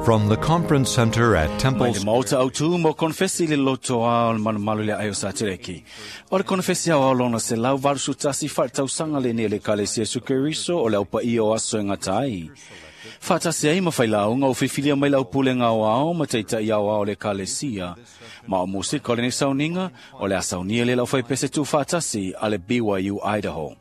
From the Conference Center at Mai Temple le maota au tū mo konfesi le loto a o le malumalu le aio sa tereki. O le konfesi au lona se lau varusu tasi whaatausanga le ne le kalesia sukeriso o le aupa i o aso e ngatai. Whaatasi ai mawhai launga o whiwhilia mai lau pule ngau ao ma teita i au ao le kalesia. Ma o musika o le ne sauninga o le asaunia le lau whaipese tū whaatasi a le BYU Idaho.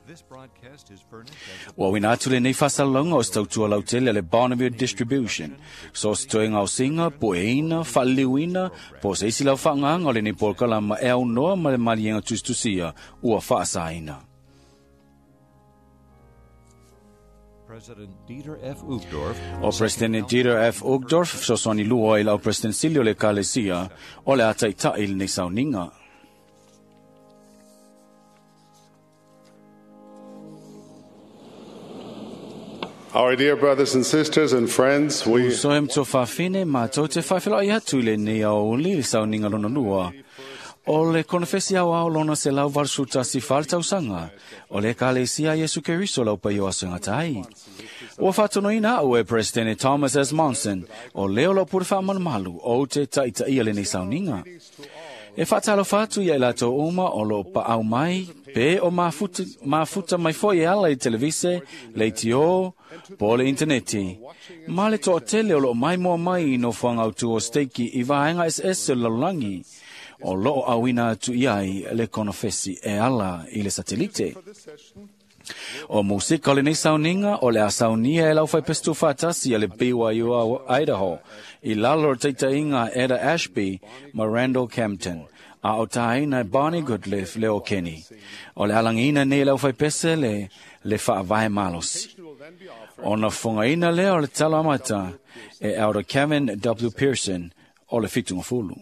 This broadcast is furnished as Ua wina atu le nei whasalonga o stautua lautele le Bonneville Distribution. So se toe ngau singa, po e ina, whaliliuina, po se isi lau whaanganga o le nei polkalama e au noa ma le malienga tustusia ua whaasaina. President Dieter F. Uchtdorf, O President Dieter F. Uchtdorf, sosoni lua i lau President Silio le Kalesia, o le ataitai le nei sauninga. Our dear brothers and sisters and friends, we So hem to whawhine mātou te whawhila i atu le nei au li le sauninga lona lua. O le konfesi au au lona se lau varsuta si whaltausanga. O le kalesia Yesu Keriso lau pai o asunga tai. Ua whatonoina au e President Thomas S. Monson o leo lau pure whaamanumalu o te taita ia le nei sauninga. E whaatalo whatu ia i lato uma o lo pa au mai, pe o mafuta, mafuta mai foi e ala i televise, le itio, po le interneti. Ma le toa tele o lo mai moa mai i no whanga au o steiki i vaenga SS o lalulangi. O lo awina atu iai le konofesi e ala i le satelite. O musika o lenei sauninga o le a saunia e lau whai pestu whatasi a le BYU Idaho i lalo o teitainga Eda Ashby ma Randall Campton a o tāina Bonnie Goodliff le o Kenny. O le alangina nei lau whai pese le le whaavae malosi. O na whangaina lea o le tala amata e Elder Kevin W. Pearson o le whitunga fulu.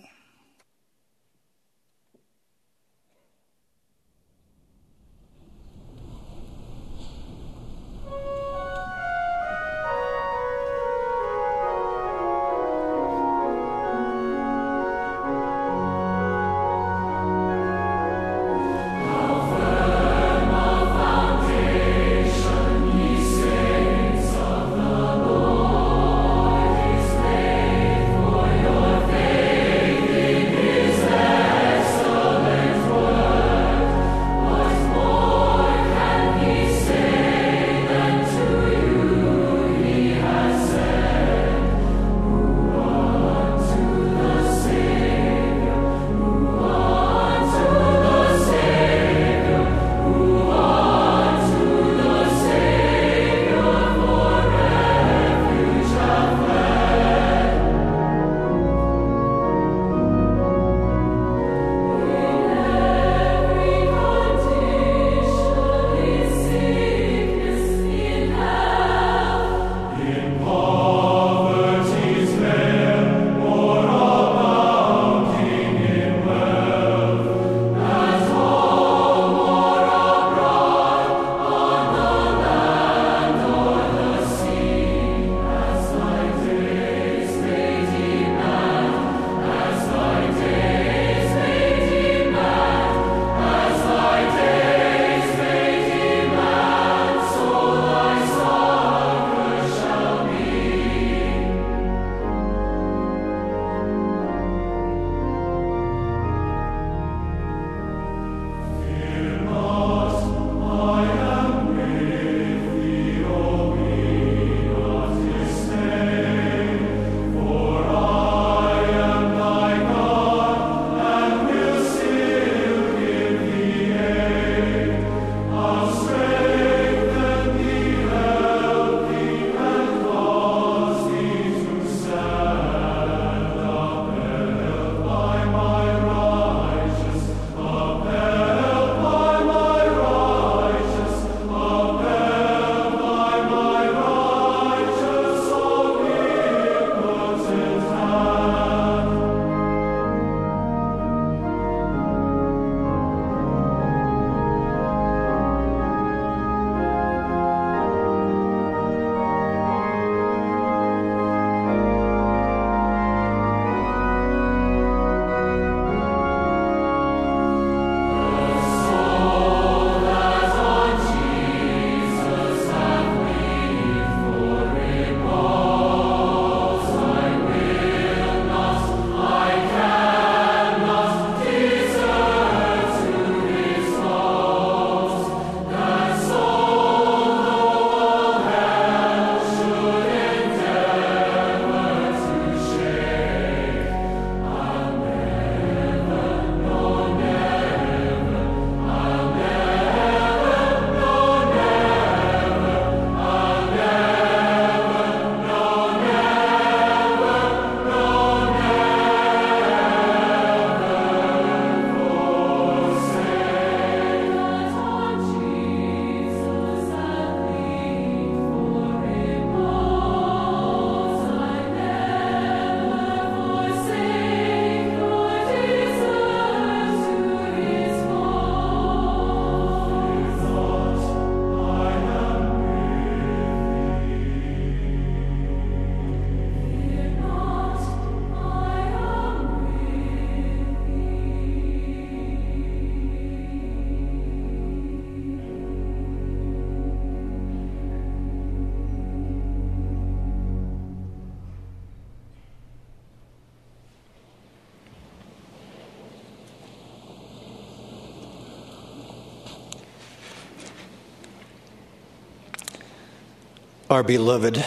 Our beloved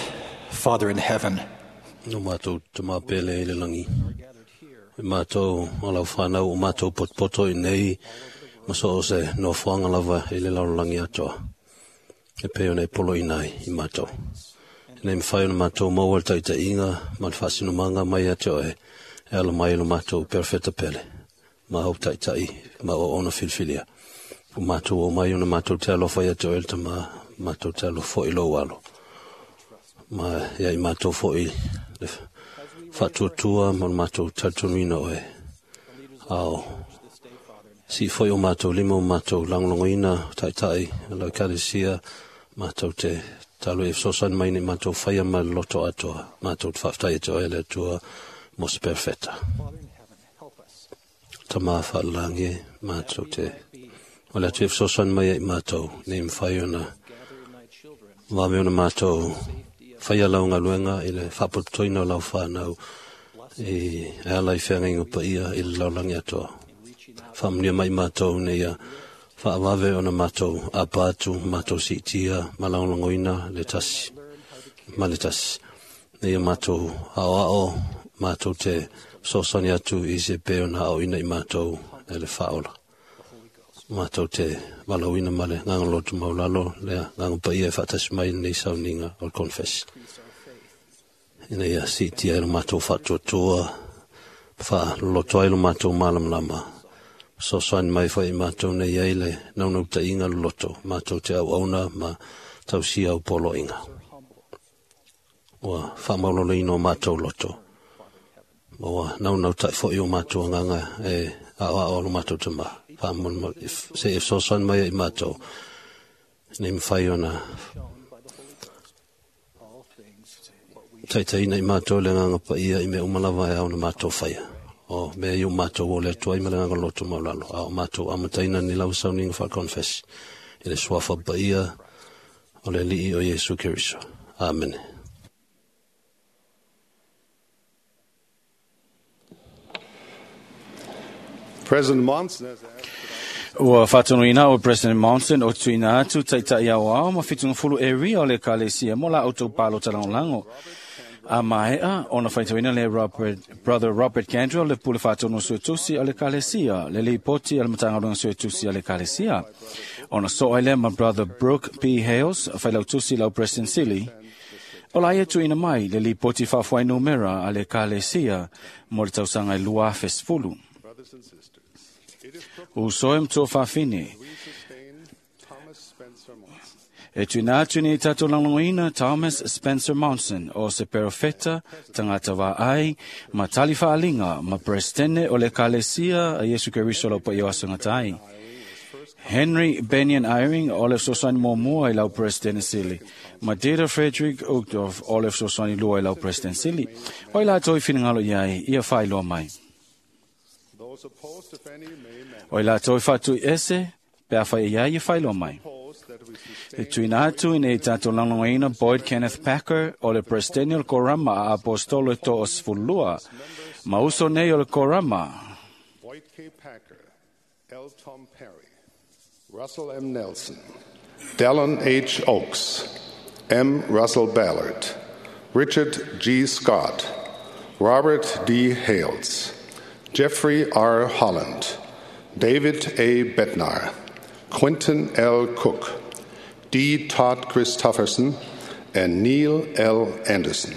Father in heaven, No mātou te māpele i le langi. I mātou o lau whanau o mātou potopoto i nei maso o se no whanga lava i le laulangi atoa. E peo nei polo i nei i mātou. Nei mwhai o mātou maua le taita inga ma le whaasinumanga mai atoa e e ala mai lo mātou perfecta pele. Ma hau taitai ma o ona filfilia. O mātou o mai ona mātou te alofa i atoa e le tama mātou te alofa i lo alo. Ma ia i mātou foi le whaatuatua ma le mātou talitonuina oe. Ao, si foi o mātou lima o mātou langolongoina, taitai, lau kalesia, mātou te talo e fesoasoani mai nei mātou whaia ma le loto atoa, mātou te whaaftai atoa e le atua mo se perfeta. Tama whaalalangi, mātou te o le atu e fesoasoani mai ai mātou, nei mwhai ona vave ona mātou whaia lau ngaluenga i le whapotoina o lau whanau i e ala i whenga ingo pa ia i le laulangi atoa. Whaamnia mai mātou nei ia whaawave ona mātou apatu, mātou siitia, malangolongoina le tasi, ma le tasi. Nei ia mātou ao ao, mātou te sosani atu i se pe ona ao ina i mātou e le whaola. Mātou te walauina ma le ngangalotu maulalo, le ngangapaia e whaatasi mai nei sauninga o le confess. Ina ia siitia e lo mātou whaatuatua, wha loto ai lo mātou malamlama. Sosoani mai whai mātou nei ai le naunau ta inga lo loto, mātou te au auna ma tausia au polo inga. Ua whamaulolo ino mātou loto. Ua naunau tai fo i o mātou anganga e ao ao lo mātou te ma. Se e sosoani mai ai mātou. Nei mwhai ona taitaina i mātou le nganga pa ia i mea umalawa e au na mātou whaia. O mea i o mātou o le atuai ma le nganga loto maulalo. A o mātou amataina ni lau sauninga wha confess. I le suafa pa ia o le lii o Yesu Keriso. Amen. President Monson has asked Ua whātonuina o President Monson o tuina atu taitai au ao ma whitunga fulu e ria o le kalesia mo la auto palo talangolango. A maea, ona whaitauina le Robert, Brother Robert Candrell le pule whātonu suetusi o le kalesia, le lipoti o le matangaluenga suetusi o le kalesia. Ona soa le ma Brother Brooke P. Hales, whailautusi lau President Sili. O la ia tuina mai le lipoti whawhai numera a le kalesia mo le tausaga i lua fesfulu. brothers and sisters. It is O soe mtua whawhine. we sustain Thomas Spencer Monson. E tuina atu nei tātou langolongoina Thomas Spencer Monson o se perofeta tangata wā ai ma tali whaalinga ma presidente o le kalesia a Yesu Keriso lau pa ia tai. Henry Benyon Eyring o le sosani mua i lau presidente sili. Ma Dieter Frederick Uchtdorf o le sosani lua i lau presidente sili. O i lātou i whiningalo iai, ia whailoa mai. Those opposed, if any, may manifest. O i lātou i whātui ese, pea whai ia ia whailoa mai. Propose that we sustain E tuina atu i nei tātou langolongoina Boyd Kenneth Packer o le presidente o le Korama a Apostolo e to o sefulua. Ma uso nei o le Korama. Boyd K. Packer, L. Tom Perry, Russell M. Nelson, Dallin H. Oaks, M. Russell Ballard, Richard G. Scott, Robert D. Hales, Jeffrey R. Holland, David A. Bednar, Quentin L. Cook, D. Todd Christofferson, and Neil L. Anderson.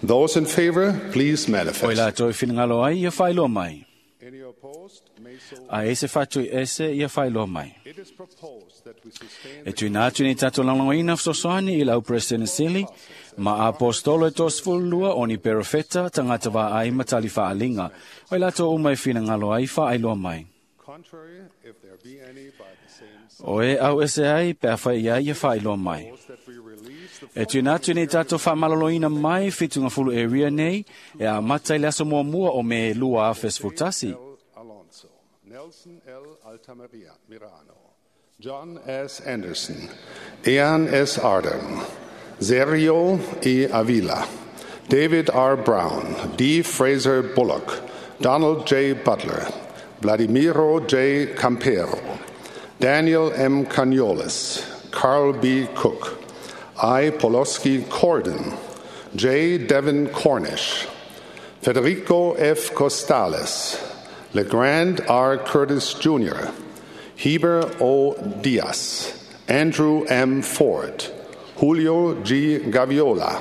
Those in favor, please O i manifest. lātou i whiningalo ai, ia whailoa mai. Any opposed may so. A ese whātui ese, ia whailoa mai. It is proposed that we sustain E tuina atu nei tātou langolongoina fesoasoani i lau President Sili, ma Apostolo e tosefulua o ni perofeta tangata wā ai ma tali whaalinga. O i lātou uma e whiningalo ai, whaailoa mai. contrary, if there be any, by the same sign. O e au ese ai, pea whai ia ia whailoa mai. That we release the E tuina atu nei tātou whaamaloloina mai whitunga fulu e ria nei, e a matai le aso mua mua o me lua a fesfutasi. L. Alonso, Nelson L. Altamirano, Mirano, John S. Anderson, Ian S. Arden, Sergio E. Avila, David R. Brown, D. Fraser Bullock, Donald J. Butler, Vladimiro J. Campero, Daniel M. Caniolis, Carl B. Cook, I. Poloski Corden, J. Devin Cornish, Federico F. Costales, LeGrand R. Curtis Jr., Heber O. Diaz, Andrew M. Ford, Julio G. Gaviola,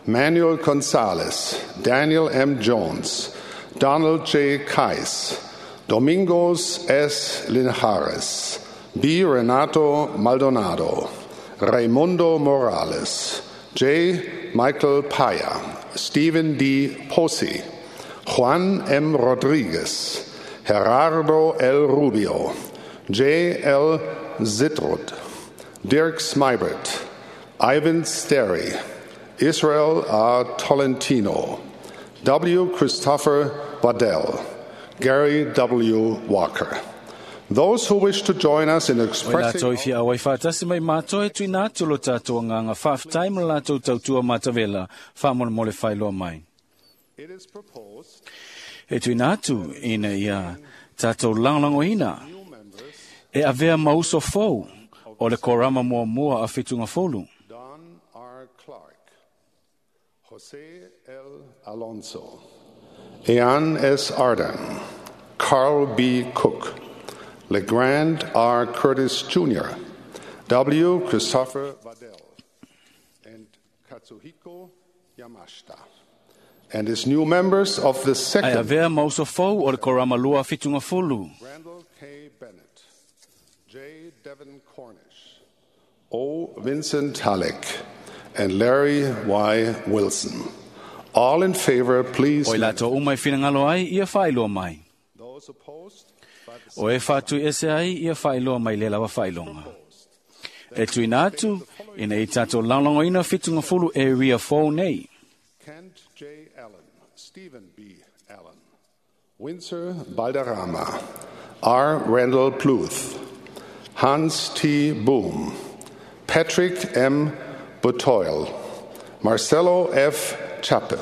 Manuel Gonzalez, Daniel M. Jones, Donald J. Kais, Domingos S. Linhares, B. Renato Maldonado, Raimundo Morales, J. Michael Paya, Stephen D. Posey, Juan M. Rodriguez, Gerardo L. Rubio, J. L. Zitrud, Dirk Smybert, Ivan Sterry, Israel R. Tolentino, W. Christopher Waddell, Gary W. Walker. Those who wish to join us in O expressing latou i fia awai whaatasi mai mātou e tuina atu lo tātou nganga whaaftai ma latou tautua matavela whaamole whailoa mai. It is proposed E tuina atu ina ia tātou langlangoina e avea mauso fou o le korama mua mua a whitunga folu. Don R. Clark, Jose L. Alonso, Ean S. Arden, Carl B. Cook, LeGrand R. Curtis Jr., W. Christopher Waddell, and Katsuhiko Yamashita. And as new members of the Ai second, avea mauso fou o le korama lua a whitunga folu. Randall K. Bennett, J. Devin Cornish, O. Vincent Halleck, and Larry Y. Wilson. All in favor, please. O i latou uma i whinangalo ai, ia whailoa mai. Those opposed, by the O e whātui ese ai, ia whailoa mai le lawa whailonga. E tuina atu, ina i tātou langlangoina whitunga fulu e ria fou nei. Kent J. Allen, Stephen B. Allen, Windsor Balderrama, R. Randall Pluth, Hans T. Boom, Patrick M. Butoil, Marcelo F. Chappe,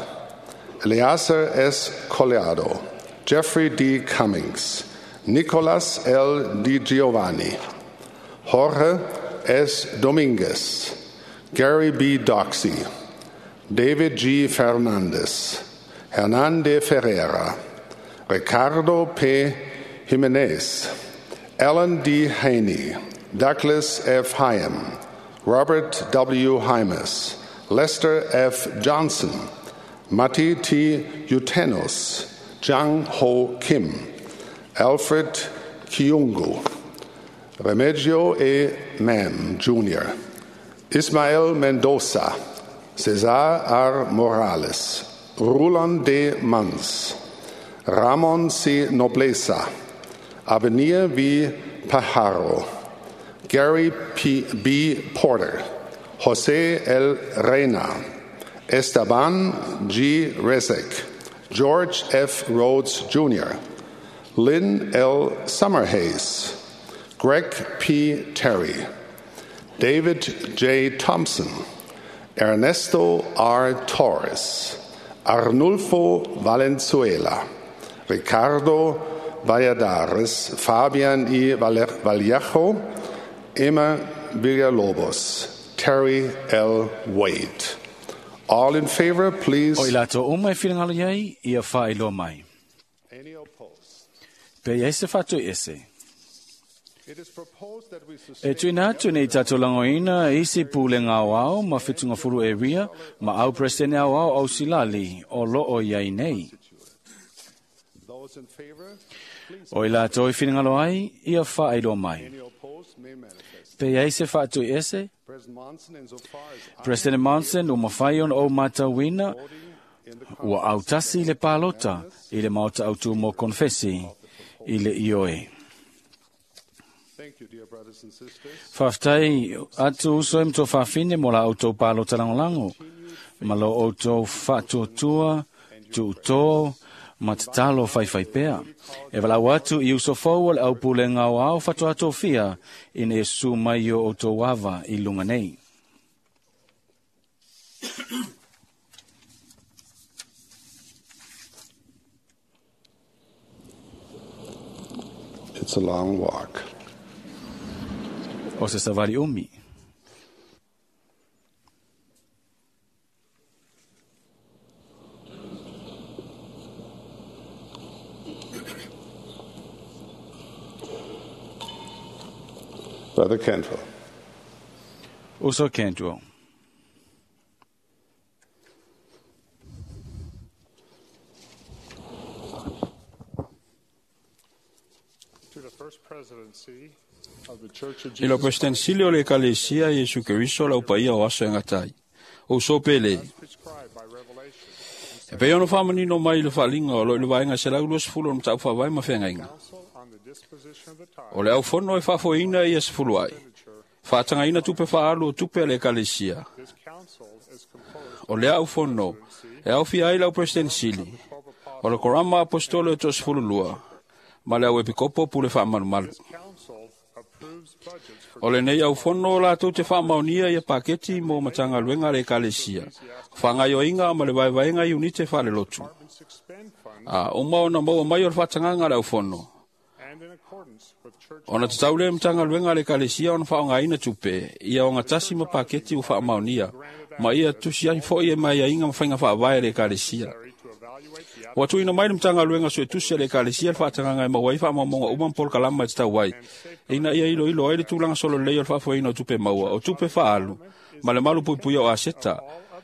Eleazar S. Collado, Jeffrey D. Cummings, Nicolas L. Di Giovanni, Jorge S. Dominguez, Gary B. Doxey, David G. Fernandez, Hernan de Ferreira, Ricardo P. Jimenez, Alan D. Haney, Douglas F. Hyam, Robert W. Hymas, Lester F. Johnson, Matti T. Utenos, Jang Ho Kim, Alfred Kiungu, Remigio E. Mam Jr., Ismael Mendoza, Cesar R. Morales, Roland D. Mans, Ramon C. Nobleza, Avenir V. Pajaro, Gary P. B. Porter, Jose L. Reina, Esteban G. Rezek, George F. Rhodes Jr., Lynn L. Summerhays, Greg P. Terry, David J. Thompson, Ernesto R. Torres, Arnulfo Valenzuela, Ricardo Valladares, Fabian E. Vallejo, Emma Villalobos, Terry L. Wade. All in favor, please. O i latou uma e whinangalo iai, ia whailoa mai. Any opposed? Pe iai se whātui ese. It is proposed that we sustain E tuina atu nei tātou langoina isi pule ngā wao ma whitunga furu e ria ma au presene au au au silali o loo iai nei. those in favor, please. O i latou i whinangalo ai, ia whailoa mai. Any opposed may manifest. Pe iai se whātui ese, President Monson, insofar as I President Monson o mawhai on o mātauina in the ua autasi i le pālota i le maota autu mō konfesi i le ioe. Thank you, dear brothers and sisters. Whaftai atu uso e mto whawhine mo la autou pālota langolango. Ma lo autou whaatuatua, tuutō, ma te talo whaiwhai pea. E walau atu i uso fau o le au pule ngau au whatuato fia ina e su mai o autou ava i lunga nei. It's a long walk. O se savari umi. Brother Cantwell. Uso Cantwell. To the First Presidency of the Church of I lau Jesus Presidente o le Ekalesia Iesu Keriso lau paia o aso e gatai. O so pele. prescribed by Revelation E pei ona faamanino mai le faaaliga o lo o i le vaega 120 o le mataupu faavae ma feagaiga. Council on the disposition of the tithe O le aufono e faafoeina ia sefulu ai. Faatagaina tupe faaalu o tupe a le Ekalesia. This council is composed O lea aufono e aofia ai lau Presidente Sili. O le Korama Apostolo e 12 ma le au epikopo pule faamalumalu. Council approves budgets for O lenei aufono o latou te faamaonia ia paketi mo matagaluega a le Ekalesia, faagaoioiga ma le vaevaega i unite faalelotu. departments expend funds A uma ona maua mai o le faatagaga a le aufono. and in accordance with church Ona tatau lea matagaluega a le Ekalesia ona faaaogaina tupe, ia ogatasi ma paketi ua faamaonia, ma ia tusi ai foi e maiaiga ma faiga faavae a le Ekalesia. to evaluate the Ua tuuina mai le Matagaluega Suetusi a le Ekalesia le faatagaga e maua ai faamaumauga uma ma polokalama e tatau ai, ina ia iloilo ai le tulaga sololelei o le faafoeina o tupe maua, o tupe faaalu, ma le malu puipuia o aseta.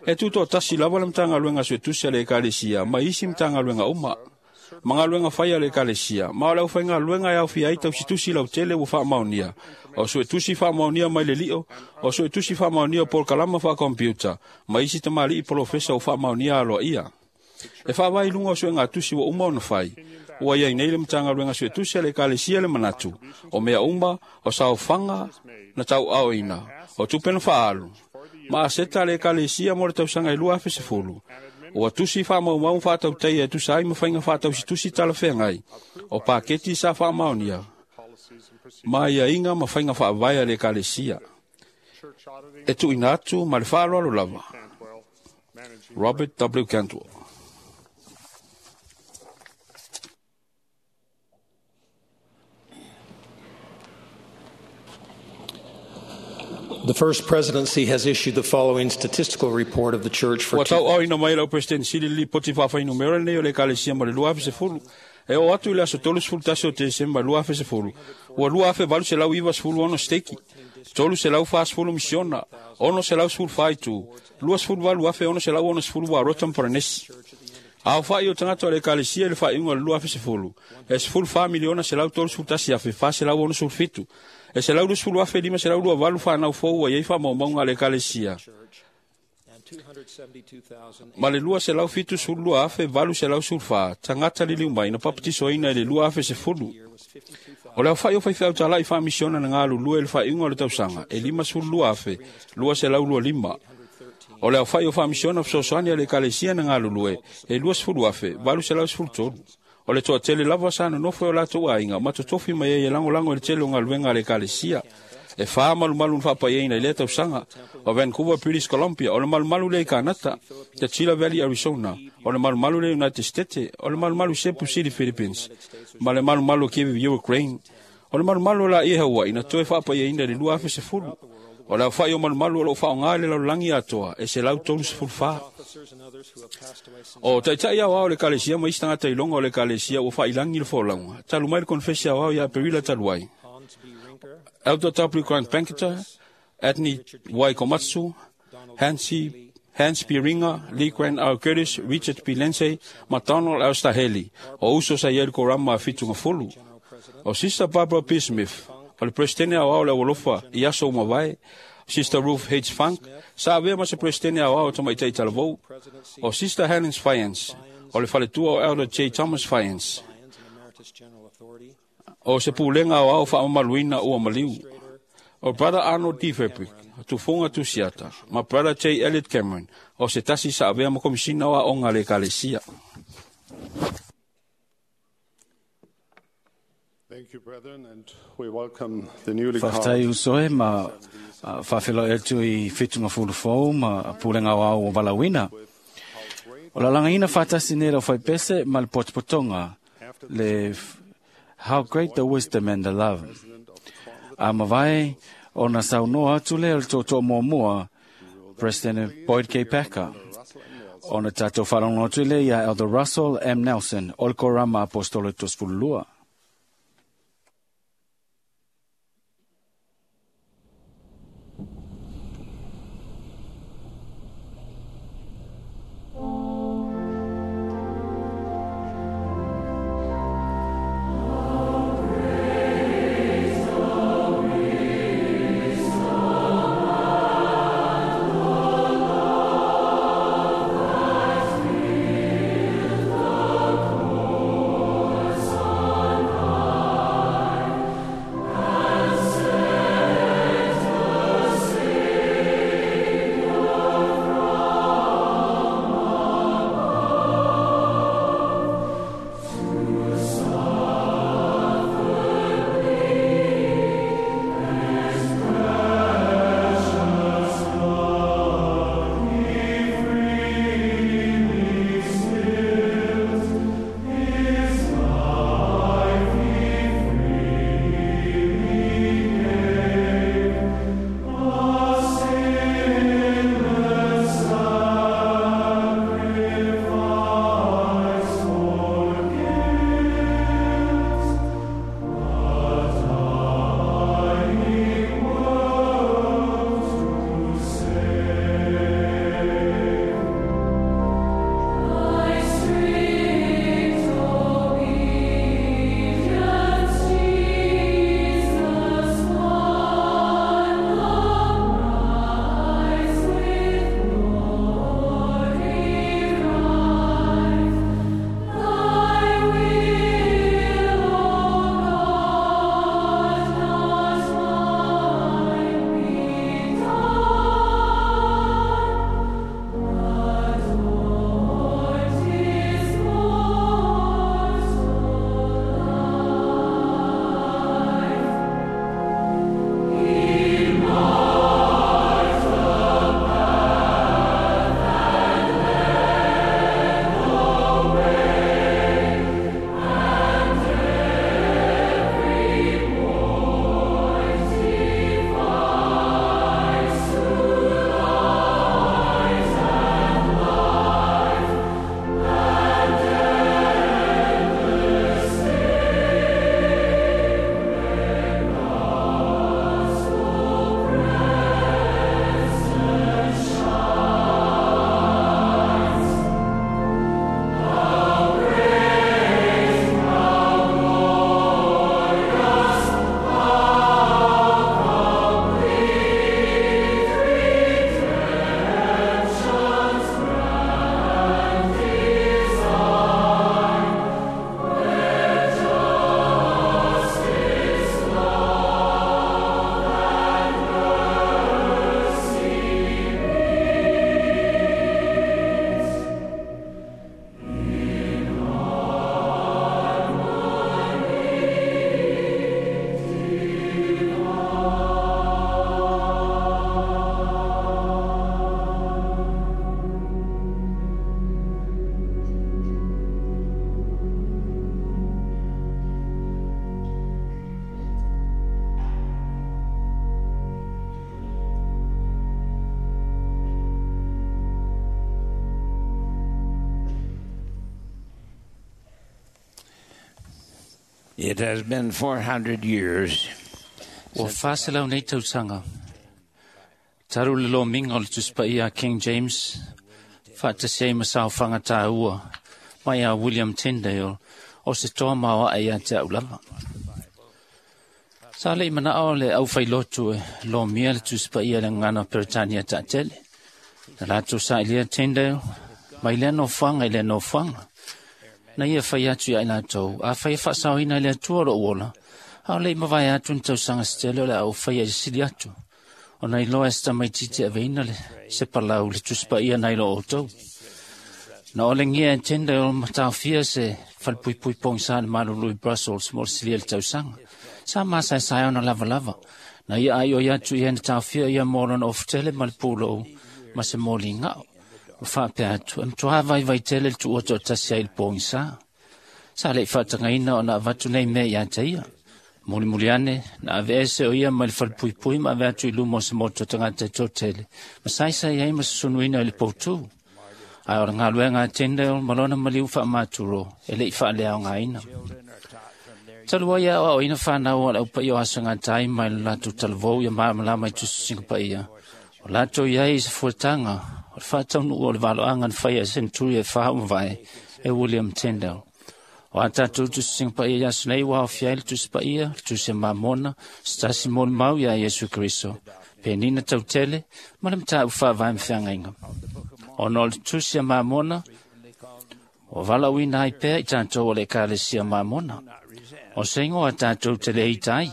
E tutoatasi lava le Matagaluega Suetusi a le Ekalesia ma isi Matagaluega uma. Ma galuega fai a le Ekalesia, ma o le aufaigaluega e aofia ai tausitusi lautele ua faamaonia, o suetusi faamaonia mai le lio, o suetusi faamaonia o polokalama faakompiuta, ma isi tamalii polofesa ua faamaonia aloaia. E faavae i luga o suegatusi ua uma ona fai, ua iai nei le Matagaluega Suetusi a le Ekalesia le manatu, o mea uma, o saofaga na tauaoina, o tupe na faaalu, ma aseta a le Ekalesia mo le tausaga e 2010, ua tusi faamaumau ma faatautaia e tusa ai ma faiga faatausitusi talafeagai, o paketi sa faamaonia, policies and procedures. ma aiaiga ma faiga faavae a le Ekalesia. Church auditing E tuuina atu ma le faaaloalo lava. Cantwell, managing Robert W. Cantwell. The First Presidency has issued the following statistical report of the Church for Ua tauaoina mai lau President Sili lipoti faafainumera lenei o le Ekalesia mo le 2010. E oo atu i le aso 31 o Tesema 2010, ua 2,896 steki, 340 misiona, 614 itu, 28,660 ua rota ma Paranesi. Aofa'i o tagata o le Ekalesia i le faaiuga o le 2010, e 14,131,467, e 120,528 fanau fou ua iai faamaumauga a le Ekalesia, and 272,000 ma le 272,814 tagata liliu mai na papatisoina i le 2010. year was 52,000. O le aofa'i o faifeau tala'i faamisiona na galulue i le faaiuga o le tausaga e 52,225. O le aofa'i o faamisiona fesoasoani a le Ekalesia na galulue e 20,813. O le toatele lava sa nonofo e o latou aiga ma totofi mai ai e lagolago i le tele o galuega a le Ekalesia. E fa malumalu na faapaiaina i lea tausaga o Vancouver, British Columbia, o le malumalu lea i Kanata, Tachila Valley, Arizona, o le malumalu lea i United States, o le malumalu Cebu City, Philippines, ma le malumalu o Kiev, Ukraine. O le malumalu o laia e Hawaii na toe faapaiaina i le 2010. O le aofa'i o malumalu o loo faaaoga i le lalolagi atoa e 134. Officers and others who have passed away since O taitai aoao o le Ekalesia ma isi tagata iloga o le Ekalesia ua faailangi le folauga, talu mai le konefesi aoao ia Aperila talu ai. Hans B. Rinker, Elder W. Grant Banketer, Adney Y. Komatsu, Hans P. Ringer, Lee Grant R. Curtis, Richard P. Lindsay, ma Donald L. Staheli, o uso sa ia le korama a fitunga fulu. O Sister Barbara P. Smith, o le Presidente aoao le Aualofa i aso uma vae, Sister Ruth H. Funk, sa avea ma se Presidente aoao o tamaitai talavou, o Sister Helen Fiance, o le faletua o Elder J. Thomas Fiance, Lyons and Emeritus General Authority, o se pulega aoao faamamaluina ua maliu. O Brother Arnold D. Fabric, tufuga tusiata, ma Brother J. Elliot Cameron, o se tasi sa avea ma komisina o aoga a le Ekalesia. Thank you, brethren, and we welcome the newly Faafetai called uso e ma faafeiloai atu i fetuga fulufou ma pulega aoao o valaauina. O le alagaina faatasi nei lau faipese ma le potopotoga le How Great the Wisdom and the Love. A mavae ona saunoa atu lea o le tootoo muamua President Boyd K. Packer. Ona tatou faalogo atu lea ia Elder Russell M. Nelson o le Korama Apostolo 32. It has been 400 years. Ua 400 nei tausaga talu le lomiga o le Tusi Paia a King James faatasi ai ma saofaga tāua mai a William Tyndale o se toa maoaʻe iā te a'u lava. Sa leʻi manaʻo le ʻaufailotu e lomia le Tusi Paia i le gagana o Peretania taʻatele. Na latou saʻilia Tyndale mai lea nofoaga i lea nofoaga. Na ia fai atu iā i latou, afai e faasaoina e le Atua loʻu ola, a o leʻi mavae atu ni tausaga se tele o le a ou faia i le sili atu. Ona iloa e se tamaitiiti e aveina le se palau le Tusi Paia nai lo outou. Na olegia e Tyndale ma taofia se falepuipui pogisa le malulu i Brussels mo le silia i le tausaga. Sa masaesae ona lavalava. Na ia aʻioi atu ia na taofia ia mo lona ofutele ma le pulou ma se moligaʻo. Ma faapea atu, e matuā vaivai tele le tuua toʻatasi ai i le pogisa. Sa leʻi faatagaina ona avatu nei mea iā te ia. Mulimuli ane, na aveese o ia mai le falepuipui ma ave atu i luma o se motu o tagata e toatele, ma saisai ai ma susunuina i le poutū. Ae o le galuega a Tyndale ma lona maliu faamaturo e leʻi faaleaogaina. Talu ai aʻoaʻoina fanau a le aupaia o aso gatai mai le latou talavou ia malamalama i tusitusiga paia. O latou iai i se fuataga o le faataunuu o le valoaga na faia e seneturi e fa mavae e William Tyndale. O a tatou tusitusiga paia i aso nei ua aofia ai le Tusi Paia, le Tusi a Mamona, se tasi molimau iā Iesu Keriso, penina tautele ma le mataupu faavae ma feagaiga. Ona o le Tusi a Mamona, ua valaauina ai pea i tatou o le Ekalesia Mamona. O se igoa tatou te le ita ai,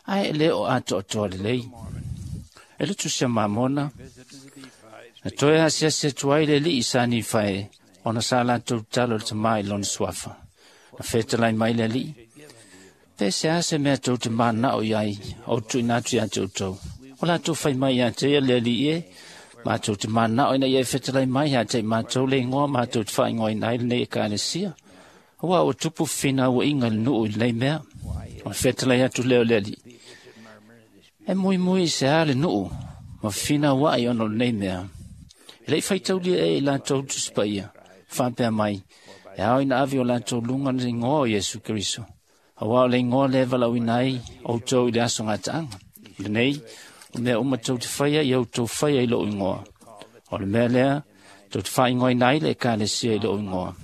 ae e le o atoatoa lelei. E le Tusi a Mamona, na toe asiasi atu ai le alii sa Nifae, ona sa latou tatalo i le tamā i lona suafa. Na fetalai mai le alii, pe se a se mea tou te mananao i ai, ou tuuina atu iā te outou. O latou fai mai iā te ia le alii e, matou te mananao ina ia e fetalai mai iā te i matou le igoa matou te faaigoaina ai lenei Ekalesia. Auā ua tupu fefinauaiga i le nuu i lenei mea. O le fetalai atu lea o le alii, e muimui i se a le nuu ma fefinauai ona o lenei mea. E leʻi faitaulia ea i latou Tusi Paia, faapea mai, e ao ina ave o latou luga le igoa o Iesu Keriso. Auā o le igoa lea e valaauina ai outou i le aso gataaga. O lenei, o mea uma tou te faia ia outou faia i loʻu igoa. O le mea lea, tou te faaigoaina ai le Ekalesia i loʻu igoa.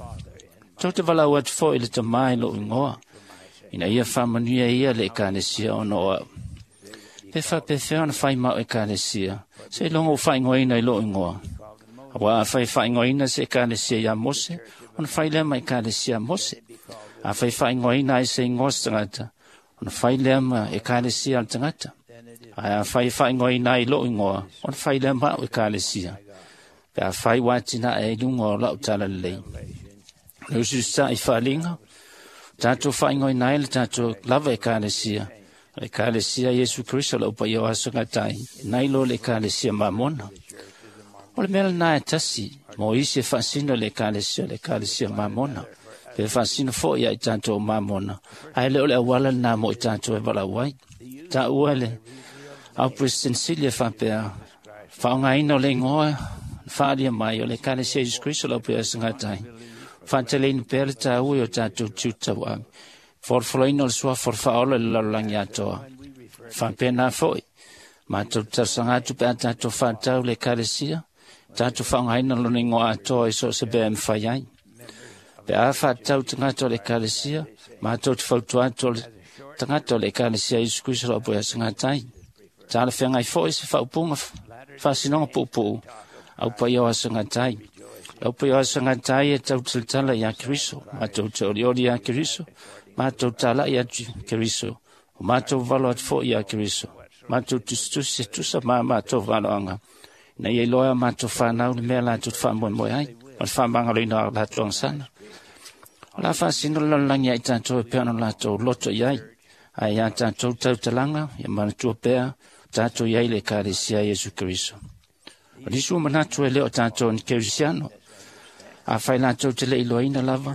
Tou te valaau atu foi i le Tamā i loʻu igoa, ina ia faamanuia ia le Ekalesia ona o aʻu. Pe faapefea ona fai ma au Ekalesia, seiloga ua faaigoaina i loʻu igoa. Auā afai e faaigoaina se Ekalesia iā Mose, ona fai lea ma Ekalesia a Mose. Afai e faaigoaina ai se igoa o se tagata, ona fai lea ma Ekalesia a le tagata. Ae afai e faaigoaina ai i loʻu igoa, ona fai lea ma aʻu Ekalesia. Pe afai ua atinae ai i luga o laʻu talalelei. O le usiusitāʻi faaliga, o tatou faaigoaina ai le tatou lava Ekalesia, o le Ekalesia Iesu Keriso o le aupaia o aso gatai, nai lo le Ekalesia Mamona. O le mea lenā e tasi, mo isi e faasino i le Ekalesia o le Ekalesia Mamona, pe faasino foi iā i tatou o Mamona, ae le o le auala lenā mo i tatou e valaau ai. Taua le au President Sili e faapea, faaaogaina o le igoa na faaalia mai o le Ekalesia Iesu Keriso o le aupaia o aso gatai, faateleina pea le tāua i o tatou tiute tauave, folofoloina o le suafa o le faaola i le lalolagi atoa. Faapena foi, matou te talosaga atu pe a tatou faatau le Ekalesia, tatou faaaogaina lona igoa atoa i so o se mea e mafai ai. Pe a faatatau tagata o le Ekalesia, matou te fautua atu o le tagata o le Ekalesia Iesu Keriso o le Aupaia Gatai. Talafeagai foi se faaupuga faasinoga puupuu aupaia o aso gatai. Le aupaia o aso gatai e tau talatala iā Keriso, matou te olioli iā Keriso, matou talaʻi atu i Keriso, o matou valo atu foi iā Keriso, matou tusitusi e tusa ma matou valoaga, ina ia iloa e a matou fanau le mea latou te faamoemoe ai, ma le faamagaloina o latou agasala. O le a faasino le lalolagi ia i tatou e pei ona latou loto i ai, ae iā tatou tautalaga, ia manatua pea, o tatou i ai i le Ekalesia a Iesu Keriso. O nisi ua manatu e le o tatou ni kerisiano, afai latou te le iloaina lava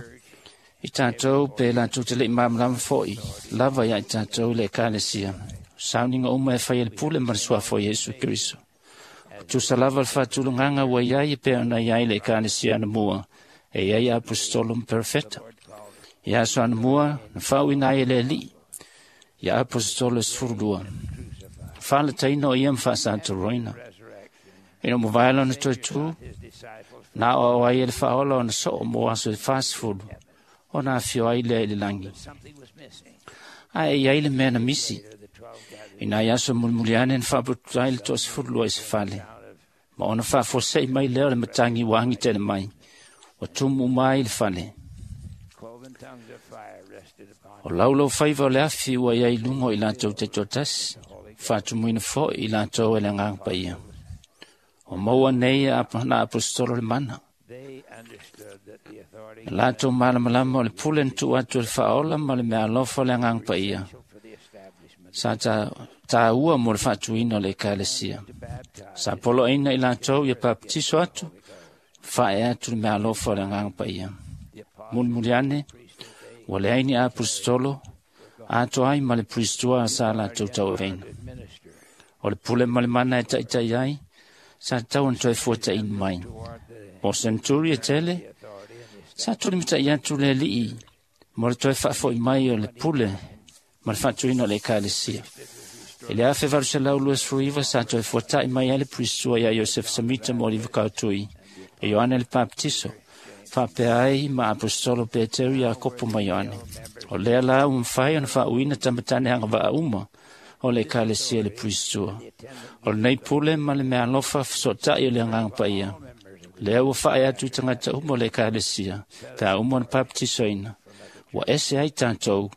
i tatou pe latou te le i malamalama foi lava iā i tatou i le Ekalesia. O sauniga uma e fai e le pule ma le suafa o Iesu Keriso. O tusa lava le faatulagaga ua i ai e pei ona i ai le Ekalesia anamua, e i ai aposetolo ma perofeta. I aso anamua na faauuina ai e le Alii ia aposetolo e 12, faalataina o ia ma faasatoroina. Ina ua mavae lona toe tu, na aoao ai e le Faaola ona soo mo aso e 40, ona afio ai lea i le lagi. Ae i ai le mea na misi. Ina i aso mulimuli ane na faapututu ai le 12 i se fale, ma ona faafuasei mai lea o le matagi ua agi tele mai, ua tumu uma ai le fale. O laulau faiva o le afi ua i ai luga o i latou taitoatasi, faatumuina foi i latou e le Agaga Paia. O maua nei na aposetolo le mana. Na latou malamalama o le pule na tuu atu e le Faaola ma le meaalofa o le Agaga Paia sa taua mo le faatuina o le Ekalesia. Sa poloaina i latou ia papatiso atu, faae atu le meaalofa o le Agaga Paia. Mulimuli ane, ua leai ni aposetolo, atoa ai ma le puristua sa latou tauaveina. O le pule ma le mana e taitai ai, sa tatau ona toe fuataini mai. O senturi e tele, sa tulimatai atu le Alii mo le toe faafoi mai o le pule ma le faatuina o le Ekalesia. I le 1829 sa toe fuatai mai ai le puristua ia Iosefa Samita mo Oliva Kautui e Ioane le Papatiso, faapea ai ma aposetolo Peteru, Iakopo ma Ioane. O lea la ua mafai ona faauuina tamatane agavaa uma o le Ekalesia i le puristua. O lenei pule ma le meaalofa fesootai o le Agaga Paia, lea ua faae atu i tagata uma o le Ekalesia, pe a uma ona papatisoina, ua ese ai tatou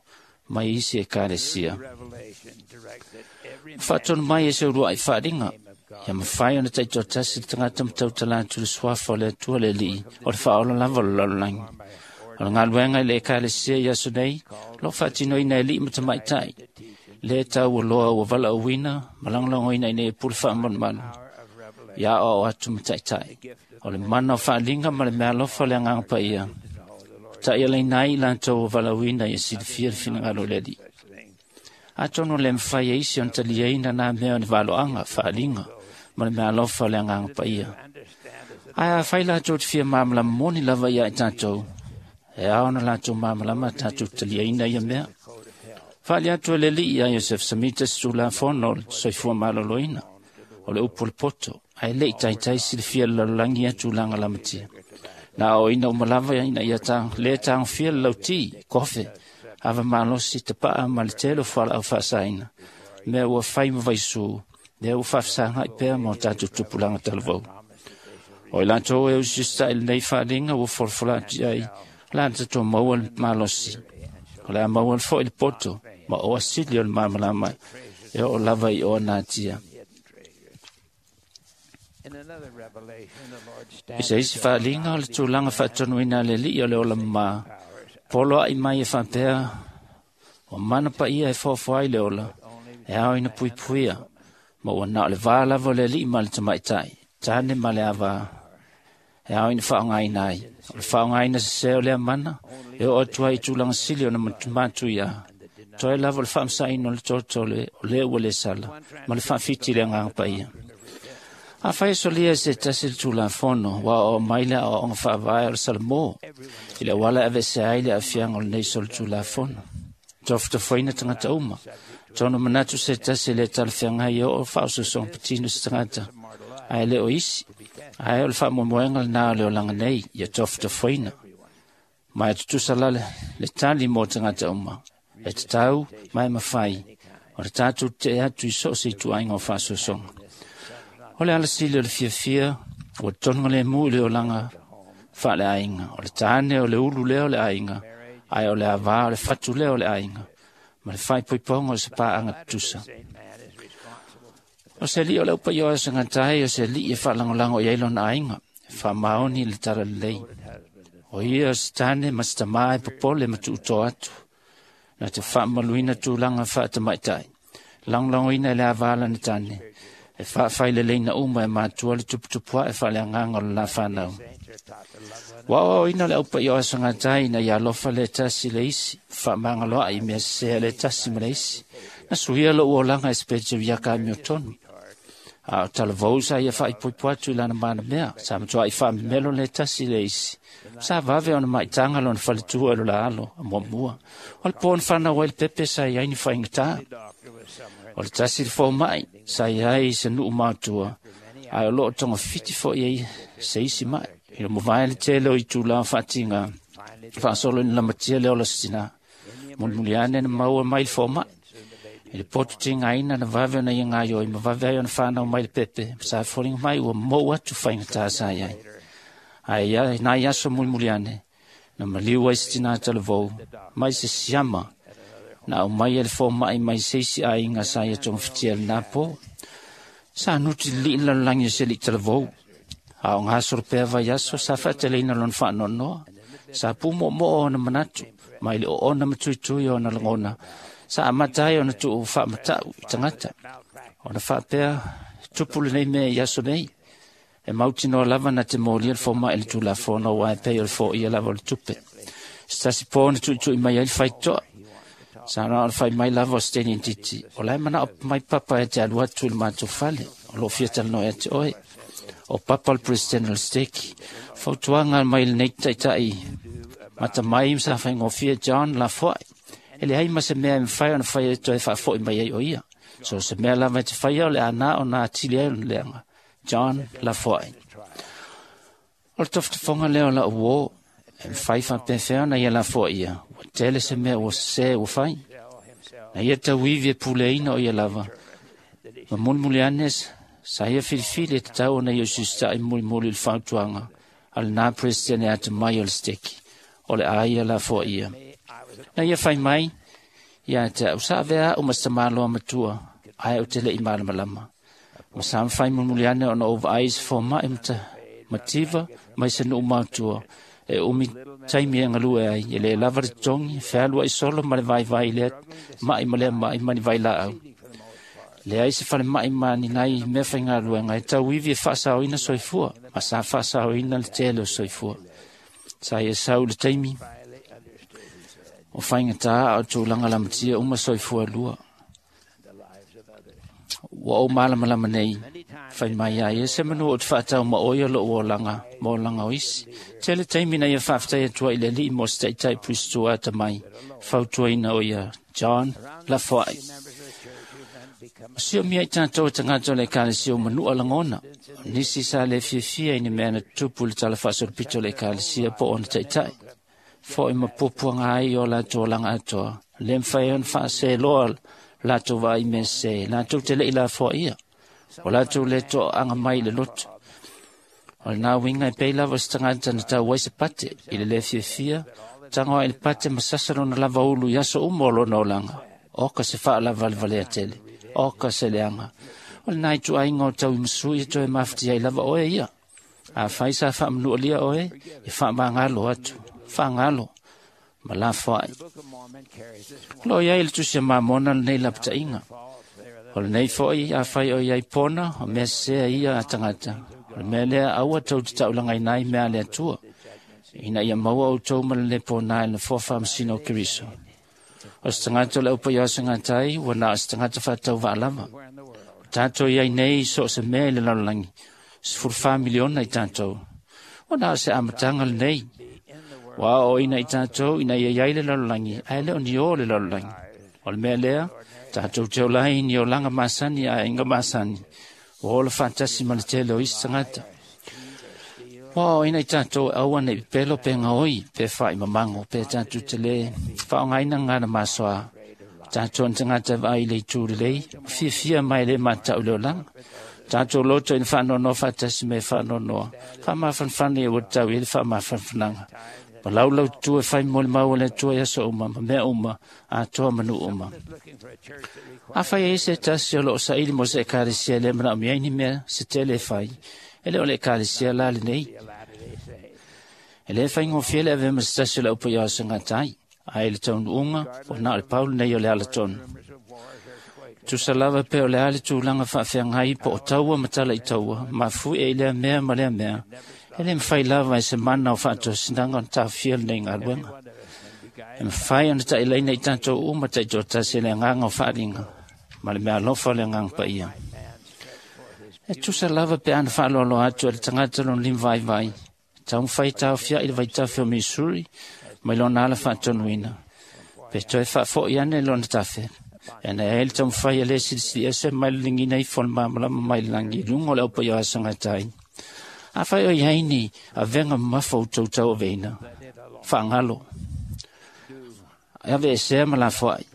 mai isi Ekalesia. Ua faatonu mai e se uluai faaaliga, ia mafai ona taitoatasi le tagata ma tautala atu le suafa o le Atua le Alii, o le faaola lava o le lalolagi. O le galuega i le Ekalesia i aso nei, o lo o faatinoina e alii ma tamaitai, le taualoa ua valaauina ma lagolagoina ina ia pule faamalumalu, ia aoao atu ma taitai. O le mana o faaaliga ma le meaalofa o le Agaga Paia, taialaina ai i latou ua valaauina ia silafia le finagalo o le Alii. Atonu le mafai e isi ona taliaina nā mea o le valoaga, faaaliga ma le meaalofa o le Agaga Paia. Ae afai latou te fia malamalama moni lava ia i tatou, e ao ona latou malamalama tatou taliaina ia mea. Faali atu e le Alii ia Iosefa Samita se Tulafono o le soifua maloloina, o le upu o le poto, ae le i taitai silafia le lalolagi ia tulaga lamatia. Na aoaoina uma lava ina ia le tagofia le lauti, kofe, ava malosi, tapaa ma le tele o fualaau faasaina, mea ua fai ma vaisu, lea ua faafesagai pea ma o tatou tupulaga talavou. O i latou e usiusitai i lenei faaaliga ua folafola atu i ai, o le a tatou maua le malosi, o le a maua foi le poto ma oa sili o le malamalama e oo lava i oa natia. I se isi faaaliga o le tulaga faatonuina a le Alii o le ola mamā, poloai mai e faapea, o mana paia e foafoa ai le ola, e ao ina puipuia, ma ua na o le vā lava o le alii ma le tamaitai, tane ma le avā, e ao ina faaaogaina ai. O le faaaogaina sesē o lea mana, e oo atu ai i tulaga sili ona matuia, toe lava o le faamasaina o le tolotole o lea ua le sala, ma le faafiti i le Agaga Paia. Afai e solia e se tasi le Tulafono, ua aoao mai le aoaoga faavae o le Salamo, i le auala e aveesea ai le aafiaga o lenei solitulafono. Tofotofoina tagata uma, tonu manatu se tasi e le talafeagai e oo faaosoosoga patino se tagata, ae le o isi, ae o le faamoemoega lenā o le olaga nei, ia tofotofoina. Ma e tutusa la le tali mo tagata uma, e tatau ma e mafai, o le tatou tetee atu i so o se ituaiga o faaosoosoga. O le alasili o le fiafia, ua totonugalemu i le olaga faaleaiga. O le tane o le ulu lea o le aiga, ae o le avā o le fatu lea o le aiga, ma le faaipoipoga o se paaga tutusa. O se alii o le aupaia o aso gata ai, o se alii e faalagolago i ai lona aiga, e faamaoni i le talalelei. O ia o se tane ma se tamā e popole ma tuutoa atu, na te faamaluina tulaga faatamaitai, lagolagoina e le avā lana tane, e faafaileleina uma e matua le tuputupuae faaleagaga o le la fanau. Ua aoaoina le aupaia o aso gata ai ina ia alofa le tasi le isi, faamagaloai i mea sesē a le tasi ma le isi. Na suia lou olaga e se petewiaka amiotonu. A o talavou sa ia faaipoipo atu i lana manamea, sa matuai faamemelo le tasi le isi. Sa vave ona maitaga lona faletua i lo la alo a muamua. O le po na fanau ai le pepe sa i ai ni faigata. O le tasi le fomai sa i ai i se nuu matua, ae o loo togafiti foi ai se isi mai. I le mavae le tele o itulā faatiga, faasolo ina lamatia le ola se tinā. Mulimuli ane na maua mai le fomai. I le poto tigaina na vave ona ia gaioi ma vave ai ona fanau mai le pepe, sa foliga mai ua mou atu faigata sa i ai. Ae ia nai aso mulimuli ane, na maliu ai se tinā talavou, mai se siama, na aumai e le fomai mai se isi aiga sa ia togafitia lenā po. Sa nuti lilii le lalolagi o se alii talavou. A o gasolo pea vaiaso sa faateleina lona faanoanoa. Sa pumoomoo ona manatu, mai le oona ma tuitui ona lagona, sa amata ai ona tuu faamatau i tagata. Ona faapea, tupu lenei mea i aso nei. E mautinoa lava na te molia le fomai i le tulafono aua e pei o le foia lava o le tupe. Se tasi po na tuitui mai ai le faitoa. Sa na o le fai mai lava o Steni Nditi. O lae manao mai papa e te alu atu i le matou fale. O loo fia talanoa ia te oe. O papa o le president o le steki. Fautuaga mai lenei taitai mata mai sa faigofie John lafoai. E leai ma se mea e mafai ona fai e toe faafoi mai ai o ia. So se mea lava e te faia o le ana ona atili ai ona leaga. John lafoai. O le tofotofoga lea o lau uō, e mafai faapefea ona ia lafoai ia. Ua tele se mea ua sese ua fai. Na ia tauivi e puleaina o ia lava. Ma mulimuli ane sa ia filifili e tatau ona ia usiusitai mulimuli i le fautuaga a lenā president e atamai o le steki. O le a ia lafoai ia. Na ia fai mai, ia te au sa avea au ma se tamāloa matua, ae ou te le'i malamalama. Ma sa mafai mulimuli ane ona ou vaai i se fomai mativa mai se nuu matua, e umi taimi e galue ai, e lē lava le totogi, fealuai solo ma le vaivai i lea mai ma lea mai ma ni vailaau. Leai se falemai ma ni nai mea faigaluega e tauivi e faasaoina soifua, ma sa faasaoina le tele o soifua. Sa ia sau le taimi o faigata a o tulaga lamatia uma soifua lua. Ua ou malamalama nei, fai mai ai e se manu o te faatau ma oe o lou olaga ma olaga o isi. Tele taimi na ia faafetai atua i le alii mo se taitai puisitua atamai, fautuaina o ia John Lafoai. O siomia i tatou e tagata o le ekalesia o manua lagona. O nisi sa le fiafia i ni mea na tutupu i le tala faasolopito o le ekalesia po o ona taitai. Foi ma puapuaga ai o latou olaga atoa. Le mafai ona faaseloa latou vaai i mea sese, latou te le'i lafoaia. O latou le toaaga mai i le loto. O lenā uiga e pei lava o se tagata na tau ai se pate i le lē fiafia, tago ai le pate ma sasa lona lava ulu i aso uma o lona olaga. Oka se faalavalevalea tele, oka se leaga. O lenā ituaiga o tauimasui e toe mafatia ai lava oe ia. Afai sa faamanualia oe, e faamagalo atu, faagalo ma lafoai. O loo iai le tusi a Mamona lenei lapataiga. O lenei foi afai o iai pona, o mea sesea ia a tagata. O le mea lea aua tou te taulagaina ai mea a le Atua, ina ia maua outou ma le lē ponā i le nofoa faamasino o Keriso. O se tagata o le aupaia o ua na o se tagata faatauvaa lava. O tatou iai nei i so o se mea i le lalolagi, 14 miliona i tatou. Ua na o se amataga lenei. Ua aoaoina i tatou ina ia iai le lalolagi, ae le o ni ō le lalolagi. O le mea lea, tatou te ola ai ni olaga masani a aiga masani, ua ola faatasi ma le tele o isi tagata. Ua aoaoina i tatou e aua nei pepelo pe gaoi pe faaimamago pe tatou te lē faaaogaina gagana masoa. O tatou ni tagata e vaai i le itu lelei, ma fiafia mai e lē matau i le olaga. Tatou loto ina faanoanoa faatasi me faanoanoa. Faamafanafana ia ua tatau i ai le faamafanafanaga. Ma laulaututu e fai molimau a le Atua i aso uma ma mea uma, atoa ma nuu uma. Afai e ai se tasi o loo saili mo se ekalesia e le manaomia ai ni mea se tele e fai, e le o le ekalesia la lenei. E lē faigofie le avea ma se tasi o le aupaia o segatai, ae i le taunuuga, ua na o le pau lenei o le alatonu. Tusa lava pe o le a le tulaga faafeagai po o taua ma tala i taua, mafuie i lea mea ma lea mea, e le mafai lava e se mana o faatosinaga ona taofia lenei galuega. E mafai ona ta'ilaina i tatou uma ta'itoatasi e le agaga o faaaliga ma le meaalofa o le Agaga Paia. E tusa lava pe ana whaaloalo atu e le tangata lona lima vaivai. Taumafai taofia'i le vaitafe o Missouri mai lona ala faatonuina. Pe toe faafo'i ane lona tafe. E na e le taumafai a le silisili ese mai le ligiina ifo o le malamalama mai le lagi i luga o le aupaia o asagatai. Afai o iai ni avega mamafa o outou tauaveina. Faagalo. Ave esea ma lafoai.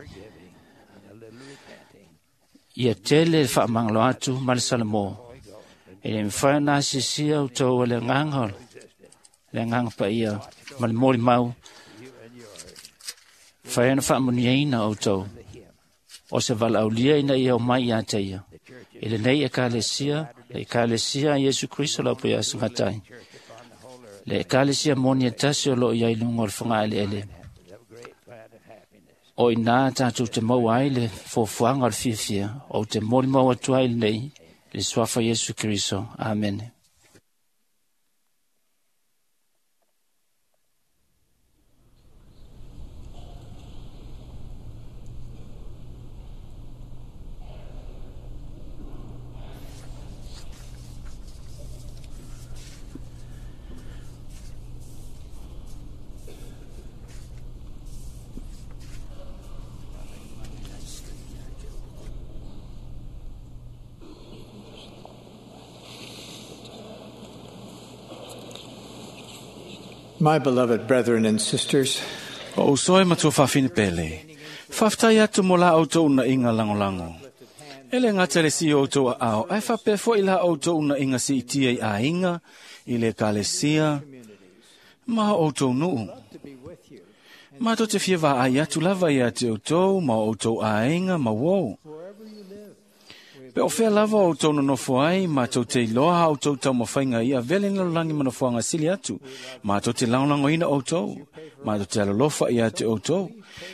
Ia tele le faamagalo atu ma le Salamo. E le mafai ona asiasia outou e le agaga le agaga paia ma le molimau. Fai ona faamuniaina outou. O se valaaulia ina ia omai ia te ia. I lenei ekalesia, le ekalesia a Iesu Kriso le aupaia asagatai. Le ekalesia moni e tasi o loo iai luga o le fogaeleele. O ina tātou te maua ai le fuafuaga o le fiafia, ou te molimau atu ai lenei, le suafa Iesu Kriso. Amene. My beloved brethren and sisters, O usoe matua whawhine pele. Whawhtai atu mo la outou na inga langolango. Ele ngata le si outou a ao, ai whapea fo i la outou na inga si itia i a inga, i le kalesia, ma outou nuu. Mātou te fia vā ai atu lava ia te outou, ma outou a inga, ma wou. Pe o whea lava o outou nonofo ai, mātou te iloa ha outou taumafaiga ia vele ni lalolagi ma nofoaga sili atu. Mātou te lagolagoina outou, mātou te alolofa ia te outou.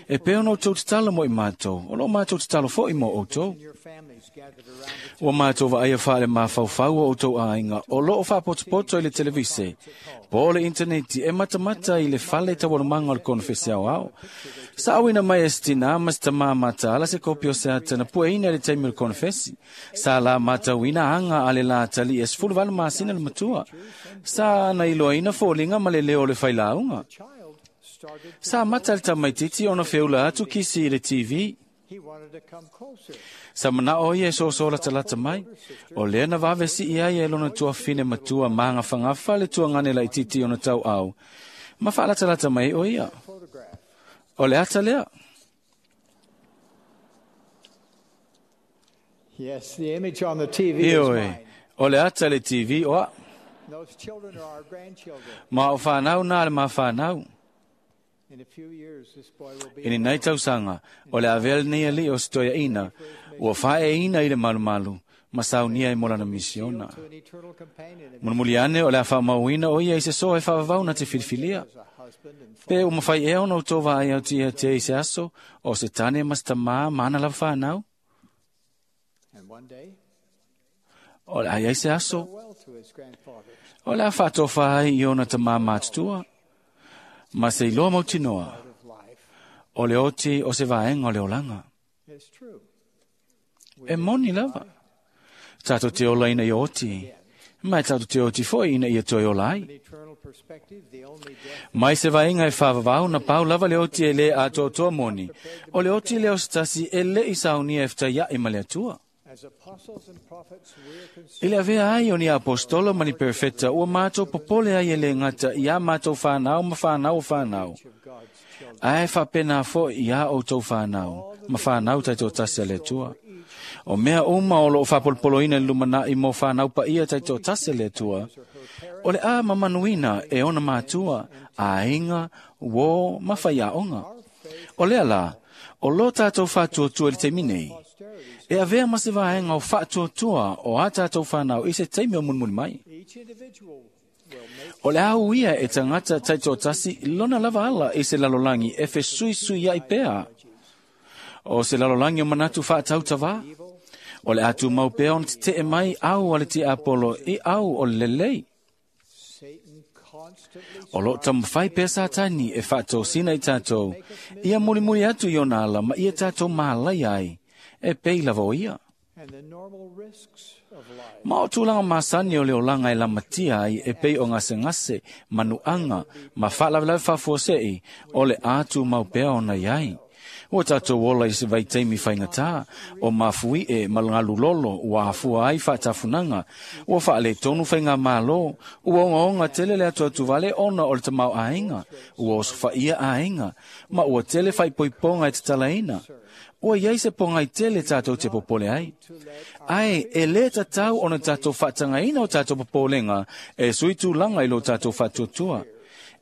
E pei ona outou tatalo mo i mātou, o loo mātou tatalo fo'i mo outou. Ua mātou vaaia faale mafaufau o outou aiga, o loo faapotopoto i le televise, po o le interneti e matamata i le fale taualumaga o le konofese aoao. Sa auina mai e se tinā ma se tamā mataala se kopi o se ata na pueina i le taimi o le konofesi. Sa la matauina aga a le lā tali'i e 18 masina le matua. Sa na iloaina foliga ma le leo o le failauga. Sa mata le tamaititi ona feula atu kisi i le TV. Sa manao ia e soso latalata mai. O lea na vave si ia e lona tuafine matua magafagafa le tuagane laititi ona tauau. Ma faalatalata mai o ia. O le ata lea. Yes, the image on the TV is Ioe, mine. o le ata le TV o a. Those children are our grandchildren. Ma o whanau nā le ma whanau. In a few years, this boy will be I ni nei tausaga, o le avea lenei alii o se toeaina, ua faeaina i le malumalu, ma saunia i mo lana misiona. to an eternal companion and Mulimuli ane o le a faamauina o ia i se soa e faavavau na te filifilia. as a husband and Pe ua mafai ea ona outou vaai au tia te i se aso, o se tane ma se tamā ma ana lava whanau. And one day, O le ai ai se aso, farewell to his grandfather. o le a faatofa ai i ona tamā matutua, ma se iloa mautinoa, Of life. o le oti o se vaenga o le olaga. It's true. E moni lava. Tātou te ola ina ia oti, mai tātou te oti foi ina ia toe ola ai. An eternal perspective, the only death Mai se vaenga e whaavavau na pau lava le oti e le atoatoa moni. O le oti leo se tasi e le i saunia e whataia i male atua. as apostles and prophets, we are concerned I le avea ai o ni apostolo ma ni perfeta ua mātou popole ai e le ngata i a mātou whanau ma whanau o whanau. of God's children. Ae whapena fo i a outou whanau, ma whanau taitoatasi a le Atua. O mea uma o loo whapolopoloina i lumanai mo whanau pa ia taitoatasi a le Atua, o le a mamanuina e ona mātua, aiga, uō, ma whaiaonga. O lea la, o lo tātou whātuatua i le taimi nei, e avea ma se vaenga o whātuatua o a tātou whanau i se taimi o munmuni mai. Each individual will make O le au ia e tangata taitoatasi lona lava ala i se lalolangi e fesuisui ai pea. O se lalolangi o manatu whaatautawā. O le atu mau pea ona te te mai au a le te apolo i au o le lelei. Satan constantly O lo tamawhai pea sātani e whaatosina i tātou. Ia mulimuli atu i ona ala ma ia tātou mālai ai. E pei lava o ia. Ma o tulaga masani o le olaga e lamatia ai e pei o gasegase, manuaga, ma faalavelave faafuasei, o le a tumau pea ona i ai. Ua tatou ola i se vaitaimi faigata, o mafuie ma galulolo ua afua ai faatafunaga, ua faaletonu faigamalo, ua ogaoga tele le atuatuvale ona o le tamaoaiga, ua osofaia aiga, ma ua tele faaipoipoga e tatalaina. Ua iai se pogai tele tatou te popole ai. Ae e lē tatau ona tatou faatagaina o tatou popolega e sui tulaga i lo tatou faatuatua.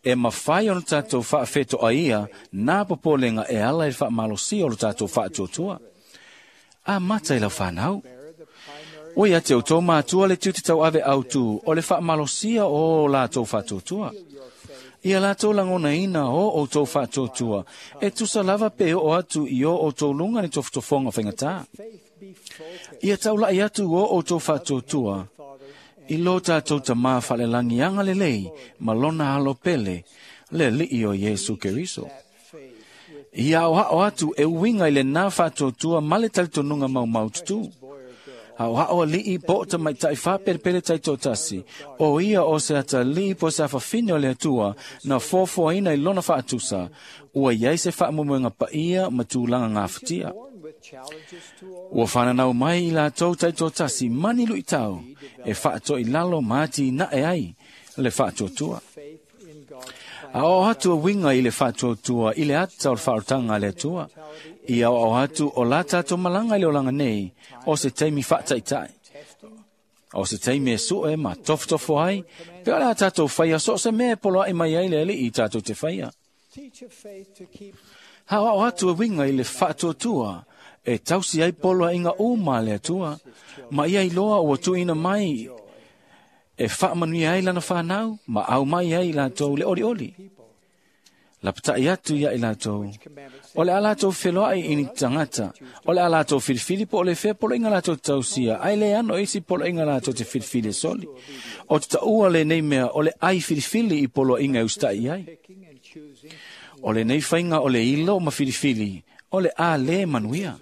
E mafai ona tatou faafetoaia nā popolega e ala i le faamalosia o lo tatou faatuatua. Amata i lau fanau. Ua ia te outou matua le tiute tauave autū o le faamalosia o latou faatuatua. Ia latou lagonaina o outou faatuatua e tusa lava pe oo atu i o outou luga ni tofotofoga faigata. Ia taulai atu o outou faatuatua i lo tatou tamā faalelagi agalelei ma lona alo pele, le Alii o Iesu Keriso. Ia aoao atu e uiga i lenā faatuatua ma le talitonuga maumaututu. Aoao alii po o tamaitai faapelepele taitoatasi, o ia o se atalii po o se afafine o le Atua na foafoaina i lona faatusa, ua iai se faamoemoega paia ma tulaga gafatia. Ua fananau mai i latou taitoatasi mani luitau e faatoilalo ma atinae ai le faatuatua. Aoao atu e uiga i le faatuatua i le ata o le faaolataga a le Atua. Ia aoao atu o la tatou malaga i le olaga nei, o se taimi faataitai. O se taimi e sue ma tofotofo ai, pe o le a tatou faia so o se mea e poloai mai ai le Alii tatou te faia. Aoao atu e uiga i le faatuatua e tausi ai poloaiga uma a le Atua, ma ia iloa ua tuuina mai e faamanuia ai lana fanau ma aumai ai i latou le olioli. Lapatai atu ia i latou, o le a latou feloai i ni tagata, o le a latou filifili po o le fea poloaiga latou tausia, ae le ano isi poloaiga latou te filifili e soli. O te taua lenei mea o le ai filifili i poloaiga e usitai i ai. O lenei faiga o le ilo ma filifili, o le a lē manuia.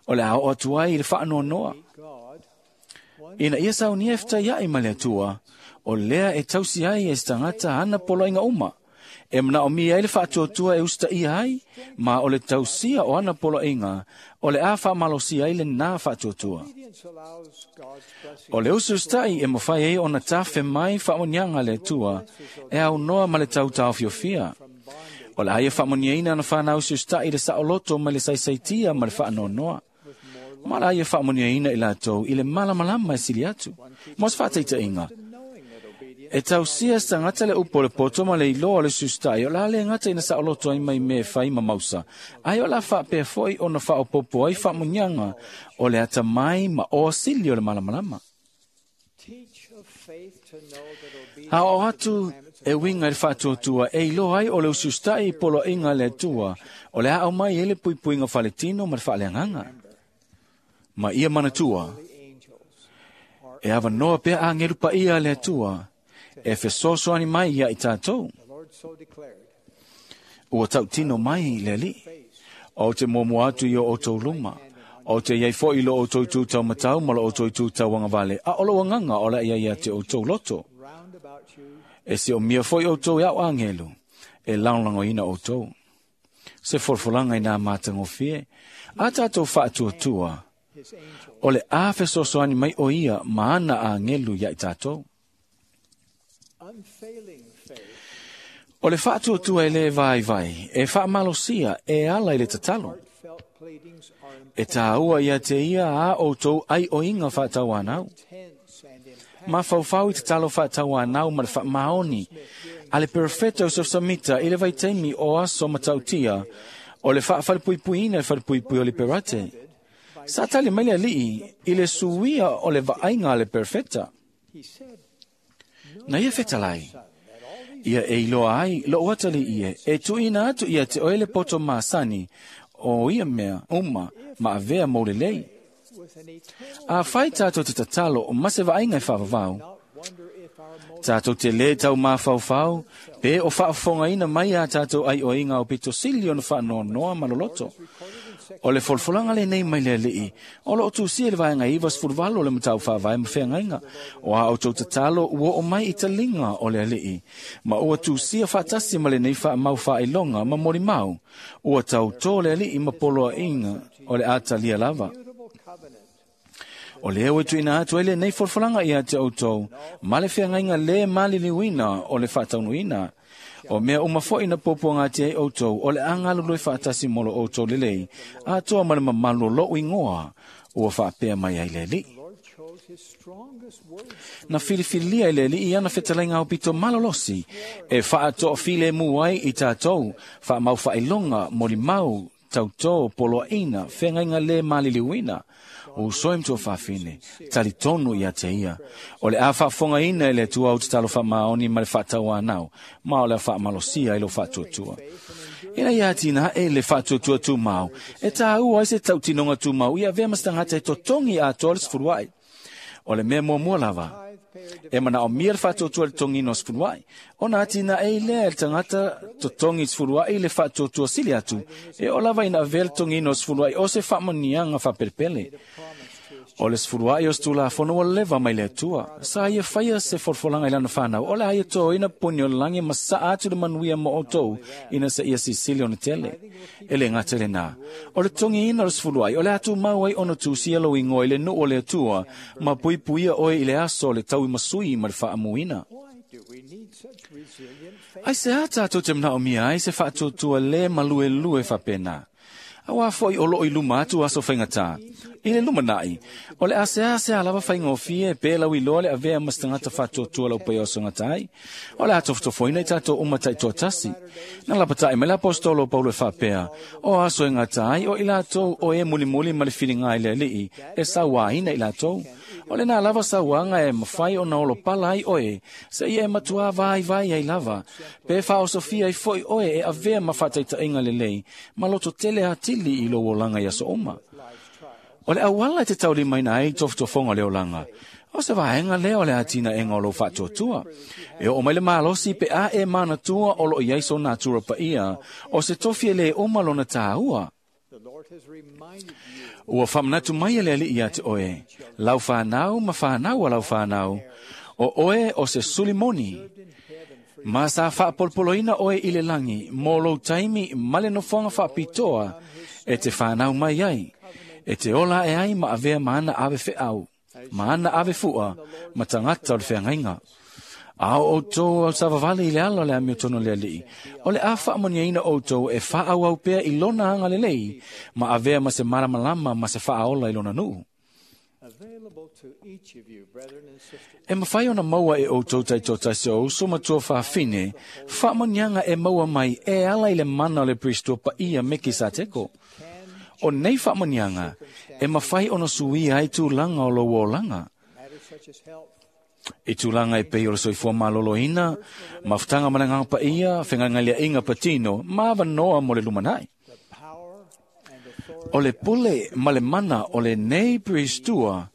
O le a oo atu ai i le faanoanoa. Ina ia saunia e fetaiai ma le Atua, o lea e tausi ai e se tagata ana poloaiga uma, e manaomia ai le faatuatua e usitaia ai, ma o le tausia o ana poloaiga, o le a faamalosia ai lenā faatuatua. O le usiusitai e mafai ai ona tafe mai faamanuiaga a le Atua, e aunoa ma le tautaofiofia. O le a ia faamanuiaina ana fanau usiusitai i le saoloto mai le saisaitia ma le faanoanoa. Ma la ia faamanuiaina i latou i le malamalama e sili atu. Mo se faataitaiga, e tausia se tagata le upu o le poto ma le iloa o le usiusitai, o le a le gata ina saoloto ai mai mea e fai ma mausa, ae o le a faapea foi ona faaopoopo ai faamanuiaga o le atamai ma oa sili o le malamalama. Aoao atu e uiga i le faatuatua e iloa ai o le usiusitai i poloaiga a le Atua, o le a aumai ai le puipuiga faletino ma le faaleagaga. Ma ia manatua, e avanoa pea agelu paia a le Atua e fesoasoani mai ia i tatou. Ua tautino mai le Alii, o te muamua atu i o outou luma, o te iai foi i lo outou itu taumatau ma lo outou itu tauagavale, a o lou agaga o le a iai ia te outou loto. E siomia foi outou e au agelu, e lagolagoina outou. Se folafolaga i nā matagofie, a tatou faatuatua, o le a fesoasoani mai o ia ma ana agelu ia i tatou. O le faatuatua e lē vaivai, e faamalosia e ala i le tatalo. E tāua ia te ia a outou aioiga faatauanau. Mafaufau i tatalo faatauanau ma le faamaoni a le perofeta o Samita i le vaitaimi o aso matautia o le faafalepuipuiina e falepuipui o le Perate. Sa tali mai le Alii i le suia o le vaaiga a le perofeta. Na ia fetalai, ia e iloa ai lou atalii e, e tuuina atu ia te oe le poto masani o ia mea uma ma avea mo lelei. Afai tatou te tatalo o ma se vaaiga e faavavau, tatou te lē tau mafaufau pe o faafofogaina mai a tatou aioiga o pitosili ona faanoanoa ma loloto. O le folafolaga lenei mai le Alii, o loo tusia i le vaega 98 o le matau faavae ma feagaiga, o a outou tatalo ua oo mai i taliga o le Alii, ma ua tusia faatasi ma lenei faamau faailoga ma molimau, ua tautō le Alii ma poloaiga o le a talia lava. O lea ua tuuina atu ai lenei folafolaga ia te outou, ma le feagaiga lē maliliuina o le faataunuuina. O mea uma foi na puapuagatia ai outou, o le a galulue faatasi mo lo outou lelei, atoa ma le mamalu o lou igoa, ua faapea mai ai le Alii. Na filifilia e le Alii ana fetalaiga aupito malolosi, e faatoafilemu ai i tatou, faamaufaailoga, molimau, tautō, poloaiga, feagaiga lē maliliuina. O uso e ma tuafafine, talitonu ia te ia. O le a faafofogaina e le Atua au tatalo faamaoni ma le faatauanau, ma o le a faamalosia i lou faatuatua. Ina ia atinae le faatuatua tumau, e tāua ai se tautinoga tumau ia avea ma se tagata e totogi atoa le 10 ai. O le mea muamua lava, e manaomia le faatuatua i le totogiina o 10 ai. Ona atinae ai lea e le tagata totogi 10 ai le faatuatua sili atu, e oo lava ina avea le totogiina o 10 ai o se faamanuiaga faapelepele. O le 10 ai o se tulafono ua leva mai le Atua. Sa ia faia se folafolaga i lana fanau, o le a ia totoina poni o le lagi ma saa atu le manuia mo outou, ina se ia sisili ona tele. E le gata i lenā. O le totogiina o le 10 ai, o le a tumau ai ona tusia lou igoa i le nuu o le Atua, ma puipuia oe i le aso o le tauimasui ma le faamuina. Aisea tatou te manaomia ai se faatuatua lē maluelue faapena? Auā foi o loo i luma atu aso faigata. I le lumanai, o le a seasea lava faigofie pe lauiloa le avea ma se tagata faatuatua laupaia o aso gata ai. O le a tofotofoina i tatou uma taitoatasi. Na lapata'i mai le aposetolo o Paulo e faapea, o aso e gata ai o i latou o e mulimuli ma le filiga i le Alii, e sauāina i latou. O lenā lava sauaga e mafai ona olopala ai oe, seia e matuā vaivai ai lava, pe faaosofia ai foi oe e avea ma faataitaʻiga lelei, ma loto tele atili i lou olaga i aso uma. O le auala e te taulimaina ai tofotofoga o le olaga, o se vaega lea o le atinaega o lou faatuatua. E oo mai le malosi pe a e manatua o loo i ai so natura paia, o se tofi e lē uma lona tāua. Ua faamanatu mai e le Alii ia te oe, lau fanau ma fanau a lau fanau, o oe o se sulimoni. Ma sa faapolopoloina oe i le lagi, mo lou taimi ma le nofoaga faapitoa e te fanau mai ai, e te ola e ai ma avea ma ana ave feau, ma ana ave fua, ma tagata o le feagaiga. A o outou au savavali i le ala o le amiotonu o le Alii, o le a faamanuiaina outou e faaauau pea i lona agalelei, ma avea ma se malamalama ma se faaola i lona nuu. E mafai ona maua e outou taitoatasi o uso ma tuafafine, faamanuiaga e maua mai e ala i le mana o le Perisito paia Mekisateko. O nei faamanuiaga, e mafai ona suia ai tulaga o lou olaga. I tulaga e pei o le soifua maloloina, mafutaga ma le Agaga Paia, fegalegaleaiga patino, ma avanoa mo le lumanai. O le pule ma le mana o lenei Peristua,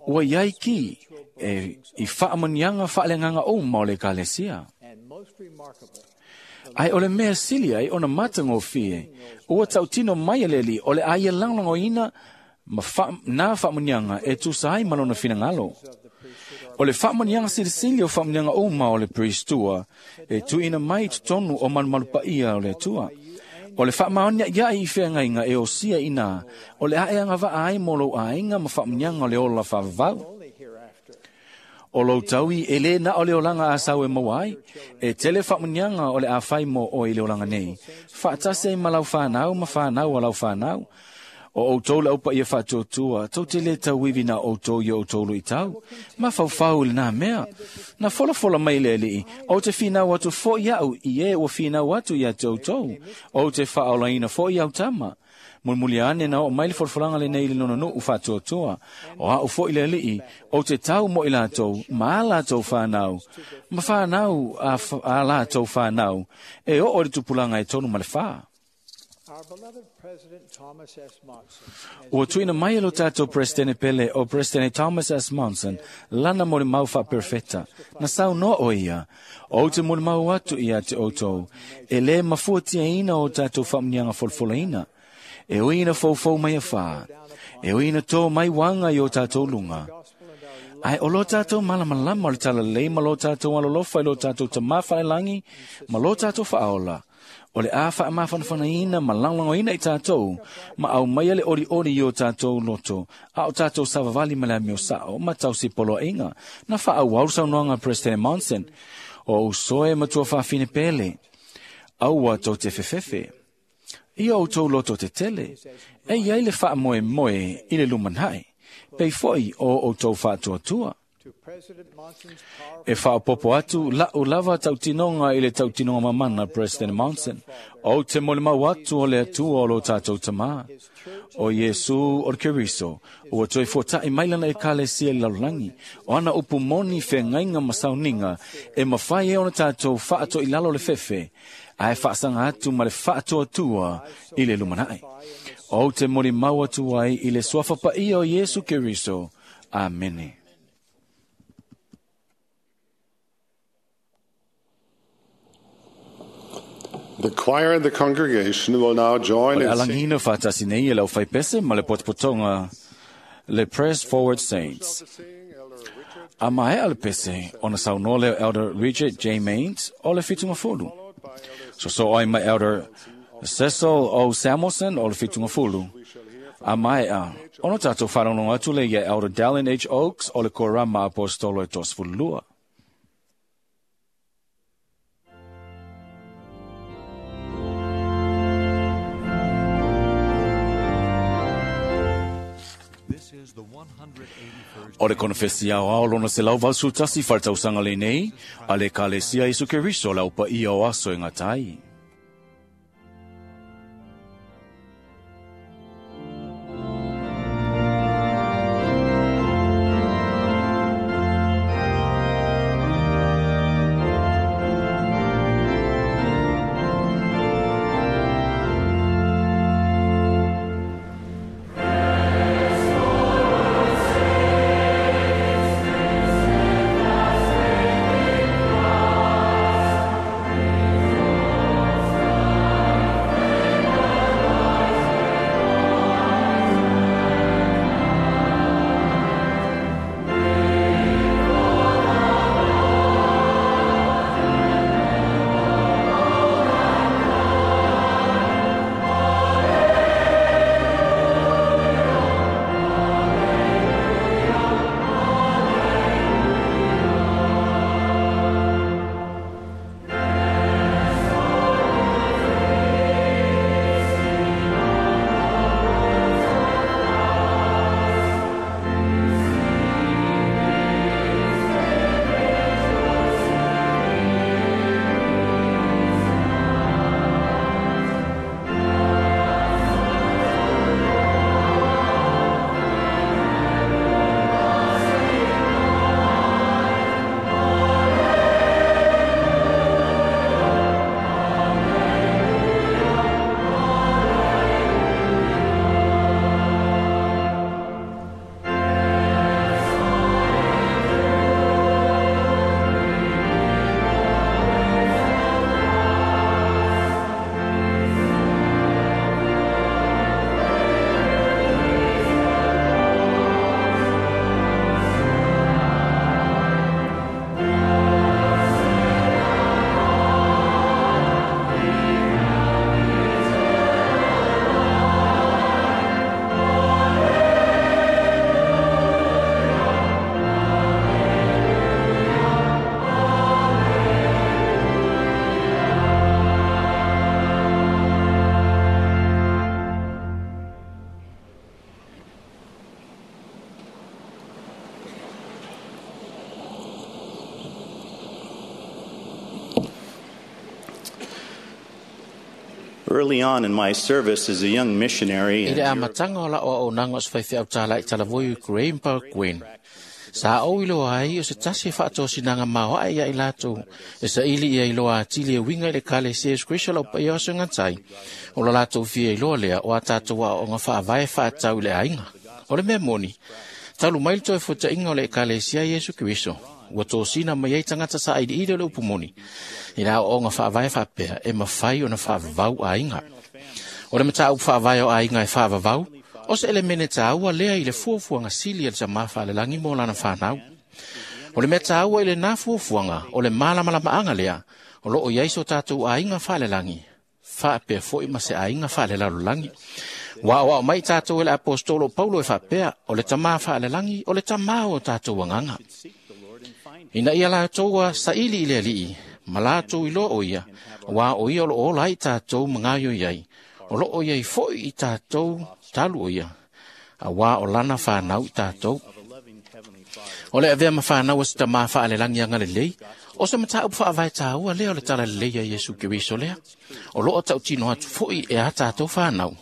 ua iai ki e i faamanuiaga faaleagaga uma o le Ekalesia. Ae o le mea sili ai ona matagofie, ua tautino mai e le Alii o le a ia lagolagoina ma fa, na faamanuiaga e tusa ai ma lona finagalo. O le faamanuiaga silisili o faamanuiaga uma o le Peristua, e tuuina mai i totonu o malumalu paia o le Atua. O le faamaonia'ia'i i feagaiga e osia inā, o le a e agavaa ai mo lou aiga ma faamanuiaga o le ola faavavau. O lou taui e lē na o le olaga asau e maua ai, e tele faamanuiaga o le a fai mo oe i le olaga nei, faatasi ai ma lau fanau ma fanau a lau fanau. O outou le aupaia faatuatua, tou te lē tauivi na outou i outou luitau. Ma faufau i lenā mea. Na folafola mai le Alii, ou te finau atu foi au i e ua finau atu ia te outou. Ou te faaolaina foi au tama. Mulimuli ane na oo mai le folafolaga lenei i le lona nuu faatuatua. O au foi le Alii, ou te tau mo i latou, ma a latou fanau, ma fanau a latou fanau, e oo i le tupulaga e tolu ma le fā. Ua tuuina mai e lo tatou Peresetene pele o Peresetene Thomas S. Monson, lana molimau faaperofeta. Na saunoa o ia, ou te molimau atu ia te outou, e lē mafuatiaina o tatou faamanuiaga folafolaina. E ui ina foufou mai afā, e ui ina tō mai wanga i o tātou lunga. Ai o lo tātou malamalama o le talalei ma lo tātou alolofa i lo tātou tamā whaelangi ma lo tātou whaola. O le a whaamawhanawhanaina ma langlangoina i tātou, ma au mai le ori ori i o tātou loto, a o tātou savavali ma le amio sao, ma tau si poloinga, na wha au au saunoanga President Monson, o usoe matua whawhine pele, aua tau te fefefe. I au tau loto te tele, e iai le wha moe moe i le lumanhai, pei foi o o tau whaatuatua. E whaopopo atu lau lava tautinonga i le tautinonga mamana President Monson, o te mole mau atu o le atua o lo tātou tamā. O Iesu o le Keriso, ua toi fōta'i mailana e kalesia i lalolagi, o ana upu moni whengainga masauninga, e mawhai e ona tātou whaato i lalo le fefe, ae whaasanga atu ma le whaatuatua i le lumanai. O te mole mau atu ai i le suafapaia o Iesu Keriso. Amene. The choir and the congregation will now join in singing. Alangina whātasi nei e lau whaipese ma le potopotonga le Press Forward Saints. A maea le pese ona saunoa leo Elder Richard J. Maines o le whitunga fulu. So so ai mai Elder Cecil O. Samuelson o le whitunga fulu. A maea ona tātou wharongo atu le ia Elder Dallin H. Oaks o le Korama Apostolo e tosfulua. O le konofesi ao ao lona se lau valsu tasi whartausanga le nei, a le kalesia Isu Keriso lau pa ia o aso e ngā tai. Early on in my service as a young missionary I le amatanga o la'o auaunaga o se faifeau tāla'i talavoi Ukraine pa Gwen. Sa ou iloa ai o se tasi e faatosinaga maoaʻe ia i latou e saili ia iloa atili e uiga i le kalesia Iesu Keriso lau paia o segatai. O lo latou fia iloa lea o a tatou aoaoga faavae faatatau i le aiga. O le mea moni, talu mai le toe fuataʻiga o le ekalesia Iesu Keriso, ua tosina mai ai tagata saʻailiʻili o le upu moni. I le aoaoga faavae faapea e mafai ona faavavau aiga. O le mataupu faavae o aiga e faavavau, o se elemene taua lea i le fuafuaga sili a le Tamā Faalelagi mo lana fanau. O le mea taua i lenā fuafuaga, o le malamalamaaga lea, o loo i ai so tatou aiga faalelagi, faapea foi ma se aiga faalelalolagi. Ua aoao mai tatou e le Aposetolo o Paulo e faapea, o le Tamā faalelagi, o le Tamā o tatou agaga. Ina ia latou saili i le Alii, ma latou iloa o ia, auā o ia o loo ola ai tatou ma gaoioi ai, o loo i ai foi i tatou talu o ia, auā o lana fanau i tatou. O le avea ma fanau a se Tamā faalelagi agalelei, o se mataupu faavae taua lea o le talalelei a Iesu Keriso lea. O loo tautino atu foi e a tatou fanau.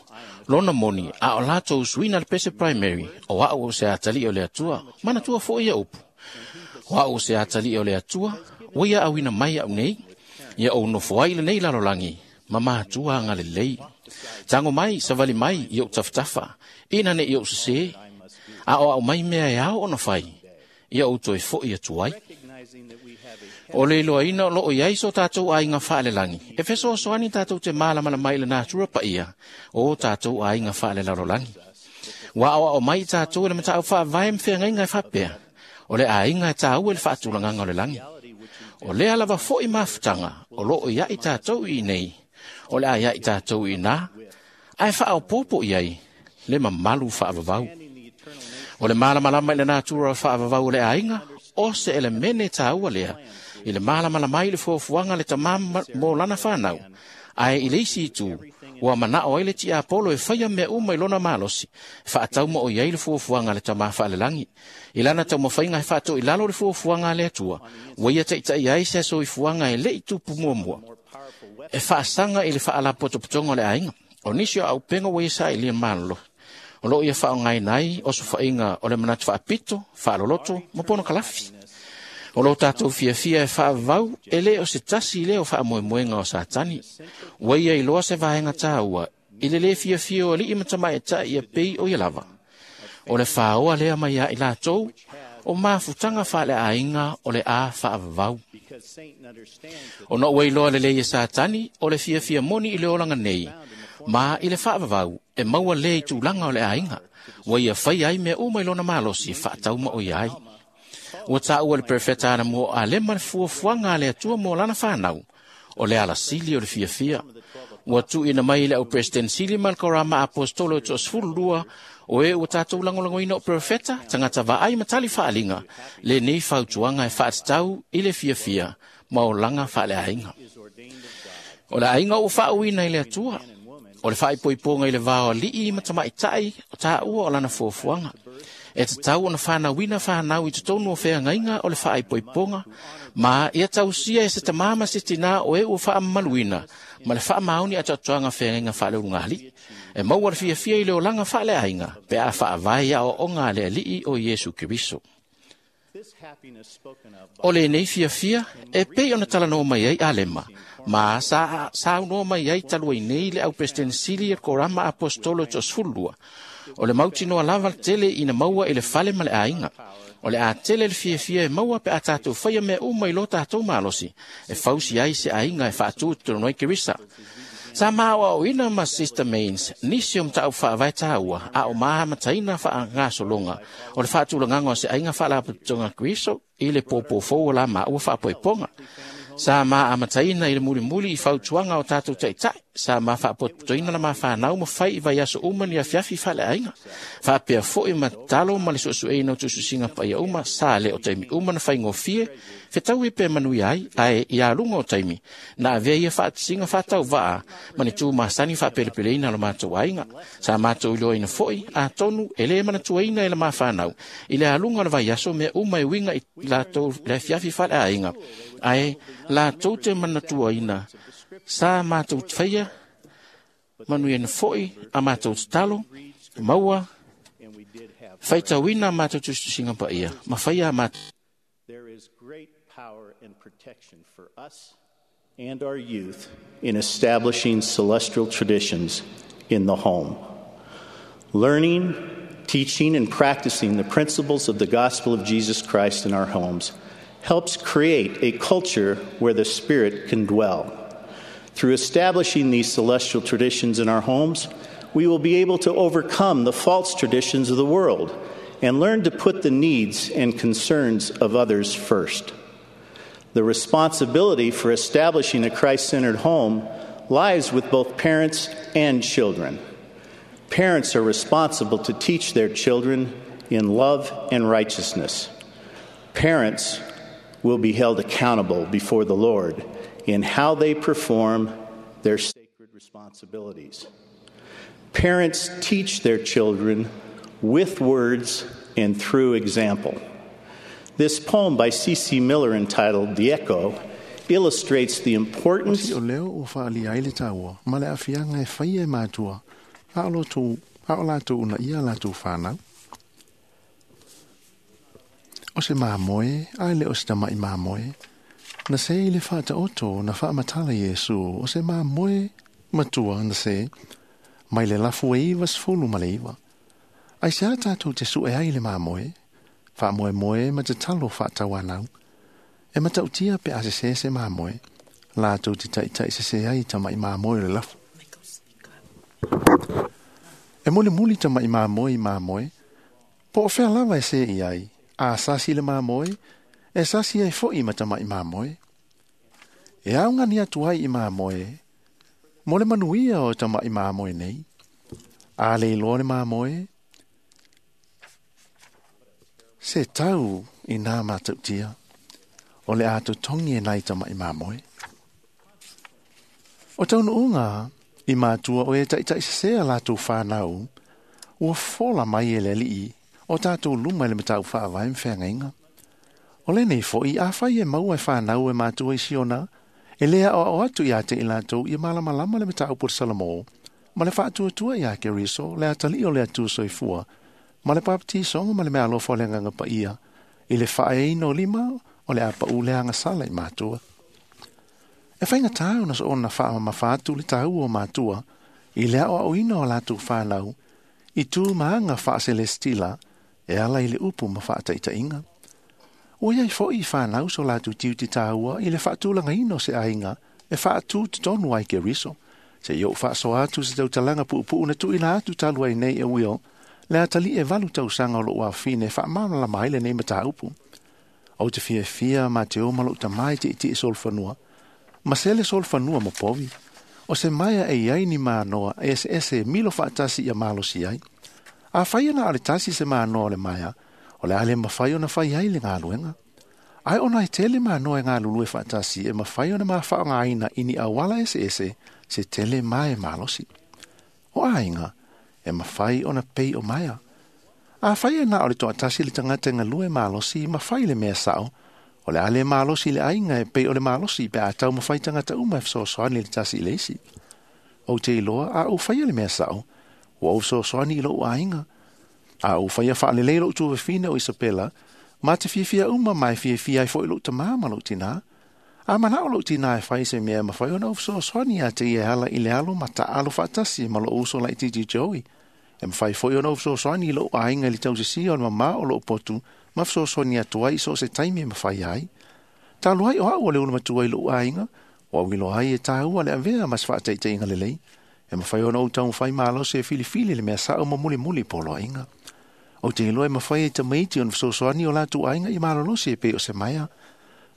Lona moni, a o latou suina le pese primary, o au o se atalii o le Atua, manatua foi ia upu. O au o se atalii o le Atua, ua ia auina mai au nei, ia ou nofo ai lenei lalolagi, ma matua agalelei. Tago mai, savali mai, i ou tafatafa, ina ne i ou sesē, a o au mai mea e ao ona fai, ia ou toe foi atu ai. O le iloaina o loo i ai so tatou aiga faalelagi, e fesoasoani tatou te malamalama i le natura paia o tatou aiga faalelalolagi. Ua aoao mai tatou e le mataupu faavae ma feagaiga e faapea, o le aiga e taua i le faatulagaga o le lagi. O lea lava foi mafutaga o loo iai tatou i nei, o le a iai tatou i ina, ae faaopoopo i ai le mamalu faavavau. O le malamalama i le natura faavavau o le aiga, o se elemene taua lea, i le malamalama i le fuafuaga le Tamā mo lana fanau. Ae i le isi itu, ua manao ai le tiapolo e faia mea uma i lona malosi, e faatauma o i ai le fuafuaga a le Tamā faalelagi. I lana taumafaiga e faatoilalo le fuafuaga a le Atua, ua ia taitai ai se soifuaga e le i tupu muamua. E faasaga i le faalapotopotoga o le aiga. O nisi o auupega ua ia sailia malolo, o loo ia faaaogaina ai osofaiga o le manatu faapito, faaloloto ma ponokalafi. O lo tatou fiafia e faavavau e le o se tasi lea o faamoemoega o Satani. Ua ia iloa se vaega taua i le lē fiafia o alii ma tamaitai ia pei o ia lava. O le faoa lea mai ia i latou o mafutaga faaleaiga o le a faavavau. Ona ua iloa lelei e Satani o le fiafia moni i le olaga nei, ma i le faavavau e maua lē i tulaga o le aiga, ua ia faia ai mea uma i lona malosi e faatauma o ia ai. Ua taua le perfeta anamua o Alema le fuafuaga a le Atua mo lana fanau, o le alasili o le fiafia. Ua tuuina mai i le au President sili ma le Korama Apostolo e 12 o e ua tatou lagolagoina o profeta, tagata vaai ma tali faaliga, lenei fautuaga e faatatau i le fiafia ma olaga faaleaiga. O le aiga ua faauuina i le Atua, o le faaipoipoga i le va o alii ma tamaitai o taua o lana fuafuaga. E tatau ona fanauina fanau i totonu o feagaiga o le faaipoipoga, ma ia tausia e se tamā ma se tinā o e ua faamamaluina ma le faamaoni atoatoaga feagaiga faaleulugalii. E maua le fiafia i le olaga faaleaiga pe a faavae i aoaoga a le Alii o Iesu Keriso. O lenei fiafia e pei ona talanoa mai ai Alema, ma sa saunoa mai ai talu ai nei le au President sili e le Korama Apostolo e 12, o le mautinoa lava tele ina maua i le fale ma le aiga. O le a tele le fiafia e maua pe a tatou faia mea uma i lo tatou malosi, e fausi ai se aiga e faatu i totonu ai Kerisa. Sa maaoaoina ma Sister Mains, nisi o mataupu faavae taua, a o maamataina faagasologa o le faatulagaga o se aiga faalapotopotoga Keriso i le pōpō fou o la maua faapoipoga. Sa maamataina i le mulimuli i fautuaga o tatou taitai, sa ma faapotopotoina la mafanau ma fai i vaiaso uma ni afiafi faaleaiga. Faapea foi ma tatalo ma le suesueina o tusitusiga paia uma, sa le o taimi uma na faigofie, fetaui pe manuia ai, ae ia luga o taimi, na avea ia faatasiga faatauvaa ma ni tu masani faapelepeleina lo matou aiga. Sa matou iloaina foi, atonu e lē manatuaina e le mafanau, i le aluga o le vaiaso mea uma e uiga i latou le afiafi faaleaiga, ae latou te manatuaina sa matou faia manuiaina foi a matou tatalo, maua faitauina a matou tusitusiga paia, ma faia a matou. There is great power and protection for us and our youth in establishing celestial traditions in the home. Learning, teaching, and practicing the principles of the gospel of Jesus Christ in our homes helps create a culture where the Spirit can dwell. Through establishing these celestial traditions in our homes, we will be able to overcome the false traditions of the world and learn to put the needs and concerns of others first. The responsibility for establishing a Christ centered home lies with both parents and children. Parents are responsible to teach their children in love and righteousness. Parents will be held accountable before the Lord in how they perform their sacred responsibilities. Parents teach their children with words and through example. This poem by C.C. Miller entitled The Echo illustrates the importance O leo o whaali ai le taua, ma le afianga e whai e mātua, a o lātou una ia lātou whānau. O se māmoe, ai le o se tamai māmoe, na se i le whaata oto na whaamatala Iesu, o se māmoe matua na se, mai le lafu e iwa sfulu ma le iwa. Ai se a tātou te su e ai le māmoe, whaamoe moe ma te talo whaatawanau, e matautia pe a se se se māmoe, lātou te taitai se se ai tamai māmoe le lafu. E mole muli tamai māmoe i māmoe, po o whea lava e se i ai, a sasi le māmoe, e sasi ai fo i matamai māmoe. E au ngani atu ai i māmoe, mo le manuia o tamai māmoe nei. A le iloa le māmoe, se tau i nā matautia, o le atu tongi e nai tamai māmoe. O taunu unga, i mātua o e taitai sesea lātou whānau, ua fola mai e le alii, o tātou luma i le matau whaavai mwheangainga. O le nei fo i a whai e maua e whānau e mātua i siona, e lea o o atu i a te i lātou i malamalama le matau por Salamo, ma le whaatuatua i a Keriso, le atali o le atu soifua, ma le papatisonga ma le mea alofa o le nganga pa ia, i le whaeino lima o le apa u le angasala i mātua. E whainga tāu na so ona wha mawhātu le tāu o mātua, i lea o auina o lātou whānau, i tū maanga wha celestila, e ala i le upu ma whaataitainga. O iai fo i whānau so lātou tiu te tāua i le whaatulanga ino se ainga, e whaatu te tonu ai ke riso. Se i o whaaso atu se tautalanga puupuu na tuina atu talu ai nei e wio, le atali e valu tausanga o lo wawhine whaamana la mai le nei mataupu. O te fia fia ma te o malo tamai te iti e solfanua. Ma se le solfanua mo povi. O se maia e iai ni mānoa e ese ese milo whaatasi ia malosi ai. A whai ana ale tasi se mānoa le maia, o le ale mawhai ona whai ai le ngā luenga. Ai ona e tele mānoa e ngā lulu e whaatasi e mawhai ona mā whaonga aina ini awala ese ese se tele mae malosi. O ainga, e mawhai ona pei o maia. A whai ana o le toatasi le tangata ngā lue malosi mawhai le mea sao, o le ale malosi le ainga e pei o le malosi pe a tau mawhai tangata uma e whasoasoani le tasi i leisi. O te iloa a o whai le mea sao, o au whasoasoani i lou ainga. A o whaia whaalelei lou tuwawhina o Isabela, ma te fiafia uma mai fiafia ai fo i lou tamā ma lou tina. A mana o lou tina e whai se mea mawhai ona o whasoasoani a te ia hala i le alo ma ta alo whaatasi ma lou uso lai titi Joey. E mwhai fo i ona o whasoasoani i lou ainga i le tausisi o mama o lou potu, ma whasoasoani atu ai so se taimi e mwhai ai. Tālu ai o au o le una matua i lou ainga, o au ilo ai e tāua le avea mas whaataiteinga lelei. E mwhai ona o tau mwhai malo se filifili le mea sao ma muli muli polo ainga. O te iloa e mawhai e tamaiti o whasoasoani o lātou ainga i malolosi e pe o se maia.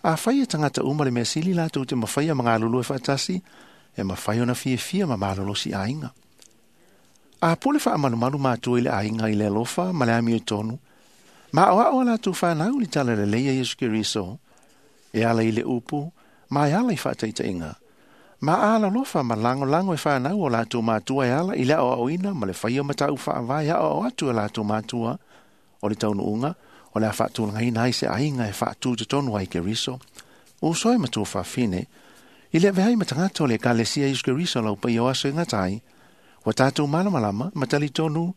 A whai e tangata uma le mea sili lātou te mawhai a mangalulu e whaatasi, e mawhai ona fiafia ma malolosi ainga. A pole wha amalumalu mātua i le ainga i le alofa ma le ami o tonu. Ma o ao lātou whanau li tala le leia Yesu Keriso. E ala i le upu, ma e ala i whaataitainga. Ma ala lofa ma lango lango e whanau o lātou mātua e ala i le ao aoina ma le whaia matau whaavai a o atu e lātou mātua. O le taunu unga, o le a whaatulanga ina ai se ainga e whaatu te tonu ai Keriso. O soe matua whawhine, i le vehai matangato le kalesia Yesu Keriso lau pai o aso e ngatai, wa tātou malamalama, matali tonu,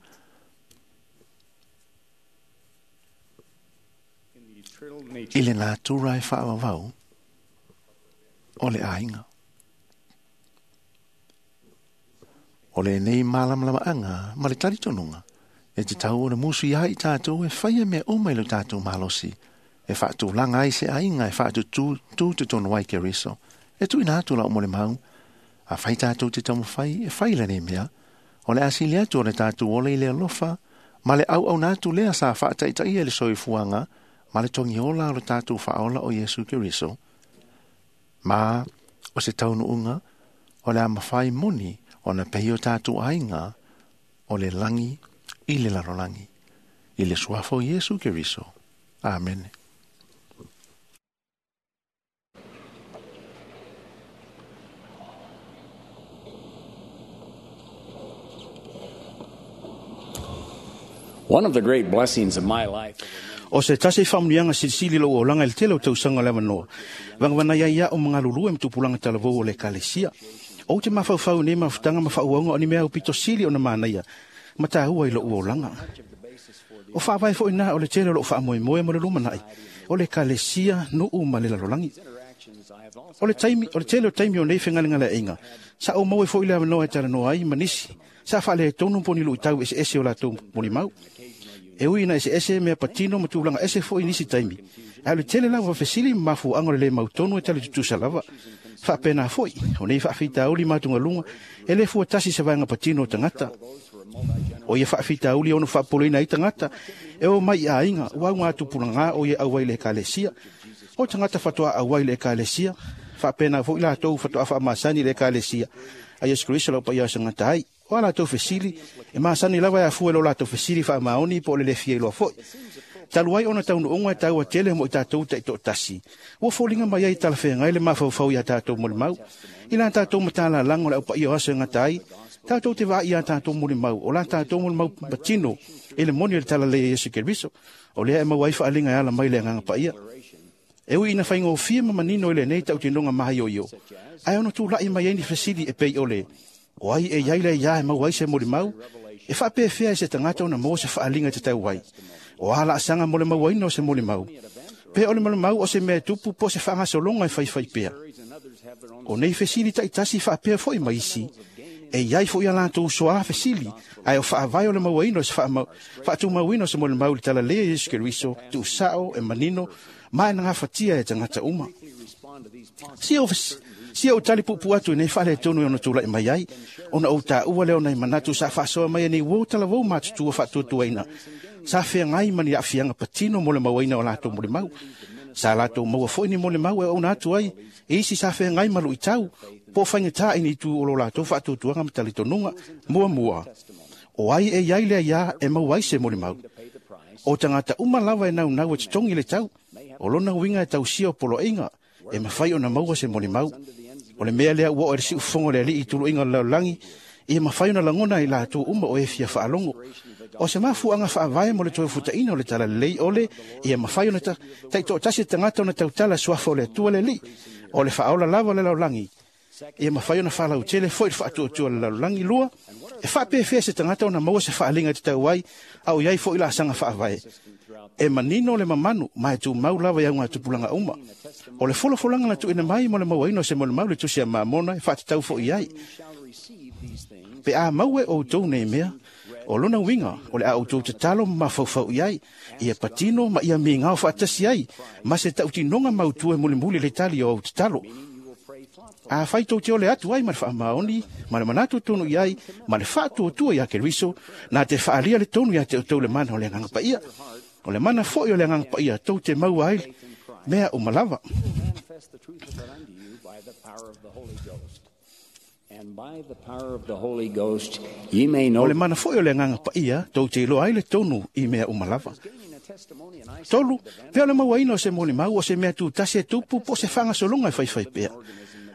i le nātura e whaawawau o le ainga. O le nei malamalama anga ma le talitonunga, e te tau o le musu i ai tātou e whaia mea o mai lo tātou malosi, e whaatulanga ai se ainga e whaatu tū te tonu ai Keriso, e tuina atu la o mo le mau, Afai tātou te taumafai e fai lenei mea, o le asili atu o le tātou ola i le alofa, ma le auauna atu lea sa faataitaia le soifuaga ma le togiola o le tātou faaola o Iesu Keriso. Ma o se taunuuga, o le a mafai moni ona pei o tātou aiga o le lagi i le lalolagi. I le suafa o Iesu Keriso. Amene. One of the great blessings of my life. O se tasi faamanuiaga silisili lou olaga i le tele o tausaga o le avanoa, vagavana ai ia o magalulue ma tupulaga talavou o le ekalesia. Ou te mafaufau nei mafutaga ma faauauga o ni mea aupito sili ona manaia ma tāua i lou olaga. O faavae foi na o le tele o lou faamoemoe mo le lumanai, o le ekalesia nuu ma le lalolagi. O le taimi, o le tele o taimi o nei fegalegaleaiga, sa ou maua foi le avanoa e talanoa ai ma nisi, sa faaletonu po o ni luitau eseese o latou molimau. E ui ina eseese mea patino ma tulaga ese foi i nisi taimi, ae o le tele lava o fesili ma mafuaaga o le lē mautonu e tali tutusa lava. Faapena foi, o nei faafitauli ma atugaluga e lē fuatasi se vaega patino o tagata. O ia faafitauli e ono faapupoluina ai tagata e o mai i aiga ua augatupulagā o ia auai i le ekalesia. O tagata faatoa auai i le ekalesia, faapena foi latou faatoa faamasani i le ekalesia a Iesu Keriso lau paia o se gata ai. O a latou fesili, e masani lava e afua i lo latou fesili faamaoni po o le le fia iloa foi. Talu ai ona taunuuga e taua tele mo i tatou taitoatasi, ua foliga mai ai talafeagai le mafaufau iā tatou molimau. I la tatou matalalaga o le aupaia o aso e gata ai, tatou te vaai iā tatou molimau, o la tatou molimau patino i le moni o le talalelei a Iesu Keriso, o lea e maua ai faaaliga e ala mai le Agaga Paia. E ui ina faigofie ma manino i lenei tautinoga maioio, ae ono tula'i mai ai ni fesili e pei o le, o ai e iai le iā e maua ai se molimau, e faapefea e se tagata ona maua se faaaliga e tatau ai, o a laasaga mo le mauaina o se molimau, pe o le molimau o se mea e tupu po o se faagasologa e faifai pea. O nei fesili taitasi faapea foi ma isi, e iai foi a latou soā fesili, ae o faavae o le mauaina o se faatumauina o se molimau i le talalelei a Iesu Keriso, tuusao e manino, ma e nagafatia e tagata uma. Sia ou tali puupuu atu i nei faaletonu e ono tula'i mai ai, ona ou taua lea o nai manatu sa faasoa mai e nei uō talavou matutua faatuatuaina, sa feagai ma ni aafiaga patino mo le mauaina o latou molimau. Sa latou maua foi ni molimau e auauna atu ai e isi sa feagai ma luitau po o faigatā i ni itu o lo latou faatuatuaga ma talitonuga. Muamua, o ai e iai le aiā e maua ai se molimau? O tagata uma lava e naunau e totogi le tau, o lona uiga e tausia o poloaiga, e mafai ona maua se molimau. O le mea lea ua oo i le siufofoga o le Alii i tuluiga o le lalolagi, ia mafai ona lagona i latou uma o e fia faalogo. O se mafuaaga faavae mo le toe futaiga o le talalelei o le, ia mafai ona taitoatasi le tagata ona tautala suafa o le Atua le Alii, o le faaola lava o le lalolagi, ia mafai ona faalautele foi le faatuatua o le lalolagi. Lua, e faapefea se tagata ona maua se faaaliga e tatau ai, a o iai foi laasaga faavae? E manino le mamanu ma e tumau lava i augatupulaga uma. O le folafolaga na tuuina mai mo le mauaina o se molimau le tusi a Mamona e faatatau foi ai. Pe a maua e outou nei mea, o lona uiga o le a outou tatalo ma mafaufau i ai, ia patino ma ia migao faatasi ai, ma se tautinoga mautu e mulimuli le tali o au tatalo. Afai tou te ole atu ai ma le faamaoni, ma le manatu tonu i ai, ma le faatuatua iā Keriso, na te faaalia le tonu iā te outou le mana o le Agaga Paia. O le mana foi o le Agaga Paia tou te maua ai mea uma lava. O le mana foi o le Agaga Paia tou te iloa ai le tonu i mea uma lava. Tolu, pe o le mauaina o se molimau o se mea tutasi e tupu po o se faagasologa e faifai pea.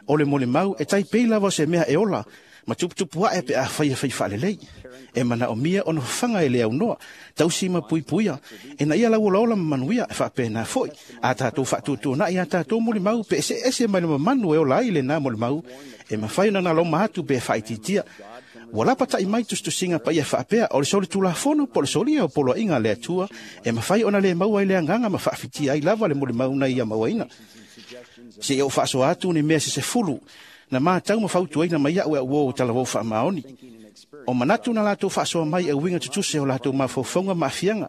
O le molimau e taipei lava o se mea e ola, ma tuputupu ae pe afai e fai faalelei. E manaomia ona fafaga e le aunoa, tausi ma puipuia, ina ia lauolaola ma manuia e faapena foi. A tatou faatuatuanai a tatou molimau pe eseese mai le mamanu e ola ai lenā molimau, e mafai ona naloma atu pe faaitiitia. Ua lapata'i mai tusitusiga paia faapea o le solitulafono po o le solia o poloaiga a le Atua e mafai ona lē maua ai le agaga ma faafitia ai lava le molimau na ia mauaina. Seia ou faasoa atu ni mea se 10 na matau ma fautuaina mai a'u e a'u uō talavou faamaoni. O manatu na latou faasoa mai e uiga tutuse o latou mafaufauga ma aafiaga,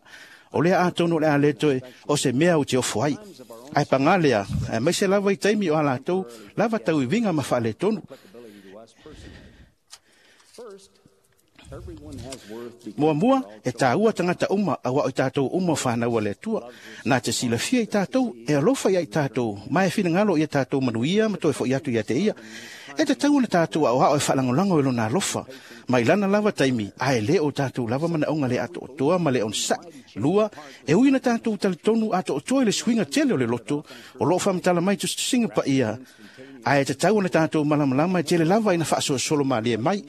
o lea atonu o le a lē toe o se mea ou te ofo ai. Ae pagā lea, aemaise lava i taimi o a latou lava tauiviga ma faaletonu. Muamua, e tāua tagata uma auā o i tatou uma o fanau a le Atua. Na te silafia i tatou, e alofa ia i tatou, ma e finagalo ia tatou manuia ma toe foʻi atu ia te ia. E tatau ona tatou aoao e faalagolago i lona alofa, mai lana lava taimi, ae lē o tatou lava manaoga le atoatoa ma le onosaʻi. Lua, e ui na tatou talitonu atoatoa i le suiga tele o le loto, o loo faamatala mai tusitusiga paia, ae tatau ona tatou malamalama e tele lava ina faasolosolo malie mai.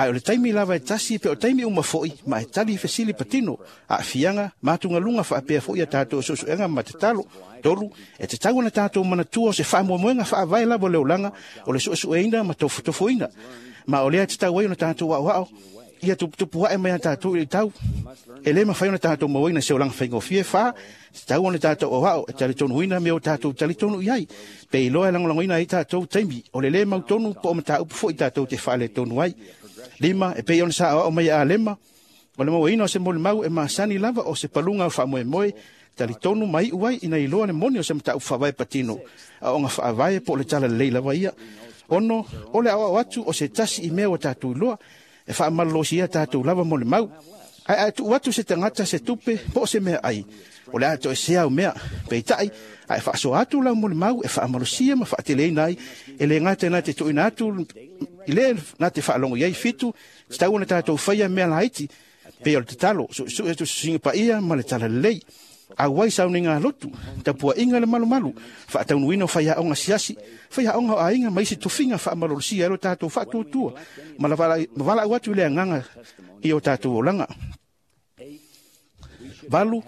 Ae o le taimi lava e tasi pe o taimi uma foʻi ma e tali fesili patino, aafiaga ma atugaluga faapea foʻi a tatou suesuega ma tatalo. Tolu, e tatau ona tatou manatua o se faamoemoega faavae lava o le olaga o le suesueina ma tofotofoina. Ma o lea e tatau ai ona tatou aoao ia tuputupu ae mai a tatou i le tau. E lē mafai ona tatou mauaina se olaga faigofie. Fa, tatau ona tatou aoao e talitonuina mea o tatou talitonu i ai. Pe iloa e lagolagoina ai tatou taimi o le lē mautonu po o mataupu foʻi tatou te faaletonu ai. Lima, e pei ona sa aoao mai a Alema, o le mauaina o se molimau e masani lava o se paluga o faamoemoe, talitonu ma iu ai ina iloa le moni o se mataupu faavae patino, aoga faavae po o le talalelei lava ia. Ono, o le aoao atu o se tasi i mea ua tatou iloa, e faamalolosia tatou lava molimau. Ae ae tuu atu se tagata se tupe po o se mea ai, o le a toesea au mea. Peitai, ae faasoa atu lau molimau e faamalosia ma faateleina ai, e lē gata na te tuuina atu i le na te faalogo i ai. Fitu, tatau ona tatou faia mea laiti, pei o le tatalo, suesue tusitusiga paia ma le talalelei. Auai sauniga lotu, tapuaʻiga le malumalu, faataunuina o faiaoga siasi, faiaoga o aiga ma isi tofiga faamalolosia ai lo tatou faatuatua, ma valaau atu i le agaga i o tatou olaga. Valu,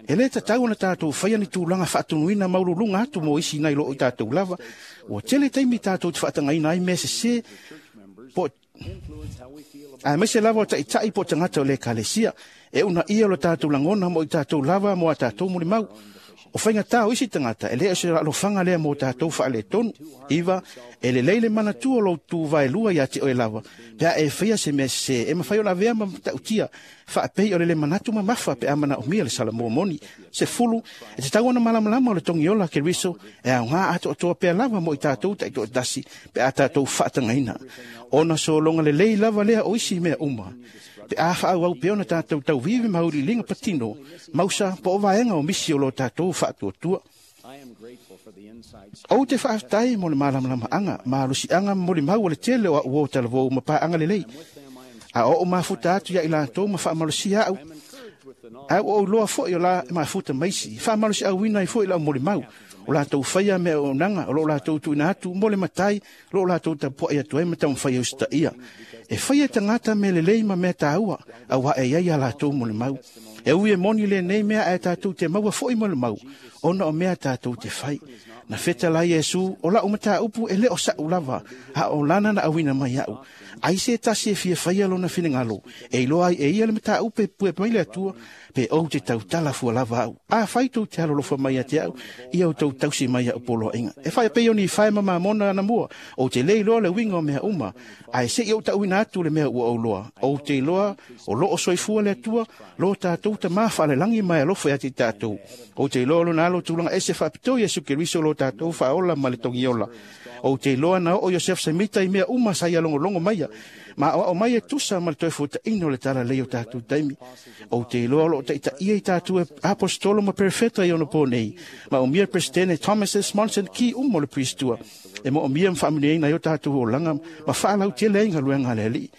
e lē tatau ona tatou faia ni tulaga faatunuina maululuga atu mo isi nai loo i tatou lava. Ua tele taimi tatou te faatagaina ai mea sesē po aemaise lava o taʻitaʻi po o tagata o le ekalesia. E uunaia o lo tatou lagona mo i tatou lava mo a tatou molimau. O faigatā o isi tagata e lē o se alofaga lea mo tatou faaletonu. Iva, e lelei le manatua o lou tuvaelua iā te oe lava, pe a e faia se mea sesē e mafai ona avea ma matautia faapei o le lē manatu mamafa pe a manaomia le salamua moni. 10, e tatau ona malamalama o le togiola Keriso e aogā atoatoa pea lava mo i tatou taitoatasi pe a tatou faatagaina. Ona sologa lelei lava lea o isi mea uma. Pe a faaauau pea ona tatou tauvivi ma auiliiliga patino, mausa po o vaega o misi o lo tatou faatuatua. Ou te faafetai mo le malamalamaaga, malosiaga ma molimau o le tele o au uo talavou ma paaga lelei. A oo mafuta atu ia i latou ma faamalosia au, ae ua ou iloa foʻi o la e mafuta maisi, faamalosiauina ai foʻi lau molimau, o latou faia mea auaunaga o loo latou tuuina atu mo le matai, o loo latou tapuaʻi atu ai ma taumafai e usitaia. E faia e tagata mea lelei ma mea tāua, auā e iai a latou molimau. E ui e moni lenei mea ae tatou te maua foʻi molimau, ona o mea tatou te fai. Na feta la Iesu, o lau mataupu e lē o saʻu lava, a o lana na auina mai aʻu. Ai se tasi e fia faia lona finagalo, e iloa ai e ia le mataupu e pue mai le Atua, pe ou te tautala fua lava au. Afai tou te alolofa mai ia te au, ia outou tausi mai iaʻu poloaiga. E fai pei o ni fae ma mamona anamua, ou te lē iloa le uiga o mea uma, ae seʻi ou taʻuina atu le mea ua ou loa. Ou te iloa o loo soifua le Atua, lo tatou Tamā faalelagi ma e alofa ia te i tatou. Ou te iloa lona alo tulaga ese faapitoa Iesu Keriso lo tatou faaola ma le togiola. Ou te iloa na oo Iosefo Semita i mea uma sa ia logologo maia, ma aoao mai e tusa ma le toe fuataʻina o le talalei o tatou taimi. Ou te iloa o loo taʻitaʻia i tatou e aposetolo ma perefeta i ona po nei, ma umia le Peresetene Thomas S. Monson ki uma o le Pristua, e moomia ma faamanuiaina ai o tatou olaga ma faalautele ai galuega a le Alii.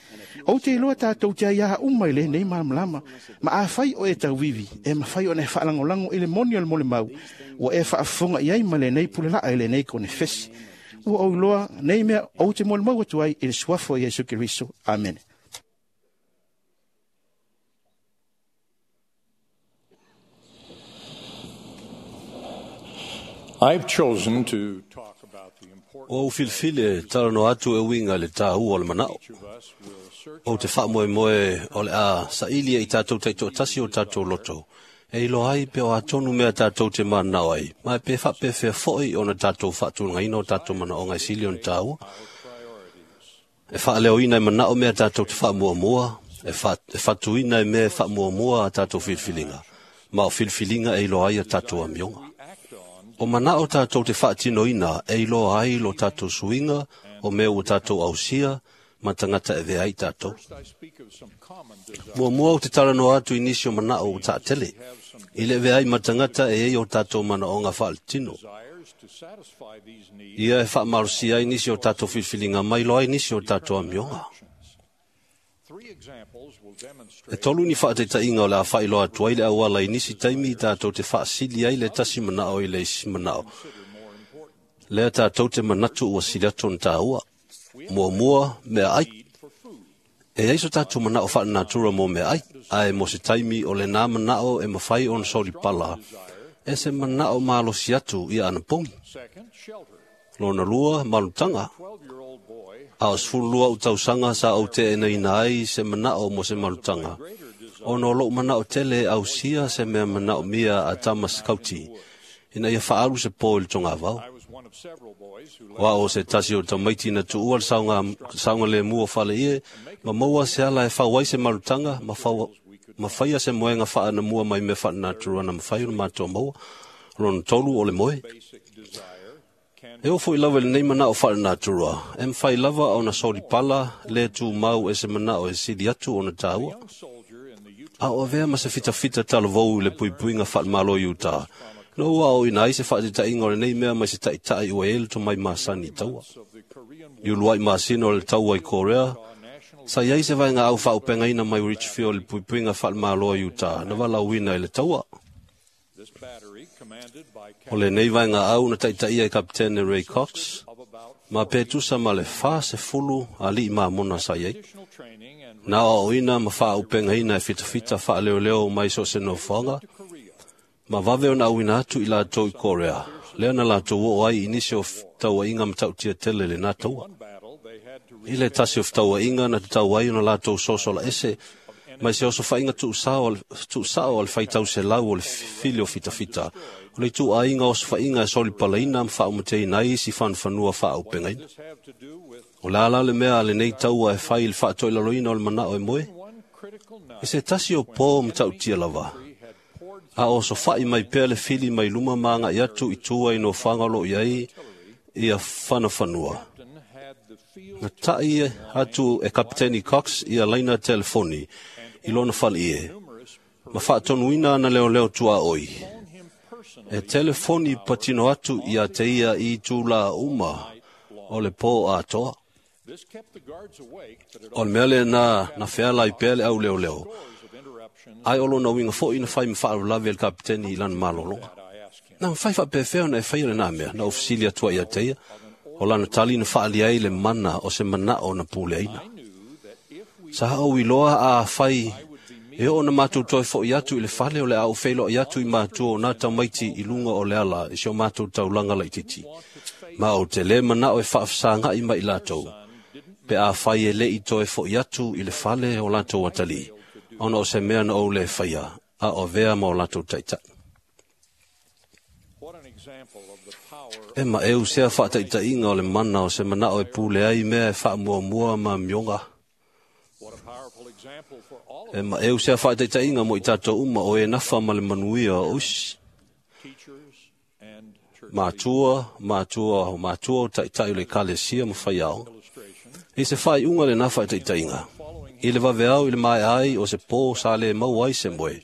Ou te iloa tatou te aiā uma i lenei malamalama, ma afai o e tauivi, e mafai ona e faalagolago i le moni o le molimau, ua e faafofoga i ai ma lenei pulelaa i lenei konefesi. Ua ou iloa nei mea ou te molimau atu ai i le suafa o Iesu Keriso. Amene. I've chosen to talk about the Ua ou filifili e talanoa atu e uiga i le tāua o le manao. Ou te faamoemoe o le a saili e i tatou taitoatasi o tatou loto, e iloa ai pe o atonu mea tatou te mananao ai, ma e pe faapefea foʻi ona tatou faatulagaina o tatou manaoga e sili ona tāua. E faaleoina e manao mea tatou te faamuamua, e, fa, e fatuina e mea e faamuamua a tatou filifiliga, ma o filifiliga e iloa ai a tatou amioga. O manao tatou te faatinoina e iloa ai lo tatou suiga o mea ua tatou ausia, Ma tagata e avea ai tatou. Muamua ou te talanoa atu i nisi o manao ua taatele, i le avea ai ma tagata e i ai o tatou manaoga faaletino. Ia e faamalosia ai nisi o tatou filifiliga ma iloa ai nisi o tatou amioga. E tolu ni faataitaiga o le a faailoa atu ai le auala i nisi taimi tatou te faasili ai le tasi manao i le isi manao, lea tatou te manatu ua sili atu ona taua. Muamua, meaai. E i ai so tatou manao faalenatura mo meaai, ae mo se taimi o lenā manao e mafai ona solipala e se manao malosi atu ia anapogi. Lona lua, malutaga. A o 12 ou tausaga sa ou teenaina ai se manao mo se malutaga, ona o lou manao tele e ausia se mea manaomia a tama sikauti, ina ia faaalu se po i le togavao. O ao o se tasi o tamaiti na tuua le saogalemu o faleie, ma maua se ala e fau ai se malutaga, ma faia se moega faanamua mai mea faalenatura na mafai ona matou maua. Lona tolu o le moe. E oo foi lava i lenei manao faalenatura, e mafai lava ona solipala le tumau e se manao e sili atu ona taua. A o avea ma se fitafita talavou i le puipuiga faalemalo i Utah, na ua aoaoina ai se faataitaiga o lenei mea mai se taitai ua i ai le tomai masani i taua. I uluai masina o le taua i Korea, sa i ai se vaegaau faaaupegaina mai Richfield i le puipuiga faalemalo i Utah na valaauina i le taua. O lenei vaegaau na taitaia e Kapitene Ray Cox, ma pe tusa ma le 40 alii mamona sa i ai. Na aoaoina ma faaaupegaina e fitafita faaleoleo mai so o se nofoaga, ma vave ona auina atu i latou i Korea, lea na latou oo ai i nisi o tauaiga matautia tele i lenā taua. I le tasi o fetauaiga na tatau ai ona latou sosola ese mai se osofaiga tuusao a le faitau selau o le fili o fitafita, o le ituaiga osofaiga e solipalaina ma faaumateina ai isi fanufanua faaaupegaina. O le a la le mea a lenei taua e fai i le faatoilaloina o le manao e moe? I se tasi o po matautia lava, a o osofai mai pea le fili mai luma ma agai atu i tua i nofoaga o lo o i ai ia fanafanua, na tai atu e Kapiteni Cox ia laina telefoni i lona faleie, ma faatonuina ana leoleo tuaoi, e telefoni patino atu ia te ia i itulā uma o le po atoa. O le mea lenā na feala ai pea le au leoleo, ae o lona uiga foi na fai ma faalavelave e le kapiteni i lana malologa. Na mafai faapefea ona e faia lenā mea, na ou fesili atu ai ia te ia, o lana tali na faaali ai le mana o se manao na puleaina. Sa ou iloa a fai e oo ona matou toe foi atu i le fale o le a ou feiloai atu i matua o nā tamaiti i luga o le ala i si o matou taulaga laitiiti, ma ou te lē manao e faafesagai mai i latou, pe a fai e le i toe foi atu i le fale o latou atalii, ona o se mea na ou lē faia, a o avea ma o latou taitai. E maeu sea faataitaiga o le mana o se manao e pule ai mea e faamuamua ma amioga. E maeu sea faataitaiga mo i tatou uma o e nafa ma le manuia o isi. Matua, matua, o matua o taitai o le ekalesia ma faiaoga. I se faaiuga lenā faataitaiga, i le vaveao i le maea ai o se po sa le maua ai se moe,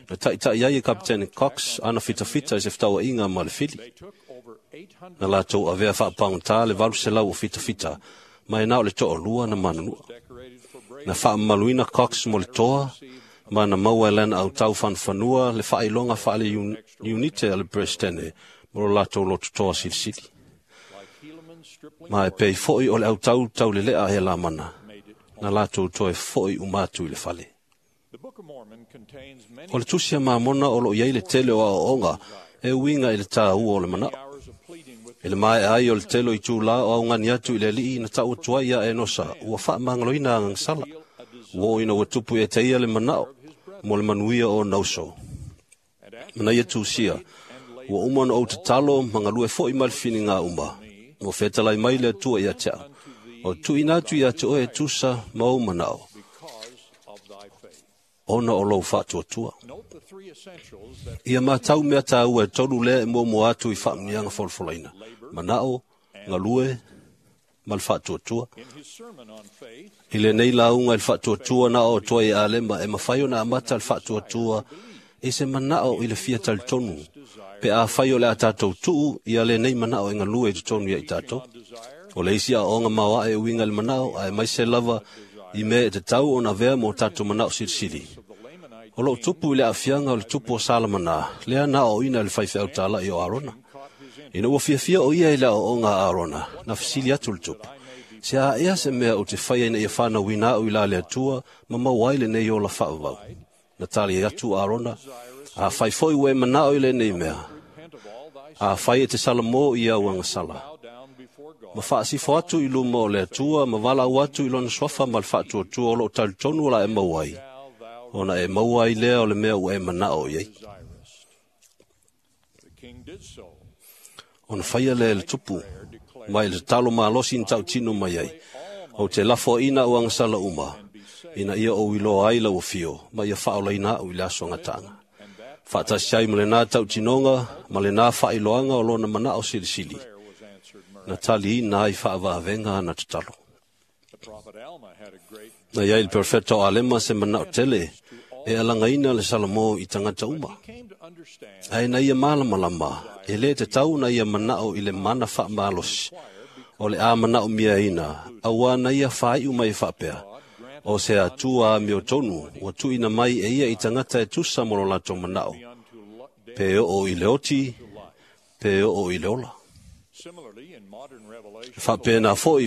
na taitai ai e Kapitene Cox ana fitafita i se fetauaiga ma le fili. Na latou avea faapagota le 800 o fitafita, ma e na o le toalua na manunua. Na faamamaluina Cox mo le toa, ma na maua e lana autau fanufanua le faailoga faale-iunite a le Peresetene mo lo latou lototoa silisili. Ma e pei foi o le autau taulelea e Lamana, na latou toe foi uma atu i le fale. O le tusi a Mamona o lo o i ai le tele o aoaoga e uiga i le taua o le manao. I le maea ai o le tele o itulā o augani atu i le alii na tau atu ai ia Enosa, ua faamagaloina agagasala, ua oo ina ua tupu ia te ia le manao mo le manuia o ona uso. Ma na ia tusia, ua uma ona ou tatalo ma galue foi ma le filiga uma, ua fetalai mai le Atua ia te au, o tuuina atu ia te oe e tusa ma ou manao, ona o lou faatuatua. Ia matau mea taua e tolu lea e muamua atu i faamuniaga folafolaina, manao, galue, ma le faatuatua. I lenei lauga i le faatuatua na o atoa i Alema e mafai ona amata le faatuatua i se manao i le fia talitonu, pe a fai o le a tātou tuu ia lenei manao e galue i totonu ia i tātou. O le isi aoaoga maoae e uiga i le manao, ae maise lava i mea e tatau ona avea mo tātou manao silisili. O loo tupu i le aafiaga o le tupu o Salamana, lea na aoaoina e le faifeau tāla'i o Arona. Ina ua fiafia o ia i le aoaoga a Arona, na fesili atu le tupu, se a ea se mea ou te faia ina ia whanauina au i la le Atua ma maua ai lenei ola faavavau. Na tali atu Arona, a fai foi ua e manao i lenei mea, a fai e te salamo i au agasala. Ma faasifo atu i luma o le Atua, ma valaau atu i lona suafa ma le faatuatua o loo talitonu o la e maua ai, ona e maua ai lea o le mea ua e manao i ai. Ona faia lea e le tupu, mai le tatalo malosi na tautino mai ai, o te lafoaina au agasala uma, ina ia ou iloa ai lau afio, ma ia faaolaina au i le aso gataaga. Faatasi ai ma lena tautinoga, ma lena faailoaga o lona manao silisili, na taliina ai faavaavega ana tatalo. Na iai le perfeta o Alema se manao tele, e alagaina le Salamo i tagata uma. Ae na ia malamalama, e lē tatau na ia manao i le mana faamalosi, o le a manao miaina, auā na ia faaiu mai e faapea, o se Atua amiotonu ua tuuina mai e ia i tagata e tusa mo lo latou manao, pe oo i le oti, pe oo i le ola. E faapena foi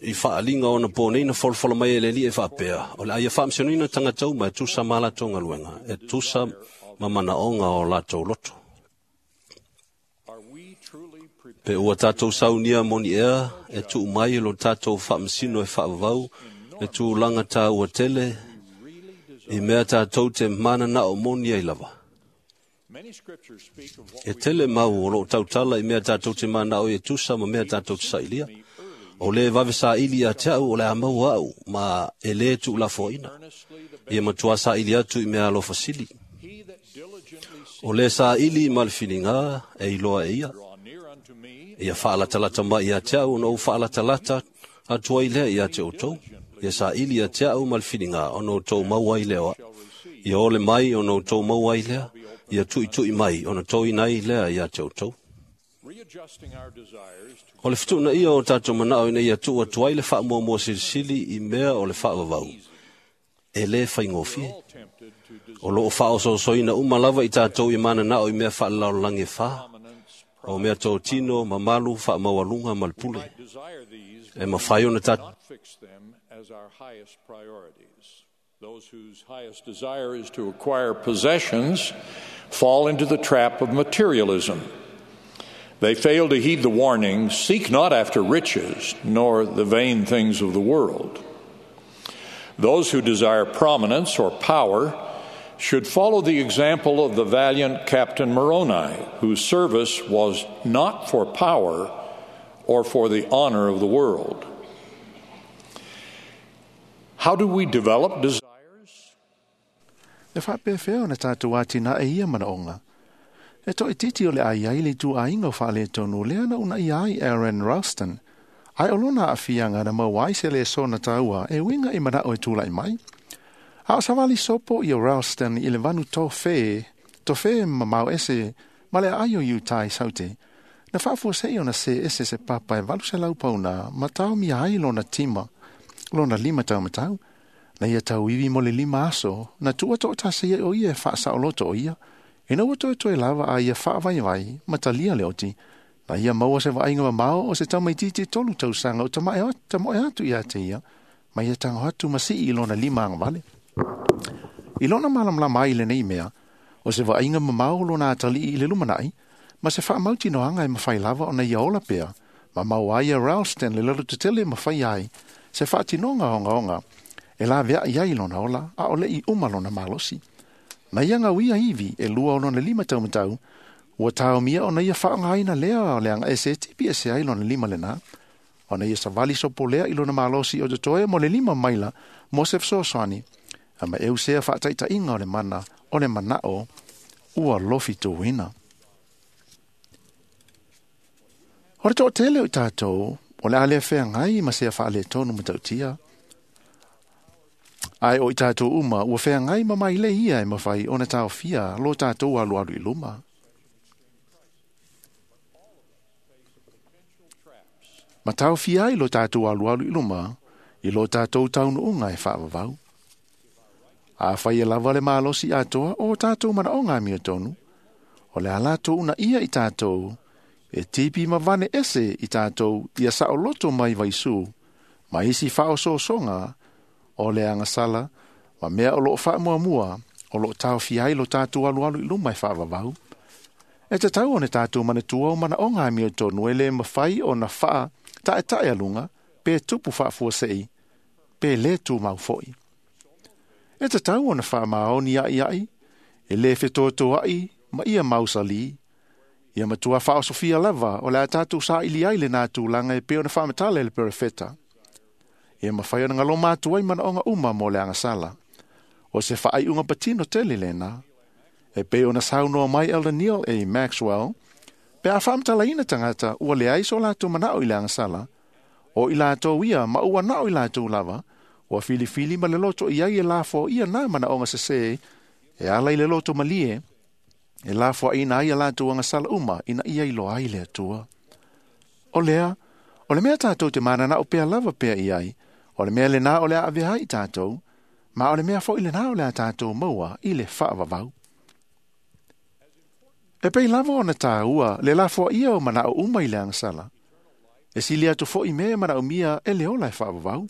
i faaliga ona po nei na folafola mai e le Alii e faapea, o le a ia faamasinoina tagata uma e tusa ma latou galuega, e tusa ma manaoga o latou loto. Pe ua tātou saunia moni ea e tuu mai i lo tātou faamasino e faavavau le tulaga tāua tele i mea tātou te mananao moni ai lava. E tele mau o loo tautala i mea tātou te manao i e tusa ma mea tātou te sailia. O le vave saili ia te au o le a maua au, ma e lē tuulafoaina. Ia matua saili atu i mea alofa sili. O le saili ma le filiga e iloa e ia. Ia faalatalata mai ia te au ona ou faalatalata atu ai lea ia te outou. Ia saili ia te au ma le filiga ona outou maua ai lea o au. Ia ole mai ona outou maua ai lea. Ia tuitui mai ona toina ai lea ia te outou. O le fetuuna ia o tātou manao ina ia tuu atu ai le faamuamua silisili i mea o le faavavau, e lē faigofie. O loo faaosoosoina uma lava i tātou i mananao i mea faalelalolagi e fā, o mea totino, mamalu, faamaualuga ma le pule. E mafai ona tātou Those whose highest desire is to acquire possessions fall into the trap of materialism. They fail to heed the warning, seek not after riches, nor the vain things of the world. Those who desire prominence or power should follow the example of the valiant Captain Moroni, whose service was not for power or for the honor of the world. How do we develop desires? E faapefea ona tātou atina e ia manaoga. E toʻititi o le ai ai le ituaiga o faaletonu lea na unaia ai Aaron Ralston, ae o lona aafiaga na maua ai se lesona taua e uiga i manao e tulaʻi mai. A o savali sopo ia Ralston i le vanu tofē, tofē mamao ese ma le aai o Utah i Saute, na faafuasei ona se ese se papa e 800 pauna ma taomia ai lona tima, lona lima taumatau, na ia tauivi mo le 5 aso, na tuua toʻatasi ai o ia e faasaoloto o ia, ina ua toetoe lava a ia faavaivai ma talia le oti, na ia maua se vaaiga mamao o se tamaitiiti 3 tausaga o tamoe atu ia te ia, ma ia tago atu ma sii i lona lima agavale. I lona malamalama ai lenei mea, o se vaaiga mamao lona atalii i le lumanai, ma se faamautinoaga e mafai lava ona ia ola pea, ma maua ai e Ralston le lalotetele mafai ai, se faatinoga ogaoga, e laveai ai lona ola, a o leʻi uma lona malosi. Na ia gauia ivi e 2 o lona lima taumatau, ua taomia ona ia faaaogaina lea o le agaese e tipi ese ai lona lima lenā. Ona ia savali sopo lea i lona malosi o totoe mo le 5 maila mo se fesoasoani, a ma eusea faataitaiga o le mana o le manao ua lofituina. O le toʻatele o i tātou O le a lea feagai ma sea faaletonu matautia. Ae o i tātou uma, ua feagai ma mailei ia e mafai ona taofia lo tātou alualu i luma. Ma taofia ai lo tātou alualu i luma, i lo tātou taunuuga e faavavau. Afai e lava le malosi atoa o tātou manaoga amiotonu, o le a latou uunaia i tātou, e tipi ma vane ese i tātou ia saoloto mai vaisu, ma isi faaosoosoga o le agasala, ma mea o loo faamuamua, o loo taofia ai lo tātou alualu i luma e faavavau. E tatau ona tātou manatua o manaoga amiotonu e lē mafai ona faa taetae aluga, pe tupu faafuasei, pe lē tumau foʻi. E tatau ona faamaoni aʻiaʻi, e lē fetotoaʻi ma ia mausalī. Ia matua faaosofia lava o le a tātou saili ai lenā tulaga e pei ona faamatala e le perofeta. Ia mafai ona galoma atu ai manaoga uma mo le agasala. O se faaiuga patino tele lena. E pei ona saunoa mai Elder Neal A. Maxwell, pe a faamatalaina tagata ua leai so latou manao i le agasala, o i latou ia ma ua nao i latou lava, ua filifili ma le loto i ai e lafoaia na manaoga sesē, e ala i le loto malie, e lafoaina ai a latou agasala uma ina ia iloa ai le Atua. O lea, o le mea tātou te mananao pea lava pea i ai, o le mea lenā o le a avea ai i tātou, ma o le mea foʻi lenā o le a tātou maua i le faavavau. E pei lava ona tāua le lafoaia o manao uma i le agasala. E sili atu foʻi mea e manaomia e le ola e faavavau.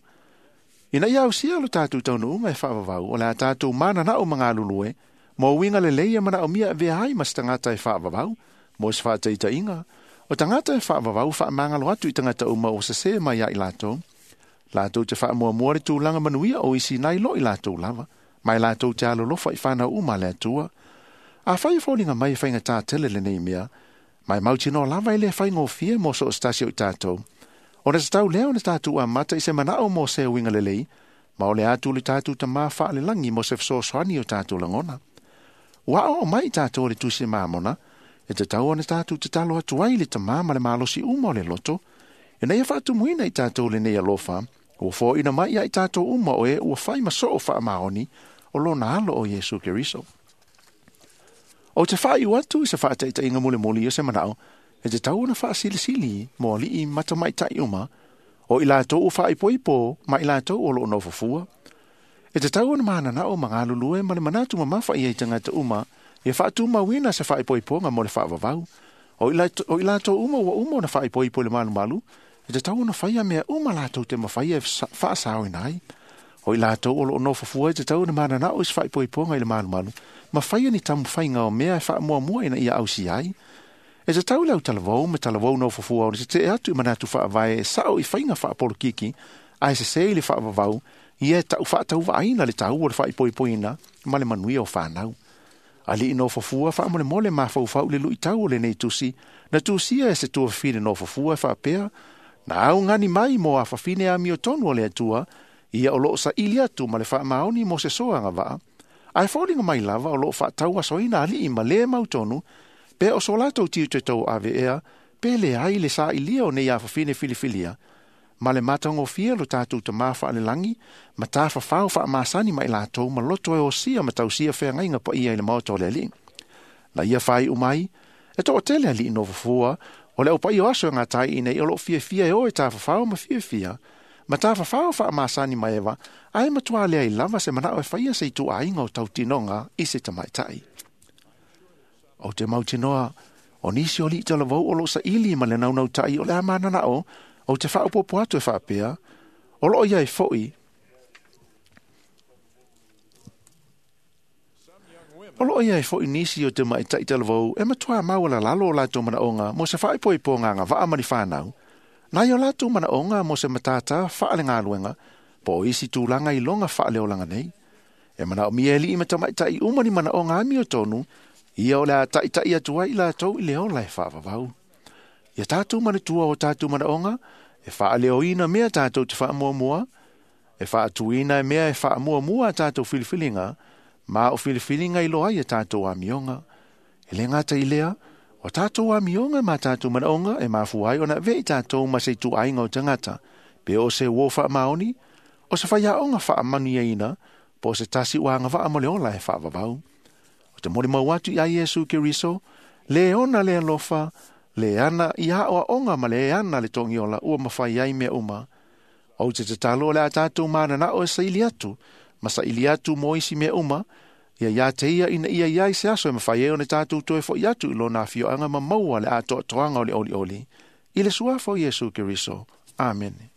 Ina ia ausia lo tātou taunuuga e faavavau, o le a tātou mananao ma galulue, mo uiga lelei e manaomia avea ai ma se tagata e faavavau, mo se faataitaiga, o tagata e faavavau faamagalo atu i tagata uma ua sesē mai ia i latou. Latou te faamuamua le tulaga manuia o isi nai lo i latou lava, ma e latou te alolofa i fanau uma a le Atua. Afai e foliga mai e faigatā tele lenei mea, ma e mautinoa lava e lē faigofie mo so o se tasi o i tātou. Ona tatau lea ona tātou amata i se manao mo se uiga lelei, ma o le atu le tātou Tamā faalelagi mo se fesoasoani o tātou lagona. Ua aoao mai i tātou e le Tusi Mamona, e tatau ona tātou tatalo atu ai i le Tamā ma le malosi uma o le loto, ina ia faatumuina i tātou lenei alofa, ua foaina mai ia i tātou uma o e ua fai ma soo faamaoni o lona alo o Iesu Keriso. Ou te faaiu atu i se faataitaiga mulimuli o se manao, e tatau ona faasilisili mo alii ma tamaitai uma, o i latou ua faaipoipo ma i latou o loo nofofua. E tatau ona mananao ma galulue ma le manatu mamafa i ai tagata uma, ia faatumauina se faaipoipoga mo le faavavau. O i latou uma ua uma ona faaipoipo i le malumalu, e tatau ona faia mea uma latou te mafaia e faasaoina ai. O i latou o loo nofofua e tatau ona mananao i se faaipoipoga i le malumalu, ma faia ni taumafaiga o mea e faamuamua ina ia ausia ai. E tatau le autalavou ma talavou nofofua ona tetee atu i manatu faavae e sao i faiga faapolokiki, ae sesē i le faavavau, ia e tau faatauvaaina le taua o le faaipoipoina ma le manuia o fanau. Alii nofofua faamolemole mafaufau i le luitau o lenei tusi, na tusia e se tuafafine nofofua e faapea, na augani mai mo afafine amiotonu o le Atua, ia o loo saili atu ma le faamaoni mo se soa agavaa, ae foliga mai lava o loo faatauasoina alii ma lē mautonu, pe o so latou tiute tauave ea, pe leai le sailia o nei afafine filifilia, ma le matagofie lo tātou Tamā faalelagi, ma tafafao faamasani ma i latou ma loto e osia ma tausia feagaiga paia i le maota o le Alii. Na ia faaiu mai, e toatele alii nofofua, o le aupaia o aso e gatai i nei o loo fiafia e o e tafafao ma fiafia, ma tafafao faamasani ma eva, ae matuā leai lava se manao e faia se ituaiga o tautinoga i se tamaitai. Ou te mautinoa, o nisi o alii talavou o loo saili ma le naunautai o le a mananao, ou te faaopoopo atu e faapea, o loo iai foʻi. O loo iai foʻi nisi o tamaitai talavou e matuā maualalalo o latou manaoga mo se faaipoipoga agavaa ma ni fanau, nai o latou manaoga mo se matātā faalegaluega, po o isi tulaga iloga faaleolaga nei. E manaomia e alii ma tamaitai uma ni manaoga amiotonu, ia o le a taʻitaʻi atu ai i latou i le ola e faavavau. Ia tātou manatua o tātou manaoga, e faaleoina mea tātou te faamuamua, e faatuina e mea e faamuamua a tātou filifiliga, ma o filifiliga iloa ai a tātou amioga. E le gata i lea, O tātou amioga ma tātou manaoga e mafua ai ona avea i tātou ma se ituaiga o tagata, pe o se uō faamaoni, o se faiaoga faamanuiaina, po o se tasi ua agavaa mo le ola e faavavau. O te molimau atu iā Iesu Keriso, lē ona le alofa, lē ana i aʻoaʻoga ma lē ana le togiola ua mafai ai mea uma. Ou te tatalo o le a tātou mananao e saili atu, ma saili atu mo isi mea uma, ia iā te ia ina ia iai se aso e mafai ai ona tātou toe foʻi atu i lona afioaga ma maua le atoatoaga o le olioli. I le suafa o Iesu Keriso. Amene.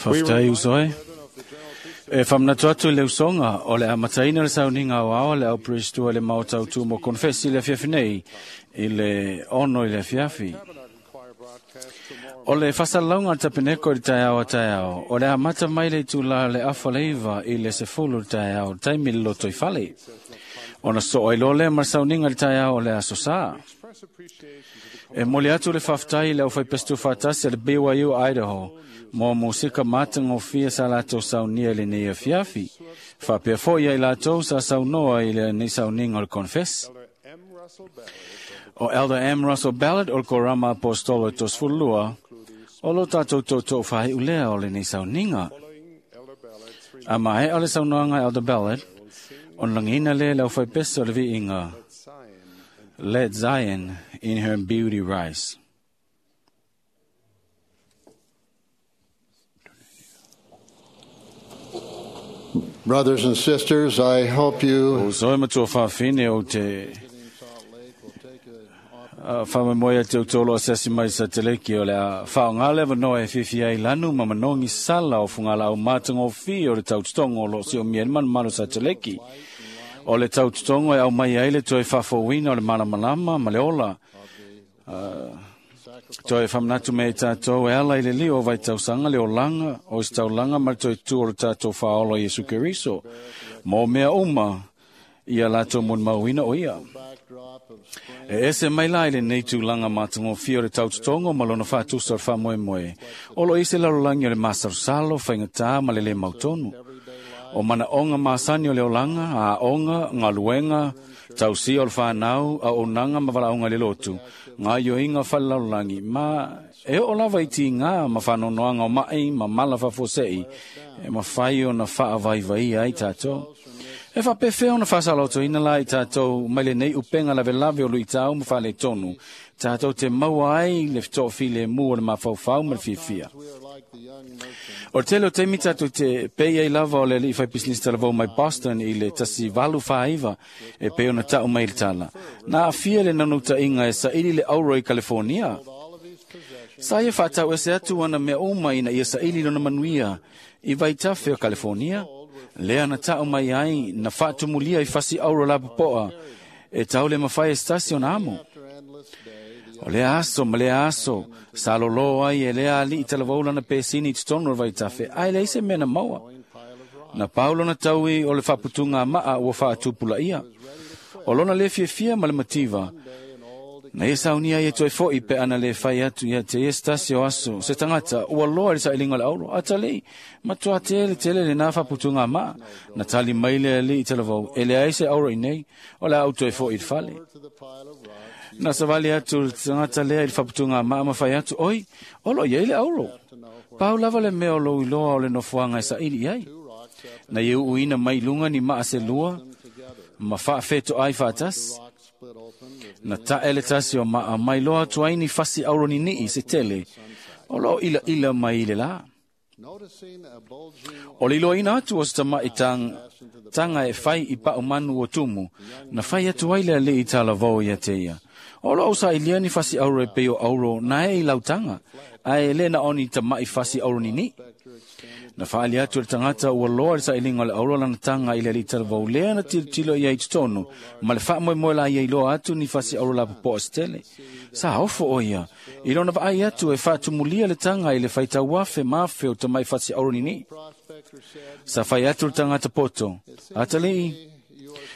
Faafetai uso e. E faamanatu atu i le usoga o le amataina o le sauniga aoao a le au Peresetua i le Maota Autu mo Konefesi i le afiafi nei i le 6 i le afiafi. O le faasalalauga a le tapeneko i le taeao a taeao, o le amata mai le itulā o le 8:30 i le 10 i le taeao, le taimi le lotoifale. Ona soo ai loa lea ma le sauniga i le taeao o le aso Sā. E momoli atu le faafetai i le aufaipesetu faatasi a le BYU Idaho mo musika matagofie sa latou saunia i lenei afiafi. Faapea foi ia i latou sa saunoa i lenei sauniga o le Confess. O Elder M. Russell Ballard o le Korama Apostolo e 32, o lo tātou toutou faaiulea o lenei sauniga. A maea o le saunoaga Elder Ballard, ona lagiina lea i le aufaipese o le viiga, Let Zion in her beauty rise. Brothers and sisters, I hope you Uso e matua faafine o te whamamoe atu tolo a seasi mai sa te leki o le a whaonga lewa noa e whiwhi ai lanu ma manongi sala o fungala au mātanga o fi o le taututongo o lo si o mia manu sa te leki. O le taututongo e au mai ai le toe whafowina o le malamalama ma le ola. Toe whamanatu me tātou e ala i le lio o vai tausanga le olanga o is taulanga ma le toe tu o le tātou whaola Iesu Keriso. Mō mea uma ia lātou mun mauina o ia. E ese mai la i lenei tulaga matagofie o le tautotogo ma lona faatusa o le faamoemoe. O lo ise lalolagi o le masalosalo, faigatā ma le lē mautonu. O manaʻoga masani o le olaga, aoga, galuega, tausia o le fanau, auaunaga ma valaauga i le lotu, gaoioiga o falelalolagi, ma e oo lava i tigā ma faanoanoaga o maʻi ma mala faafuaseʻi e mafai ona faavaivaia ai tatou. E faapefea ona faasalaotoina la i tātou mai lenei upega lavelave o luitau ma faaletonu, tātou te maua ai le fetoʻofilemu o le mafaufau ma le fiafia. O le tele o taimi tātou te pei ai lava o le alii faipisinisi talavou mai Boston i le 1849 e pei ona taʻu mai i le tala. Na aafia le naunautaiga e saili le auro i California. Sa ia faatau ese atu ana mea uma ina ia saili lona manuia i vaitafe o California, lea na taʻu mai ai na faatumulia i fasi auro lapopoa e tau le mafai e se tasi ona amo. O lea aso ma lea aso, sa lōlō ai e lea aliʻi talavou lana pesini i totonu o le vaitafe, ae leai se mea na maua. Na pau lona taui o le faaputuga maa ua faatupulaia. O lona lē fiafia ma le mativa, na ia saunia ai e toe foʻi pe ana lē fai atu ia te ia se tasi o aso se tagata ua loa i le sailiga o le auro. Atalii, matuā tele tele lenā faaputuga maa. Na tali mai le alii talavou, e leai se auro i nei, o le a ou toe foʻi i le fale. Na savali atu le tagata lea i le faaputuga maa ma fai atu, oi, o loo iai le auro. Pau lava le mea o lou iloa o le nofoaga e saili i ai. Na ia uuina mai luga ni maa se lua, ma faafetoai faatasi. Na taʻe le tasi o maa mai loa atu ai ni fasi auro niniʻi se tele, o loo ilaila mai i le lā. O le iloaina atu o se tamaʻi taga e fai i paʻu manu o tumu, na fai atu ai le alii talavou ia te ia. O loo sailia ni fasi auro e pei o auro na e i lautaga, ae lē na o ni tamaʻi fasi auro niniʻi. Na faali atu le tagata ua loa le sailiga o le auro lana taga i le alii talavou lea na tilotilo i ai i totonu, ma le faamoemoe la ia iloa atu ni fasi auro lapopoa se tele. Sa ofo o ia, i lona vaai atu e faatumulia le taga i le faitauafe ma afe o tamaʻi fasi auro niniʻi. Sa fai atu le tagata poto, atalii,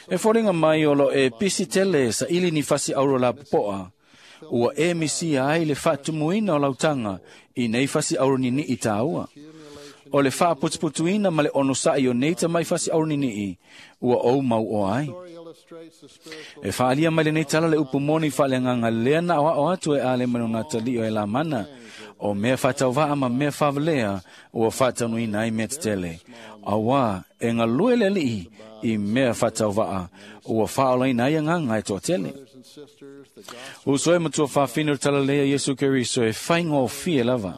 e foliga mai o lo e pisi tele saili ni fasi auro lapopoa, ua e misia ai le faatumuina o lautaga i nei fasi auro niniʻi tāua. O le faaputuputuina ma le onosaʻi o nei tamaʻi fasiʻauliniʻi ua ou mauoa ai. E faaalia mai lenei tala le upu moni faaleagaga lea na aoaʻo atu e ale mai lona atalii o e lamana. O mea faatauvaʻa ma mea faavalea ua faataunuuina ai mea tetele. Auā e galue le aliʻi i mea faatauvaʻa ua faaolaina ai agaga e toatele. Uso e matua faafine o le talalelei a Iesu Keriso e faigofie lava.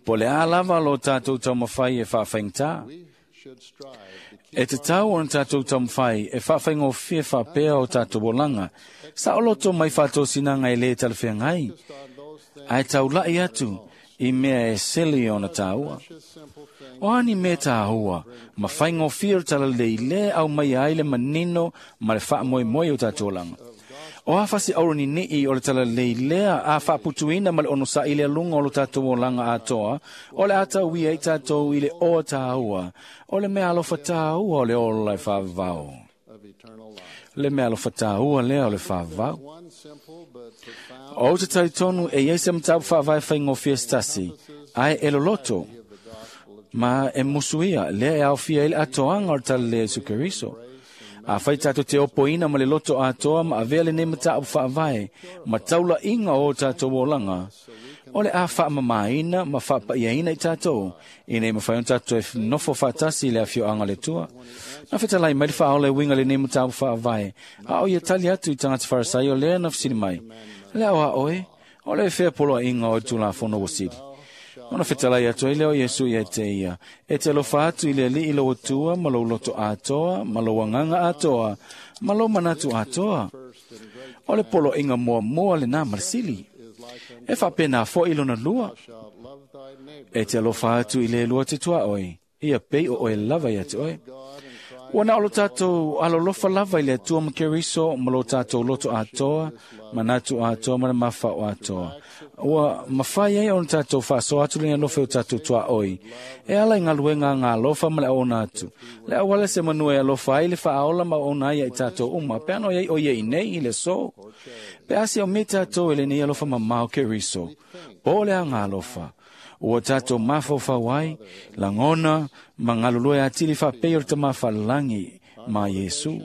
Po le a lava lo tātou taumafai e faafaigata. E tatau ona tātou taumafai e faafaigofie faapea o tātou olaga. Saʻoloto mai faatosinaga e lē talafeagai. Ae taulaʻi atu i mea e sili ona tāua. O a ni mea tāua, ma faigofie o le talalelei lē aumaia ai le manino ma le faamoemoe o tātou olaga. O a fasiʻaulaniʻi o le talalelei lea a faaputuina ma le onosaʻi le aluga o lo tatou olaga atoa, o le a tauia ai tatou i le oa tāua, o le mea alofa tāua o le ola e faavavao. Le mea alofa tāua lea o le faavavao. O te talitonu e iai se mataupu faavae faigofie se tasi, ae e loloto, ma e musuia lea e aofia ai le atoaga o le talalelei a Iesu Keriso. Afai tātou te opoina ma le loto atoa ma avea lenei mataupu faavae ma taulaʻiga o tātou olaga, o le a faamamāina ma faapaʻiaina i tātou, ina ia mafai ona tātou e nofo faatasi i le afioaga o le Atua. Na fetalai mai le faaola e uiga lenei mataupu faavae, a o ia tali atu i tagata Farisai o lea na fesili mai, Le ao a oe, o le fea poloaiga o le Tulafono ua sili. Ona fetalai atu ai lea o Iesu ia te ia, e te alofa atu i le Alii lou Atua ma lou loto atoa, ma lou agaga atoa, ma lou manatu atoa. O le poloaiga muamua lenā ma le sili. E faapena foʻi lona lua. E te alofa atu i le lua te tuaʻoi, ia pei o oe lava ia te oe. Ua na o lo tātou alolofa lava i le Atua ma Keriso ma lo tātou loto atoa, manatu atoa ma le mafao atoa. Ua mafai ai ona tātou faasoa atu le alofa o tātou tuaʻoi. E ala i galuega a ngā alofa ma le auauna atu. Le auala se manua e alofa ai le faaola ma auauna ai ia i tātou uma, pe ana o iai o ia i nei i le aso. Pe a siaumia tātou e lenei alofa mamao Keriso, po o le aga alofa. Ua tātou mafaufau ai, lagona ma galulue atili faapei o le Tama Faalelagi ma Iesu.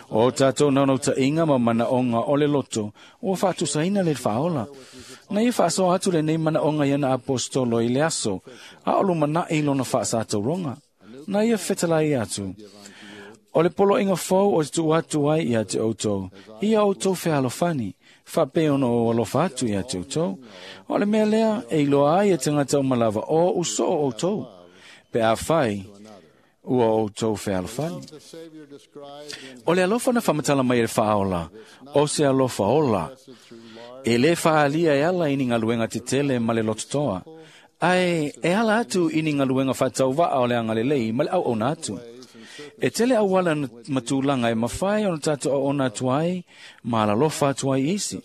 O tātou naunautaiga ma manaoga o le loto, ua faatusaina le faaola. Na ia faasoa atu lenei manaoga i ana aposetolo i le aso, a o lumanaʻi lona faasatauroga. Na ia fetalai atu, O le poloaiga fou o te tuu atu ai ia te outou, ia outou fealofani, faapei ona ou alofa atu ia te outou. O le mea lea e iloa ai e tagata uma lava o usoo outou, pe afai ua outou fealofani. O le alofa na faamatala mai e le faaola, o se alofa ola, e lē faaalia e ala i ni galuega tetele ma le lototoa, ae e ala atu i ni galuega faatauvaa o le agalelei ma le auauna atu. E tele auala ma tulaga e mafai ona tātou auauna atu ai ma alalofa atu ai i isi.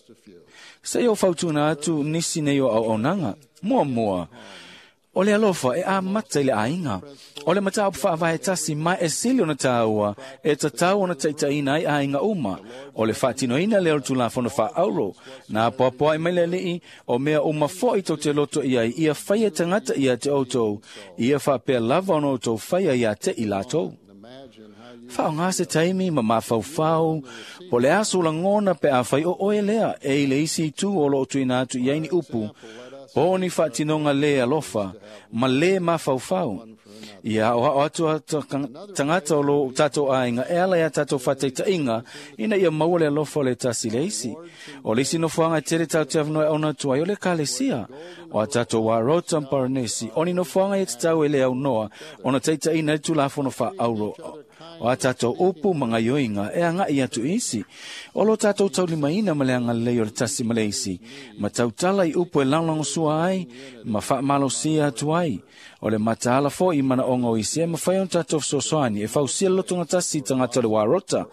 Se i ou fautuaina atu nisi nei o auaunaga. Muamua, o le alofa e amata i le aiga. O le mataupu faavae tasi ma e sili ona tāua e tatau ona taitaiina ai aiga uma. O le faatinoina lea o le Tulafono Faaauuro. Na apoapoai mai le Alii, o mea uma foʻi tou te loto i ai, ia faia tagata ia te outou, ia faapea lava ona outou faia ia te i latou. Faaaoga se taimi ma mafaufau, po o le a sou lagona pe afai o oe lea e i le isi itu o lo o tuuina atu i ai ni upu, po o ni faatinoga lē alofa ma lē mafaufau. Ia aoao atu a tagata o lo tatou aiga e ala i a tatou faataitaiga ina ia maua le alofa o le tasi i le isi. O le isi nofoaga e tele tatou te avanoa e auauna atu ai o le Ekalesia, o a tatou Warota ma Paranesi, o ni nofoaga ia tatau e le aunoa ona taitaiina ai le Tulafono Faaauuro o a tatou upu ma gaoioiga e agaʻi atu i isi. O lo tatou taulimaina ma le agalelei o le tasi ma le isi, ma tautala i upu e lagolagosua ai ma faamalosia atu ai. O le mataala foʻi i manaoga o isi e mafai ona tatou fesoasoani e fausia le lotogatasi i tagata o le Warota.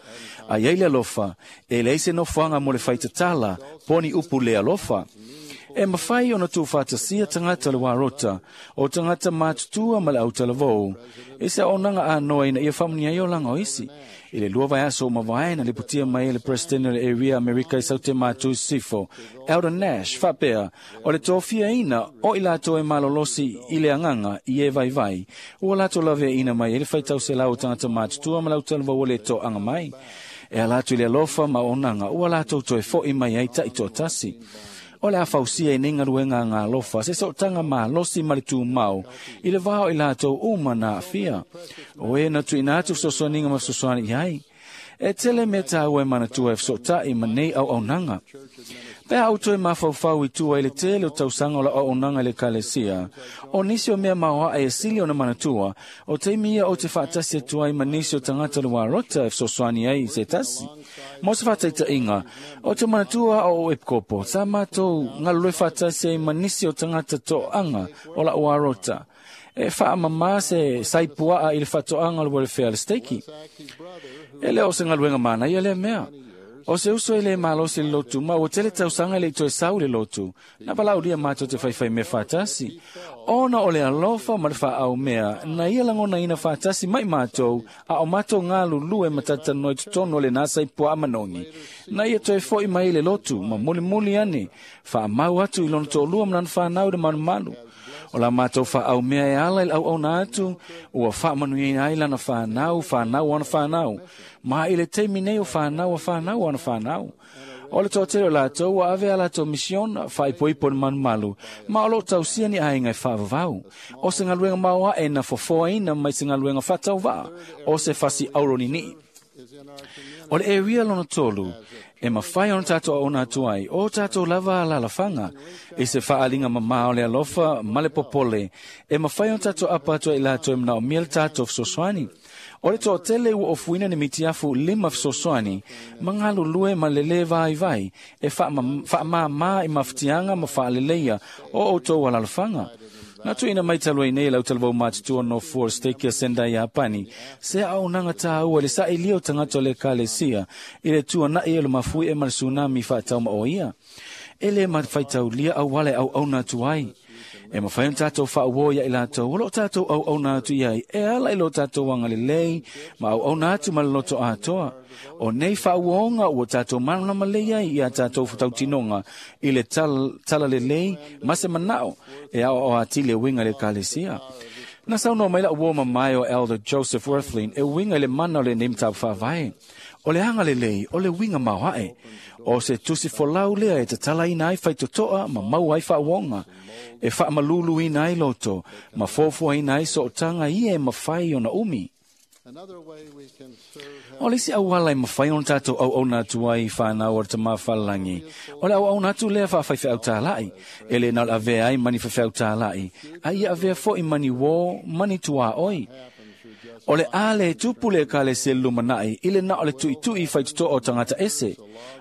A i ai le alofa, e leai se nofoaga mo le faitatala po o ni upu le alofa. E mafai ona tuufaatasia tagata o le warota, o tagata matutua ma le autalavou, i se auaunaga anoa ina ia faamanuia ai olaga o isi. I le 2 vaiaso ua mavae na lipotia mai e le Peresetene o le Area Amerika i Saute Matu i Sisifo, Elder Nash, faapea, o le tofiaina o i latou e malolosi i le agaga i e vaivai, ua latou laveaiina mai ai le faitau selau o tagata matutua ma le autalavou o le toaga mai. E ala atu i le alofa ma auaunaga ua latou toe fo'i mai ai taitoatasi. O le a fausia i nei galuega agalofa se sootaga malosi ma le tumau i le va o i latou uma na aafia. O e na tuuina atu fesoasoaniga ma fesoasoani i ai. E tele mea tāua e manatua e fesootai ma nei auaunaga. Pe a ou toe mafaufau i tua i le tele o tausaga o lau auaunaga i le Ekalesia, o nisi o mea maoae e sili ona manatua, o taimi ia ou te faatasi atu ai ma nisi o tagata o le Warota e fesoasoani ai i se tasi. Mo se faataitaiga, ou te manatua a o ou epikopo, sa matou galulue faatasi ai ma nisi o tagata toaga o lau Warota. E faamamā se saipuaa i le faatoaga o le welfare a le steiki. E le o se galuega manaia lea mea. O se uso e le malosi i le lotu, ma ua tele tausaga e le i toe sau i le lotu. Na valaaulia matou te faifai mea faatasi. Ona o le alofa ma le faaumea, na ia lagonaina faatasi mai matou, a o matou galulue ma talatalanoa i totonu o lena saipuaa manogi. Na ia toe fo'i mai i le lotu, ma mulimuli ane, faamau atu i lona toalua ma lana fanau i le malumalu. O la matou faaumea e ala i le auauna atu, ua faamanuiaina ai lana fanau, fanau ana fanau. Ma i le taimi nei o fanau a fanau ana fanau. O le toatele o latou ua ave a latou misiona, faaipoipo i le malumalu, ma o loo tausia ni aiga e faavavau. O se galuega maoae na fofoaina mai se galuega faatauvaa, o se fasi auronini'i. O le area lona tolu, e mafai ona tatou auauna atu ai, o tatou lava alaalafaga, i se faaaliga mamā o le alofa ma le popole, e mafai ona tatou apa atu ai i latou e manaomia le tatou fesoasoani. O le toatele ua ofuina ni mitiafu 5 fesoasoani, ma galulue ma le lē vaivai, e faamāmā i mafatiaga ma faaleleia o outou alaalafaga. Na tuuina mai talu ai nei e le autalavou matutua no fua o le Stake ia Sendai Iapani, se auaunaga tāua i le sailia o tagata o le Ekalesia i le tuana'i o le mafuie ma le tsunami faataumaoia. E lē mafaitaulia auala e auauna atu ai. E mafai ona tatou faauo ia i latou o loo tatou auauna atu i ai e ala i lo tatou agalelei ma auauna atu ma le loto atoa. O nei faauoga ua tatou malamalama lelei ai ia tatou tautinoga i le talalelei ma se manao e aoao atili e uiga i le Ekalesia. Na saunoa mai lau uo mamae o Elder Joseph Wirthlin e uiga i le mana o lenei mataupu faavae. O le agalelei o le uiga maoae. O se tusi folau lea e tatalaina ai faitotoa ma maua ai faauoga, e faamaluluina ai loto, ma foafoaina ai sootaga ia e mafai ona umi. O le isi auala e mafai ona tatou auauna atu ai i fanau o le Tama Falelangi, o le auauna atu lea faafaifeau tāla'i, e le na o le avea ai ma ni faifeau tāla'i, a ia avea fo'i ma ni uō ma ni tuaoi. O le a le tupu le Ekalesia i le lumanai i le na o le tuitui i faitotoa o tagata ese.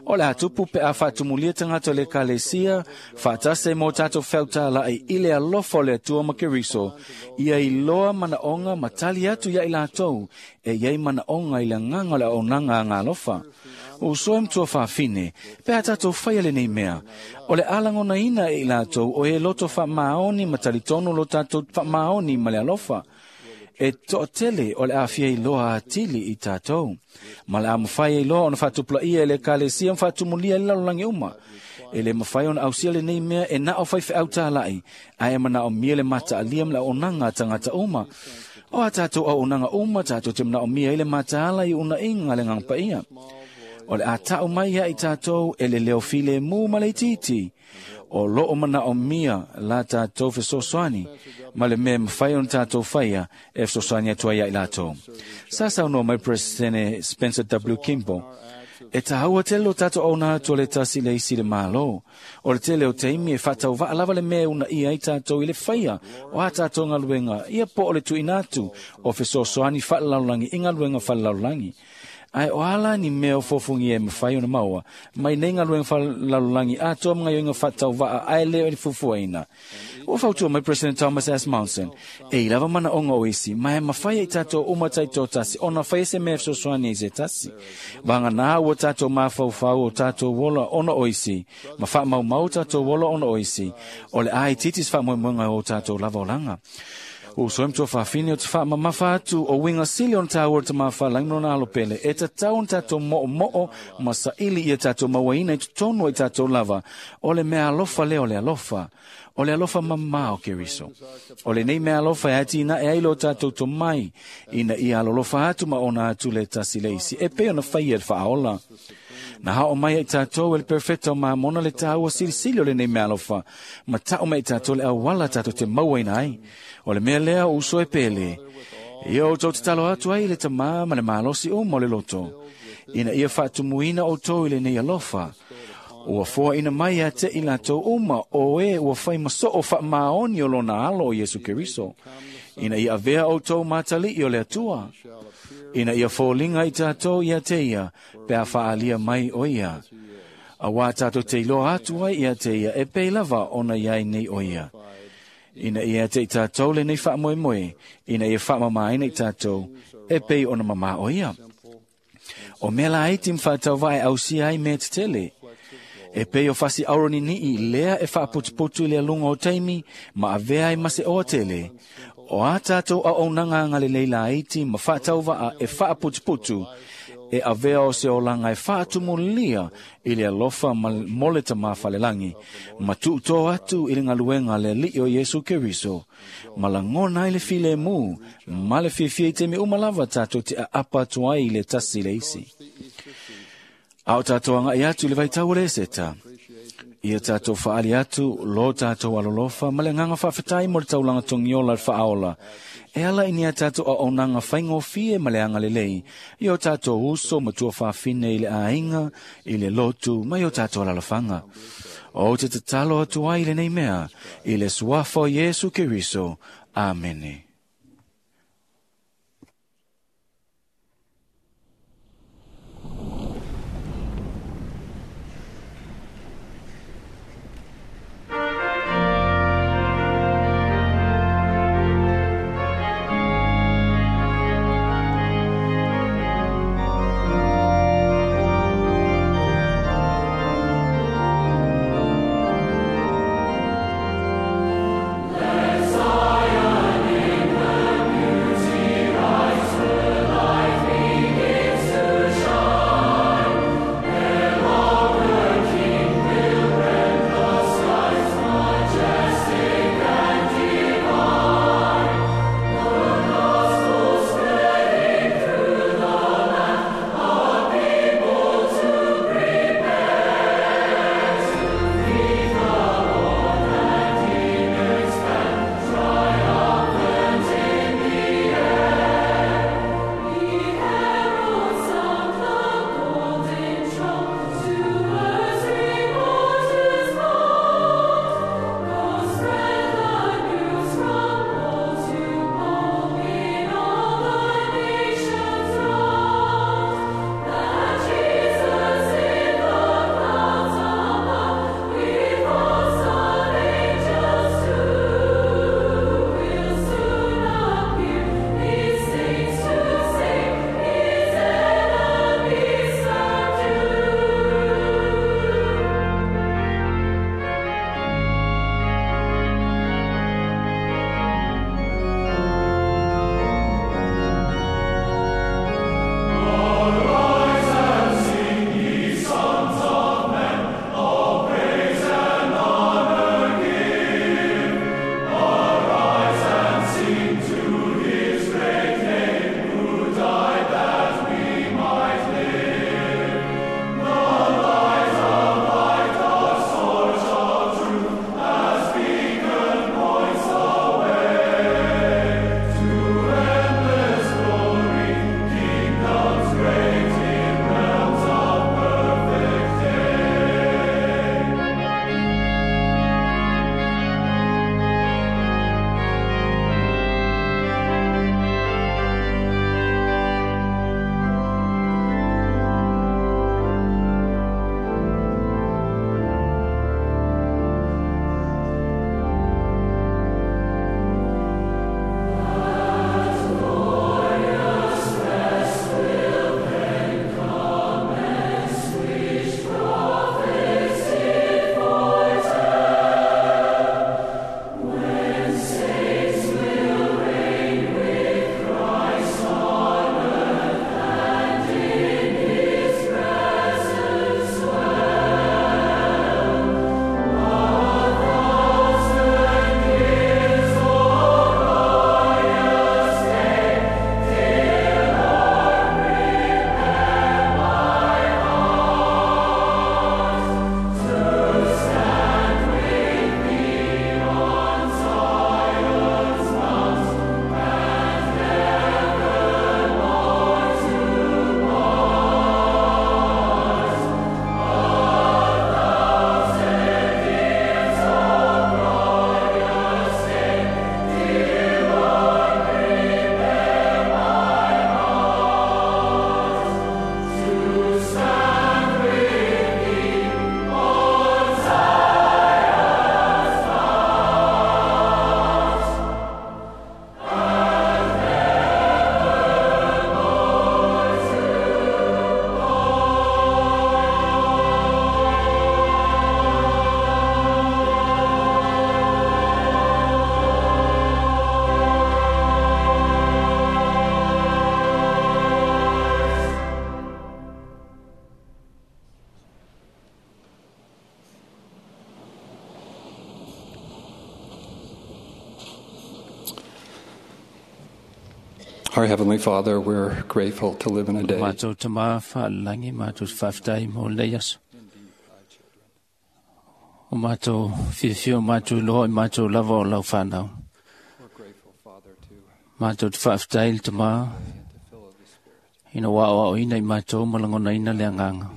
O le a tupu pe a faatumulia tagata o le Ekalesia, faatasi ai ma o tatou feau tāla'i i le alofa o le Atua ma Keriso, ia iloa manaoga ma tali atu ia i latou e iai manaoga i le agaga o le auaunaga agalofa. Uso e matua faafine, pe a tatou faia lenei mea, o le a lagonaina e i latou o e loto faamaoni ma talitonu lo tatou faamaoni ma le alofa. E toatele o le a fia iloa atili i tatou. Ma le a mafai ai loa ona faatupulaia e le Ekalesia ma faatumulia i le lalolagi uma. E le mafai ona ausia lenei mea e na o faifeau tāla'i, ae manaomia le mataalia ma le auaunaga a tagata uma. O a tatou auaunaga uma tatou te manaomia ai le mataala i unaiga a le Agaga Paia. O le a ta'u mai ia i tatou e le leo filemu ma le itiiti. O loo manaomia la tatou fesoasoani ma le mea e mafai ona tatou faia e fesoasoani atu ai ia i latou. Sa saunoa mai Peresetene Spencer W. Kimball, E tāua tele lo tatou auauna atu o le tasi i le isi i le Malo. O le tele o taimi e faatauvaa lava le mea e uunaia ai tatou i le faia o a tatou galuega, ia po o le tuuina atu o fesoasoani faalelalolagi i galuega faalelalolagi. Ae o ala ni mea o fofungia e mawhai ona maua, mai nei galuega faalalolagi atoa ma gaoioiga faatauva'a ae lē o le fuafuaina. Ua fautua mai President Thomas S. Monson, e i lava manaʻoga o isi, ma e mafai ai tatou uma taitoatasi ona faia se mea e fesoasoani ai se tasi. Vaganā ua tatou mafaufau o tatou ola ona o isi, ma faamaumau tatou ola ona o isi, o le a itiiti se faamoemoega o tatou lava olaga. Ua uso ai ma tuafafine o te faamamafa atu o uiga sili ona tāua le tamā falagi ma lona alo pele e tatau ona tatou mo'omo'o ma saili ia tatou mauaina i totonu o i tatou lava o le mea alofa lea o le alofa o le alofa mamā o Keriso. O lenei mea alofa e atinae ai lo tatou tomai ina ia alolofa atu ma ona atu le tasi le isi e pei ona faia le faaola. Na hao mai ai tatou e le perfecto mamona le tāua silisili o lenei mea alofa ma ta'u mai i tatou le auala tatou te mauaina ai. O le mea lea o uso e pele. Ia outou tatalo atu ai i le tamā ma le malosi uma o le loto. Ina ia faatumuina outou i lenei alofa. Ua foaina mai ia te i latou uma o e ua fai masoo faamaoni o lona alo o Iesu Keriso. Ina ia avea outou matali'i o le Atua. Ina ia foliga i tatou ia te ia, pe a faalia mai o ia. Auā tatou te iloa atu ai ia te ia e pei lava ona iai nei o ia. Ina ia te i tatou lenei faamoemoe, ina ia faamamāina i tatou e pei ona mamā o ia. O mea laiti ma faatauvaa e ausia ai mea tetele. E pei o fasi auroni ni'i lea e faaputuputu i le aluga o taimi ma avea ai ma se oa tele. O a tatou auaunaga agalelei laiti ma faatauva'a e faaputuputu e avea o se olaga e faatumulia i le alofa ma mo le tamā falelagi ma tuutō atu i le galuega a le Ali'i o Iesu Keriso ma lagona ai le filemu ma le fiafia i taimi uma lava tatou te aapa atu ai i le tasi le isi. A o tatou agaʻi atu i le vaitau o le Eseta, ia tatou faali atu lo tatou alolofa ma le agaga faafetai mo le taulaga togiola le faaola e ala i ni a tatou auaunaga faigofie ma le agalelei i o tatou uso ma tuafafine i le aiga, i le lotu ma i o tatou alalafaga. Ou te tatalo atu ai i lenei mea, i le suafa o Iesu Keriso. Amene. Let Zion Our Heavenly Father, we're grateful to live in a day Matou tamā fa'alelagi matou te fa'afetai mo lenei aso. O matou fiafia o matou iloa i matou lava o lau fanau. Matou te fa'afetai le tamā ina ua aoaoina i matou ma lagonaina le agaga.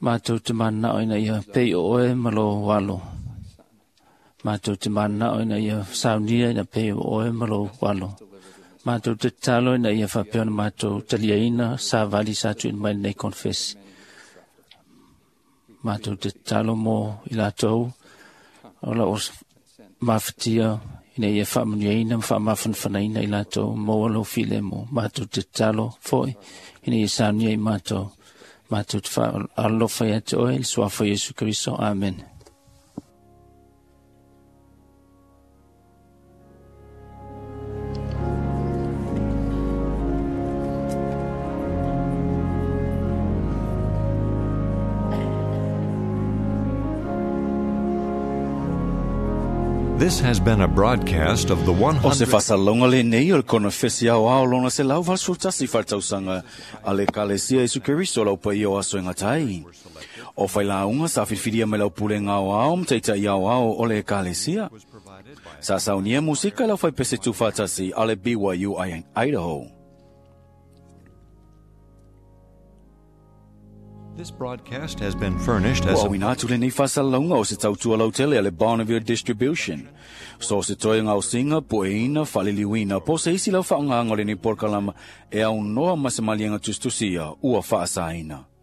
Matou te mananao ina ia pei o oe ma lō alo. Matou te mananao ina ia saunia ina pei o oe ma lou alo. Matou te tatalo ina ia faapea ona matou taliaina savali sa tuuina mai lenei konefesi. Matou te tatalo mo i latou o lau mafatia ina ia faamanuiaina ma faamafanafanaina i latou maua lou filemu. Matou te tatalo foi ina ia saunia i matou. Matou te fa'aalofa ia te oe i le suafa o Iesu Keriso. Amene. This has been a broadcast of the O se 100. fa'asalalauga lenei o le konefesi aoao lona 181 faletausaga a le Ekalesia Iesu Keriso lau paia o aso e gata ai. O failauga sa filifilia mai lau pulega aoao ma taita'i aoao o le Ekalesia. Sa saunia musika i lau faipese tufatasi a le BYU Idaho. This broadcast has been furnished as Ua a auina atu lenei fa'asalalauga o se tautua lautele a le Bonneville Distribution. So se toe gaosiga, pueina, fa'aliliuina, po o se isi lau fa'aaogāga o lenei polokalama e aunoa ma se maliega tusitusia ua fa'asaina.